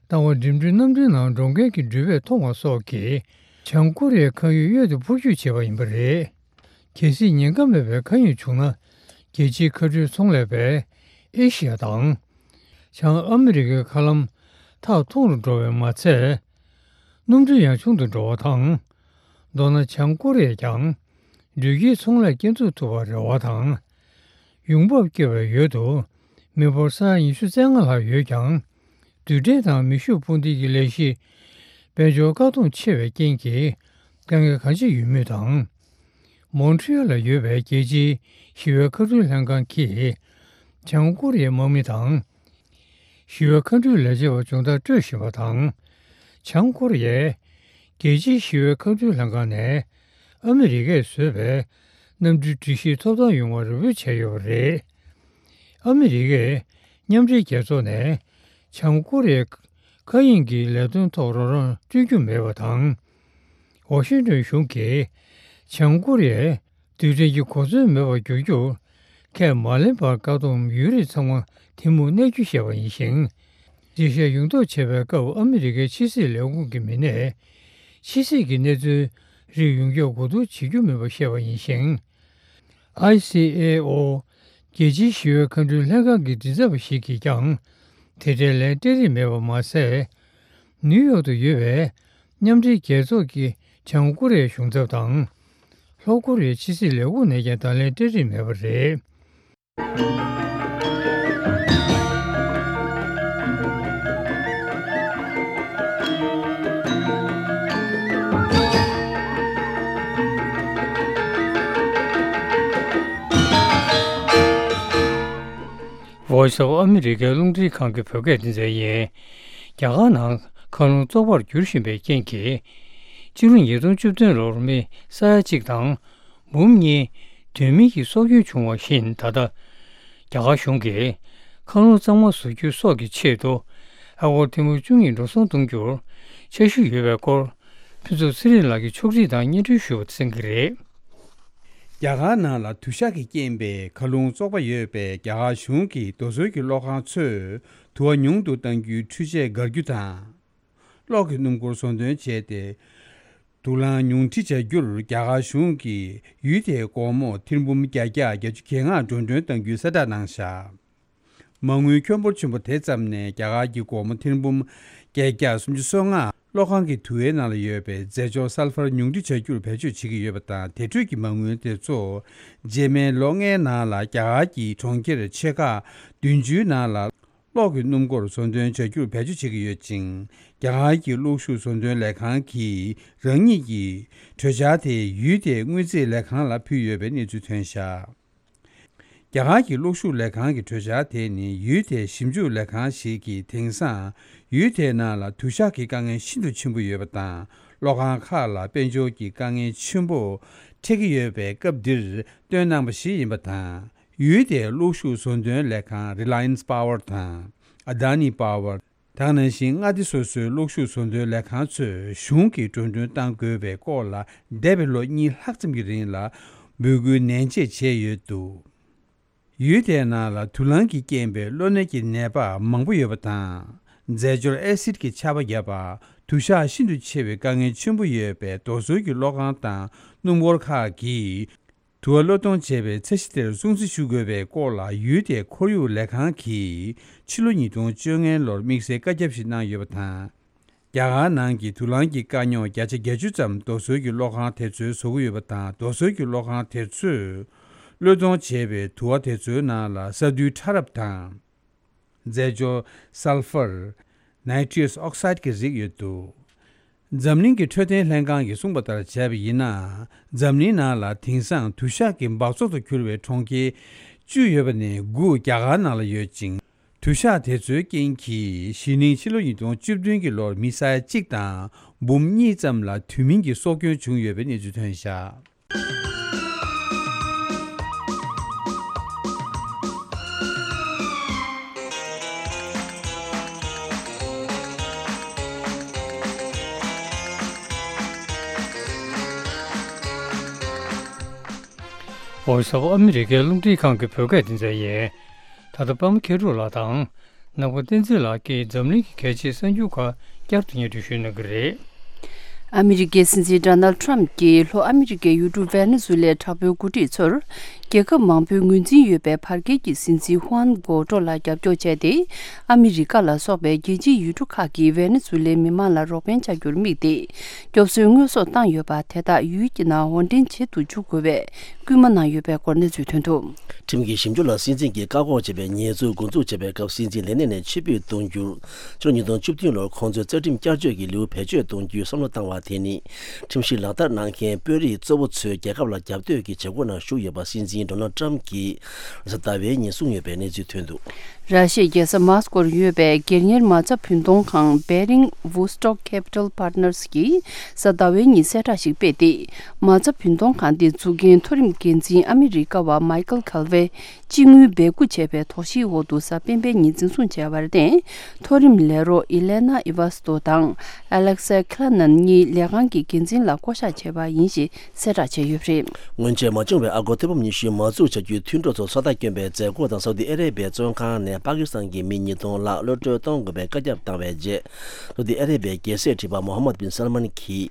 ལྟ་བ་འགྲིམ་འགྲུལ་གནམ་གྲུའི་ནང་འགྲོ་མཁན་གྱི་འགྲུལ་པས་མཐོང་བ་སོགས་ཀྱིས་བྱང་ཀོ་རི་ཡའི་མཁའ་དབྱིངས་གཡོལ་ཏེ་འཕུར་སྐྱོད་བྱས་པ་ཡིན་པ་རེད། གལ་སྲིད་ཉེན་ཁ་མེད་པའི་མཁའ་དབྱིངས་བྱུང་ན། རྒྱལ་སྤྱིའི་མཁའ་འགྲུལ་ཚོང་ལས་པས་ཨེ་ཤི་ཡ་དང་། བྱང་ཨ་མི་རི་ཀའི་མཁའ་ལམ་ཐག་ཐུང་རུ་འགྲོ་བས་མ་ཚད། སྣུམ་འགྲུལ་ཡང་ཆུང་དུ་འགྲོ་བ་དང་། མདོར་ན་བྱང་ཀོ་རི་ཡས་ཀྱང་འགྲུལ་སྐྱེལ་ཚོང་ལས་སྐྱེལ་འཛུགས་ཐུབ་པར་རེ་བ་དང་། ཡོང་འབབ་སྐྱེ་བའི་འོག་ཏུ་མི་འབོར་ས་ཡ་ཉི་ཤུ་རྩ་ལྔ་ལྷག་ཡོད་ཀྱང་། རྡུལ་ཕྲན་དང་མེ་ཤུགས་འཕུར་མདེལ་གྱི་ལས་གཞི་དཔལ་འབྱོར་བཀག་སྡོམ་ཆེ་བའི་རྐྱེན་གྱིས་དཀའ་ངལ་གང་ཆེ་ཡོད་མུས་དང་། མོན་ཊི་ཡལ་ལ་ཡོད་པའི་རྒྱལ་སྤྱིའི་ཞི་བའི་མཁའ་འགྲུལ་ལྷན་ཁང་གིས་བྱང་ཀོ་རི་ཡའི་དམག་མི་དང་། ཞི་བའི་མཁའ་འགྲུལ་ལས་བྱེད་པ་སྦྱོང་བརྡར་སྤྲོད་བཞིན་པ་དང་། བྱང་ཀོ་རི་ཡས་རྒྱལ་སྤྱིའི་ཞི་བའི་མཁའ་འགྲུལ་ལྷན་ཁང་ནས་ཨ་མི་རི་ཀས་བཟོས་པའི་གནམ་གྲུའི་སྒྲིག་གཞི་ཐོབ་ཐང་ཡོང་བར་རེ་སྐུལ་བྱས་ཡོད་པ་རེད། ཨ་མི་རི་ཀས་མཉམ་འབྲེལ་རྒྱལ་ཚོགས་ནས་བྱང་ཀོ་རི་ཡའི་མཁའ་དབྱིངས་ཀྱི་ལས་དོན་ཐོག་རོགས་རམ་སྤྲོད་རྒྱུ་མེད་པ་དང་། ཝ་ཤིང་ཏོན་གཞུང་གིས་བྱང་ཀོ་རི་ཡས་རྡུལ་ཕྲན་གྱི་གོ་མཚོན་མེད་པར་འགྱུར་རྒྱུར་ཁས་མ་ལེན་པར་བཀག་སྡོམ་ཡུན་རིང་ཚང་མ་ཐུན་མོང་གནས་རྒྱུ་བཤད་པ་ཡིན་ཞིང་། རྒྱས་བཤད་ཡོངས་རྫོགས་བྱེད་པའི་སྐབས་ཨ་མི་རི་ཀའི་ཕྱི་སྲིད་ལས་ཁུངས་ཀྱི་མི་སྣས་ཕྱི་སྲིད་ཀྱི་གནས་ཚུལ་རིགས་ཡོངས་ཁྱབ་གོ་བསྡུར་བྱེད་རྒྱུ་མིན་པ་བཤད་པ་ཡིན་ཞིང་། ཨའི་སི་ཨེ་ཨོ། རྒྱལ་སྤྱིའི་ཞི་བའི་མཁའ་འགྲུལ་ལྷན་ཁང་གི་མགྲིན་ཚབ་པ་ཞིག་གིས་ཀྱང་དེ་འབྲེལ་ལན་སྤྲད་རིན་མེད་པ་མ་ཟད། ནིའུ་ཡོག་ཏུ་ཡོད་པའི་མཉམ་འབྲེལ་རྒྱལ་ཚོགས་ཀྱི་བྱང་ཀོ་རི་ཡའི་གཞུང་ཚབ་དང་། ལྷོ་ཀོ་རི་ཡའི་ཕྱི་སྲིད་ལས་ཁུངས་ནས་ཀྱང་བརྡ་ལན་སྤྲད་རིན་མེད་པ་རེད། Voice of America རླུང་འཕྲིན་ཁང་གི་བོད་སྐད་སྡེ་ཚན་ཡིན། རྒྱ་གར་ནང་མཁའ་རླུང་བཙོག་པར་འགྱུར་བཞིན་པའི་རྐྱེན་གྱིས། སྤྱི་ལོ་ཉིས་སྟོང་བཅུ་བདུན་ལོར་མི་ས་ཡ་གཅིག་དང་འབུམ་གཉིས་དོན་མེད་ཀྱིས་སྲོག་སྐྱོན་བྱུང་བ་བཞིན། ད་ལྟ་རྒྱ་གར་གཞུང་གིས་མཁའ་རླུང་གཙང་མ་བཟོ་རྒྱུ་སོགས་ཀྱི་ཆེད་དུ་ཨ་སྒོར་ཐེར་འབུམ་བཅུ་གཉིས་འགྲོ་སོང་གཏོང་རྒྱུར་འཆར་གཞི་ཡོད་པའི་སྐོར། ཕུན་ཚོགས་ཚེ་རིང་ལགས་ཀྱིས་ཕྱོགས་སྒྲིག་དང་སྙན་སྒྲོན་ཞུ་བ་གསན་གྱི་རེད། རྒྱ་གར་ནང་ལ་དུ་ཞག་གིས་རྐྱེན་པས་མཁའ་རླུང་བཙོག་པ་ཡོད་པས། རྒྱ་གར་གཞུང་གིས་རྡོ་སོལ་གྱི་གློག་ཁང་ཚོས་དུ་བ་ཉུང་དུ་གཏང་རྒྱུའི་འཕྲུལ་ཆས་བསྒར་རྒྱུ་དང་། གློག་གི་སྣུམ་འཁོར་བཟོ་འདོན་བྱས་ཏེ། དུག་རླངས་ཉུང་འཕྲི་བྱ་རྒྱུར་རྒྱ་གར་གཞུང་གིས་ཡུལ་དེའི་སྒོར་མོ་ཐེར་འབུམ་བརྒྱད་བརྒྱ་བརྒྱད་ཅུ་གྱ་ལྔ་འགྲོ་གྲོན་གཏང་རྒྱུའི་གསལ་བསྒྲགས་གནང་བཞག་མ་དངུལ་ཁྱོན་འབོར་ཆེན་པོ་དེ་བརྩམས་ནས་རྒྱ་གར་གྱི་སྒོར་མོ་ཐེར་འབུམ་བརྒྱད་བརྒྱ་སུམ་ཅུ་སོ་ལྔ་གློག་ཁང་གི་དུ་བའི་ནང་ལ་ཡོད་པའི་རྫས་སྦྱོར་སལ་ཕར་ཉུང་འཕྲི་བྱ་རྒྱུར་བེད་སྤྱོད་བྱེད་ཀྱི་ཡོད་པ་དང་། དེ་འཕྲོས་ཀྱི་མ་དངུལ་དེ་ཚོ་རྗེས་མའི་ལོ་ལྔའི་ནང་ལ་རྒྱ་གར་གྱི་གྲོང་ཁྱེར་ཆེ་ཁག་བདུན་ཅུའི་ནང་ལ་གློག་གི་སྣུམ་འཁོར་བཟོ་འདོན་བྱ་རྒྱུར་བེད་སྤྱོད་བྱེད་ཀྱི་ཡོད་ཅིང་། རྒྱ་གར་གྱི་གློག་ཤུགས་བཟོ་འདོན་ལས་ཁང་གིས་རང་ཉིད་ཀྱི་གྲོས་འཆར་དེ་ཡུལ་དེའི་དངུལ་རྩིས་ལས་ཁང་ལ་ཕུལ་ཡོད་པའི་གནས་ཚུལ་ཐོན་བཞག་རྒྱ་གར་གྱི་གློག་ཤུགས་ལས་ཁང་གི་གྲོས་འཆར་དེ་ནི་ཡུལ་དེའི་ཞིབ་འཇུག་ལས་ཁང་ཞིག་གིས་དེང་སང་ཡུལ་དེའི་ནང་ལ་དུ་ཞག་གི་དཀའ་ངལ་ཤིན་ཏུ་ཆེན་པོ་ཡོད་པ་དང་། གློག་ཁང་ཁག་ལ་དཔལ་འབྱོར་གྱི་དཀའ་ངལ་ཆེན་པོ་འཕྲད་ཀྱི་ཡོད་པའི་སྐབས་འདིར་བཏོན་གནང་བ་ཞིག་ཡིན་པ་དང་། ཡུལ་དེའི་གློག་ཤུགས་བཟོ་འདྲེན་ལས་ཁང་Reliance Power དང་Adani Power། ད་ག་ནང་བཞིན་མངའ་སྡེ་སོ་སོའི་གློག་ཤུགས་བཟོ་འདྲེན་ལས་ཁང་ཚོས་གཞུང་གིས་འགྲོ་གྲོན་གཏང་དགོས་པའི་སྐོར་ལ་འདས་པའི་ལོ་གཉིས་ལྷག་ཙམ་གྱི་རིང་ལ་འབོད་སྐུལ་ནན་ཆེ་བྱས་ཡོད་འདུག་ཡུལ་དེའི་ནང་ལ་དུག་རླངས་ཀྱིས་རྐྱེན་པའི་གློ་ནད་ཀྱི་ནད་པ་མང་པོ་ཡོད་པ་དང་། རྫས་སྦྱོར་ཨེ་སིད་ཀྱི་ཆར་པ་བརྒྱབ་པ། དུ་ཞག་ཤིན་ཏུ་ཆེ་བའི་དཀའ་ངལ་ཆེན་པོ་ཡོད་པའི་རྡོ་སོལ་གྱི་གློག་ཁང་དང་སྣུམ་འཁོར་ཁག་གིས། དུ་བ་གློད་གཏོང་བྱས་པའི་ཚ་གཞི་དེར་སྲུང་བརྩི་ཞུ་དགོས་པའི་སྐོར་ལ་ཡུལ་དེའི་ཁོར་ཡུག་ལས་ཁང་གིས་ཕྱི་ལོ་ཉིས་སྟོང་བཅོ་ལྔ་ལོར་དམིགས་བསལ་བཀའ་ཁྱབ་ཞིག་གནང་ཡོད་པ་དང་། རྒྱ་གར་ནང་གི་དུག་རླངས་ཀྱི་དཀའ་རྙོག་བརྒྱ་ཆ་བརྒྱད་ཅུ་ཙམ་རྡོ་སོལ་གྱི་གློག་ཁང་དེ་ཚོས་བཟོ་གི་ཡོད་པ་དང་། རྡོ་སོལ་གྱི་གློག་ཁང་དེ་ཚོས་གློད་གཏོང་བྱས་པའི་དུ་བ་དེ་ཚོའི་ནང་ལ་ས་རྡུལ་ཕྲ་རབ་དང་། རྫས་སྦྱོར་Sulphur། Nitrous Oxide གྱི་རིགས་ཡོད་འདུག་འཛམ་གླིང་གི་འཕྲོད་བསྟེན་ལྷན་ཁང་གིས་གསུངས་པ་ལྟར་བྱས་པ་ཡིན་ན། འཛམ་གླིང་ནང་ལ་དེང་སང་དུ་ཞག་གི་འབག་བཙོག་ཏུ་གྱུར་བའི་གྲོང་ཁྱེར་བཅུ་ཡོད་པ་ནས་དགུ་རྒྱ་གར་ནང་ལ་ཡོད་ཅིང་། དུ་ཞག་དེ་ཚོའི་རྐྱེན་གྱིས་གཞེས་ནིང་ཕྱི་ལོ་ཉིས་སྟོང་བཅུ་བདུན་གྱི་ལོར་མི་ས་ཡ་གཅིག་དང་འབུམ་གཉིས་ཙམ་ལ་དུས་མིན་གྱི་སྲོག་སྐྱོན་བྱུང་ཡོད་པའི་གནས་ཚུལ་ཐོན་བཞག Voice of America ཨ་མི་རི་ཀའི་རླུང་འཕྲིན་ཁང་གི་བོད་སྐད་སྡེ་ཚན་ཡིན། ད་ལྟ་པདྨ་མཁས་གྲུབ་ལགས་དང་། ནག་པ་བསྟན་འཛིན་ལགས་ཀྱིས་འཛམ་གླིང་གི་གལ་ཆེའི་གསར་འགྱུར་ཁག་བསྐྱར་དུ་སྙན་སྒྲོན་ཞུ་གནང་གི་རེད། ཨ་མི་རི་ཀའི་སྲིད་འཛིན་ཌོ་ནལ་ཊམ་གྱིས་ལྷོ་ཨ་མི་རི་ཀའི་ཡུལ་གྲུ་ཝེ་ནེ་ཛུ་ལའི་དྲག་པོའི་འགོ་ཁྲིད་ཚོར། རྒྱལ་ཁབ་མང་པོའི་ངོས་འཛིན་ཡོད་པའི་བར་བརྒལ་གྱི་སྲིད་འཛིན་ཧུའན་གོ་ཏྲོ་ལ་རྒྱབ་སྐྱོར་བྱས་ཏེ། ཨ་མི་རི་ཀ་ལ་སོགས་པའི་རྒྱལ་སྤྱིའི་ཡུལ་གྲུ་ཁག་གིས་ཝེ་ནེ་ཛུ་ལའི་མི་མང་ལ་རོགས་ཕན་བྱ་རྒྱུར་དམིགས་ཏེ། སྐྱོབ་གསོའི་དངོས་ཟོག་བཏང་ཡོད་པ་དེ་དག་ཡུལ་གྱི་ནང་དབོར་འདྲེན་བྱེད་དུ་འཇུག་དགོས་པའི་སྐུལ་མ་གནང་ཡོད་པའི་སྐོར་གནས་ཚུལ་ཐོན་འདུག་ཁྲིམས་ཀྱི་ཞིབ་འཇུག་ལ་སྲིད་འཛིན་གྱིས་བཀག་འགོག་བྱས་པའི་ཉེས་འཛུགས་འགོ་འཛུགས་བྱས་པའི་སྐབས་སྲིད་འཛིན་ལས་གནས་ནས་ཕྱིར་འབུད་གཏོང་རྒྱུར། ཕྱི་ལོ་ཉིས་སྟོང་བཅུ་བདུན་ལོར་ཁོང་ཚོའི་རྩ་ཁྲིམས་བསྐྱར་བཅོས་ཀྱི་ལེའུ་བེད་སྤྱོད་གཏོང་རྒྱུའི་བསམ་བློ་བཏང་བ་དེ་ནི། ཁྲིམས་གཞི་ལག་བསྟར་གནང་མཁན་དཔོན་རིགས་གཙོ་བོ་ཚོས་རྒྱལ་ཁབ་ལ་རྒྱབ་གཏོད་ཀྱི་བྱེད་སྒོ་ནང་ཞུགས་ཡོད་པ་སྲིད་འཛིན་ཌོ་ནལ་ཊམ་གྱིས་རེས་གཟའ་ཟླ་བའི་ཉིན་གསུངས་ཡོད་པའི་གནས་ཚུལ་ཐོན་འདུག་ར་ཤི་ཡའི་རྒྱལ་ས་མཱ་སི་ཀོར་ཡོད་པའི་སྒེར་གཉེར་མ་རྩ་བུན་གཏོང་ཁང་Baring Vostok Capital Partners གིས་གཟའ་ཟླ་བའི་ཉིན་གསལ་བསྒྲགས་ཤིག་སྤེལ་ཏེ། མ་རྩ་བུན་གཏོང་ཁང་དེ་འཛུགས་མཁན་མཐོ་རིམ་འགན་འཛིན་ཨ་མི་རི་ཀ་བ་མའི་ཀལ་ཁལ་ཝེ་སྤྱི་དངུལ་སྦས་སྐུང་བྱས་པའི་དོགས་གཞིའི་འོག་ཏུ་གཟའ་སྤེན་པའི་ཉིན་འཛིན་བཟུང་བྱས་པར་བརྟེན། མཐོ་རིམ་ལས་རོགས་ཨི་ལེ་ན་ཨི་ཝ་སྟོ་དང་ཨ་ལེག་སེ་ཁི་ལ་ནན་གཉིས་ལས་ཁང་གི་འགན་འཛིན་ལ་བསྐོ་གཞག་བྱས་པ་ཡིན་ཞེས་གསལ་བསྒྲགས་བྱས་ཡོད་པ་རེད། སྔོན་ཆད་མ་བྱུང་བའི་ཨ་སྒོར་ཐེར་འབུམ་ཉི་ཤུའི་མ་འཛུགས་བྱ་རྒྱུའི་མཐུན་གྲོས་ཚོ་ཚོད་ལྟ་བསྐྱོན་པའི་མཛད་སྒོ་དང་སའུ་ཏི་ཨ་རེ་བྷིའི་བཙོན་ཁང་ནས་པ་ཀི་སི་ཐན་གྱི་མི་ཉིས་སྟོང་ལྷག་གློད་གྲོལ་གཏོང་དགོས་པའི་བཀའ་ཁྱབ་བཏང་བའི་རྗེས། སའུ་ཏི་ཨ་རེ་བྷིའི་རྒྱལ་སྲས་ཁྲི་པ་མོ་ཧམ་མད་བིན་སལ་མན་གྱིས།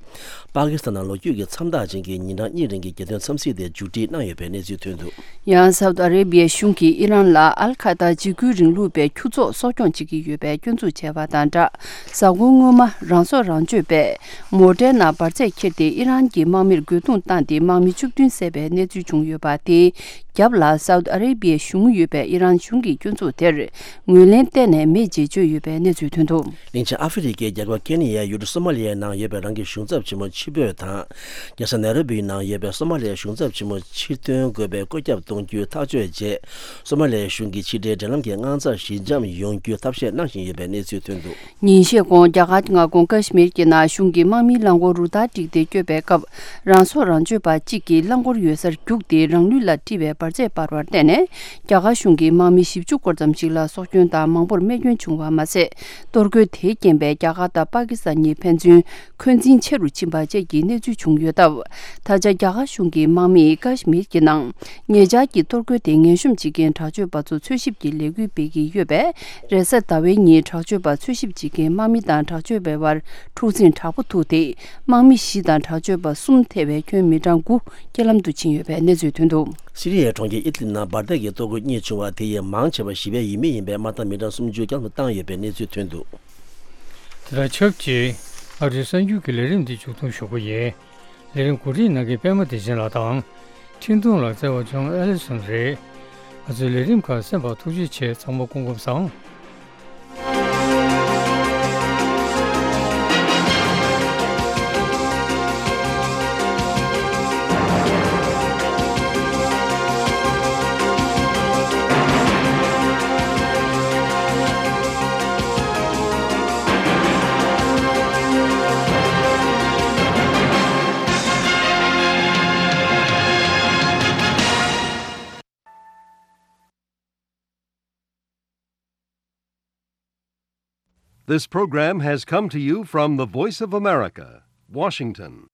པ་ཀི་སི་ཐན་ནང་ལོ་རྒྱུས་ཀྱི་མཚམས་རྟགས་ཅན་གྱི་ཉིན་གྲངས་གཉིས་རིང་གི་རྒྱལ་དོན་འཚམས་གཟིགས་དེ་མཇུག་སྒྲིལ་གནང་ཡོད་པའི་གནས་ཚུལ་ཐོན་འདུག་ཡང་སའུ་ཏི་ཨ་རེ་བྷི་ཡའི་གཞུང་གིས་ཨི་རན་ལ་ཨལ་ཁ་ད་འཇིགས་སྐུལ་རིང་ལུགས་པའི་ཁྱུ་ཚོགས་གསོ་སྐྱོང་བྱེད་ཀྱི་ཡོད་པའི་སྐྱོན་འཛུགས་བྱས་པ་དང་སྦྲགས། གཟའ་འཁོར་སྔོན་མ་རང་སྲོག་རང་གཅོད་པས་མོ་ཊའི་ནང་འབར་རྫས་འཁྱེར་ཏེ་ཨི་རན་གྱི་དམག་མིར་རྒོལ་རྡུང་བཏང་སྟེ་དམག་མི་བཅུ་བདུན་བསད་པའི་གནས་ཚུལ་བྱུང་ཡོད་པ་དེའི་རྒྱབ་ལ་སའུ་ཏི་ཨ་རེ་བྷི་ཡའི་གཞུང་ཡོད་པའི་ཨི་རན་གཞུང་གིས་སྐྱོན་འཛུགས་དེར་ངོས་ལེན་གཏན་ནས་མེད་ཅེས་བརྗོད་ཡོད་པའི་གནས་ཚུལ་ཐོན་འདུག་གླིང་ཆེན་ཨ་ཧྥེ་རི་ཁའི་རྒྱལ་ཁབ་ཀེ་ནི་ཡའི་ཡུལ་གྲུ་སོ་མ་ལི་ཡའི་ནང་ཡོད་པའི་རང་གི་གཞུང་ཚབ་ཆེན་མོ་ཕྱིར་འབུད་དང་། རྒྱལ་ས་ནེ་རོ་བིའི་ནང་ཡོད་པའི་སོ་མ་ལི་ཡའི་གཞུང་ཚབ་ཆེན་མོ་ཕྱིར་ཐོན་དགོས་པའི་བཀོད་ཁྱབ་གཏོང་རྒྱུའི་ཐག་གཅོད་རྗེས། སོ་མ་ལི་ཡའི་གཞུང་གིས་ཕྱི་འབྲེལ་འབྲེལ་ལམ་གྱི་དངངས་འཚབ་ཞི་འཇམ་ཡོང་རྒྱུའི་ཐབས་ཤེས་གནང་བཞིན་ཡོད་པའི་གནས་ཚུལ་ཐོན་འདུག་ཉིན་ཤས་གོང་རྒྱ་གར་མངའ་ཁོངས་ཀ་ཤི་མིར་གྱི་ནང་གཞུང་གི་དམག་མིའི་རླངས་འཁོར་རུ་སྟར་བསྒྲིགས་ཏེ་བསྐྱོད་པའི་སྐབས། རང་སྲོག་རང་གཅོད་པ་གཅིག་གིས་རླངས་འཁོར་ཡོད་སར་རྒྱུགས་ཏེ་རང་ལུས་ལ་དཀྲིས་པའི་འབར་རྫས་སྤར་བར་བརྟེན་ནས། རྒྱ་གར་གཞུང་གི་དམག་མི་བཞི་བཅུ་སྐོར་ཙམ་ཞིག་ལ་སྲོག་སྐྱོན་དང་མང་པོར་རྨས་སྐྱོན་བྱུང་བ་མ་ཟད། གཏོར་རྒོལ་དེའི་རྐྱེན་པས་རྒྱ་གར་དང་པ་ཀི་སི་ཐན་གཉིས་ཕན་ཚུན་འཁོན་འཛིན་ཆེ་རུ་ཕྱིན་པ་བཅས་ཀྱི་གནས་ཚུལ་བྱུང་ཡོད་སྟབས། ད་ཆ་རྒྱ་གར་གཞུང་གི་དམག་མིས་ཀ་ཤི་མིར་གྱི་ནང་ཉེ་ཆར་གྱི་གཏོར་རྒོལ་དེ་ངན་གཤོམ་བྱེད་མཁན་དྲག་སྤྱོད་པ་ཚོ་འཚོལ་ཞིབ་ཀྱི་ལས་འགུལ་སྤེལ་གྱི་ཡོད་པས། རེས་གཟའ་ཟླ་བའི་ཉིན་དྲག་སྤྱོད་པ་འཚོལ་ཞིབ་བྱེད་མཁན་དམག་མི་དང་དྲག་སྤྱོད་པའི་བར་འཁྲུག་འཛིང་དྲག་པོ་ཐུག་སྟེ། དམག་མི་བཞི་དང་དྲག་སྤྱོད་པ་གསུམ་ཐེ་བའི་ཁྱོན་མི་གྲངས་དགུ་རྐྱེན་ལམ་དུ་ཕྱིན་ཡོད་པའི་གནས་ཚུལ་ཐོན་འདུག་སི་རི་ཡའི་གྲོང་ཁྱེར་ཨི་ཏི་ལི་ནང་འབར་མདེལ་གྱི་གཏོར་རྒོལ་གཉིས་བྱུང་བ་དེ་ཡི་མང་ཆེ་བ་ཞི་བའི་ཡུལ་མི་ཡིན་པས་དམག་དང་མི་གྲངས་སུམ་ཅུ་བསྐྱར་དུ་བཏང་ཡོད་པའི་གནས་ཚུལ་ཐོན་འདུག་དེ་དང་ཆབས་ཅིག་ཨ་རིའི་གསར་འགྱུར་གྱི་ལས་རིམ་འདི་མཇུག་སྡོམ་ཞུ་གི་ཡིན། ལས་རིམ་གོ་སྒྲིག་གནང་མཁན་པད་མ་བདེ་ཆེན་ལགས་དང་། འཕྲིན་ཐུང་ལ་བརྩེ་བ་ལྗོངས་ཨེ་ལི་སོན་རེད། ང་ཚོའི་ལས་རིམ་ཁག་གསན་པར་ཐུགས་རྗེ་ཆེ། ཚང་མ་སྐུ་ཁམས་བཟང་། This program has come to you from the Voice of America, Washington.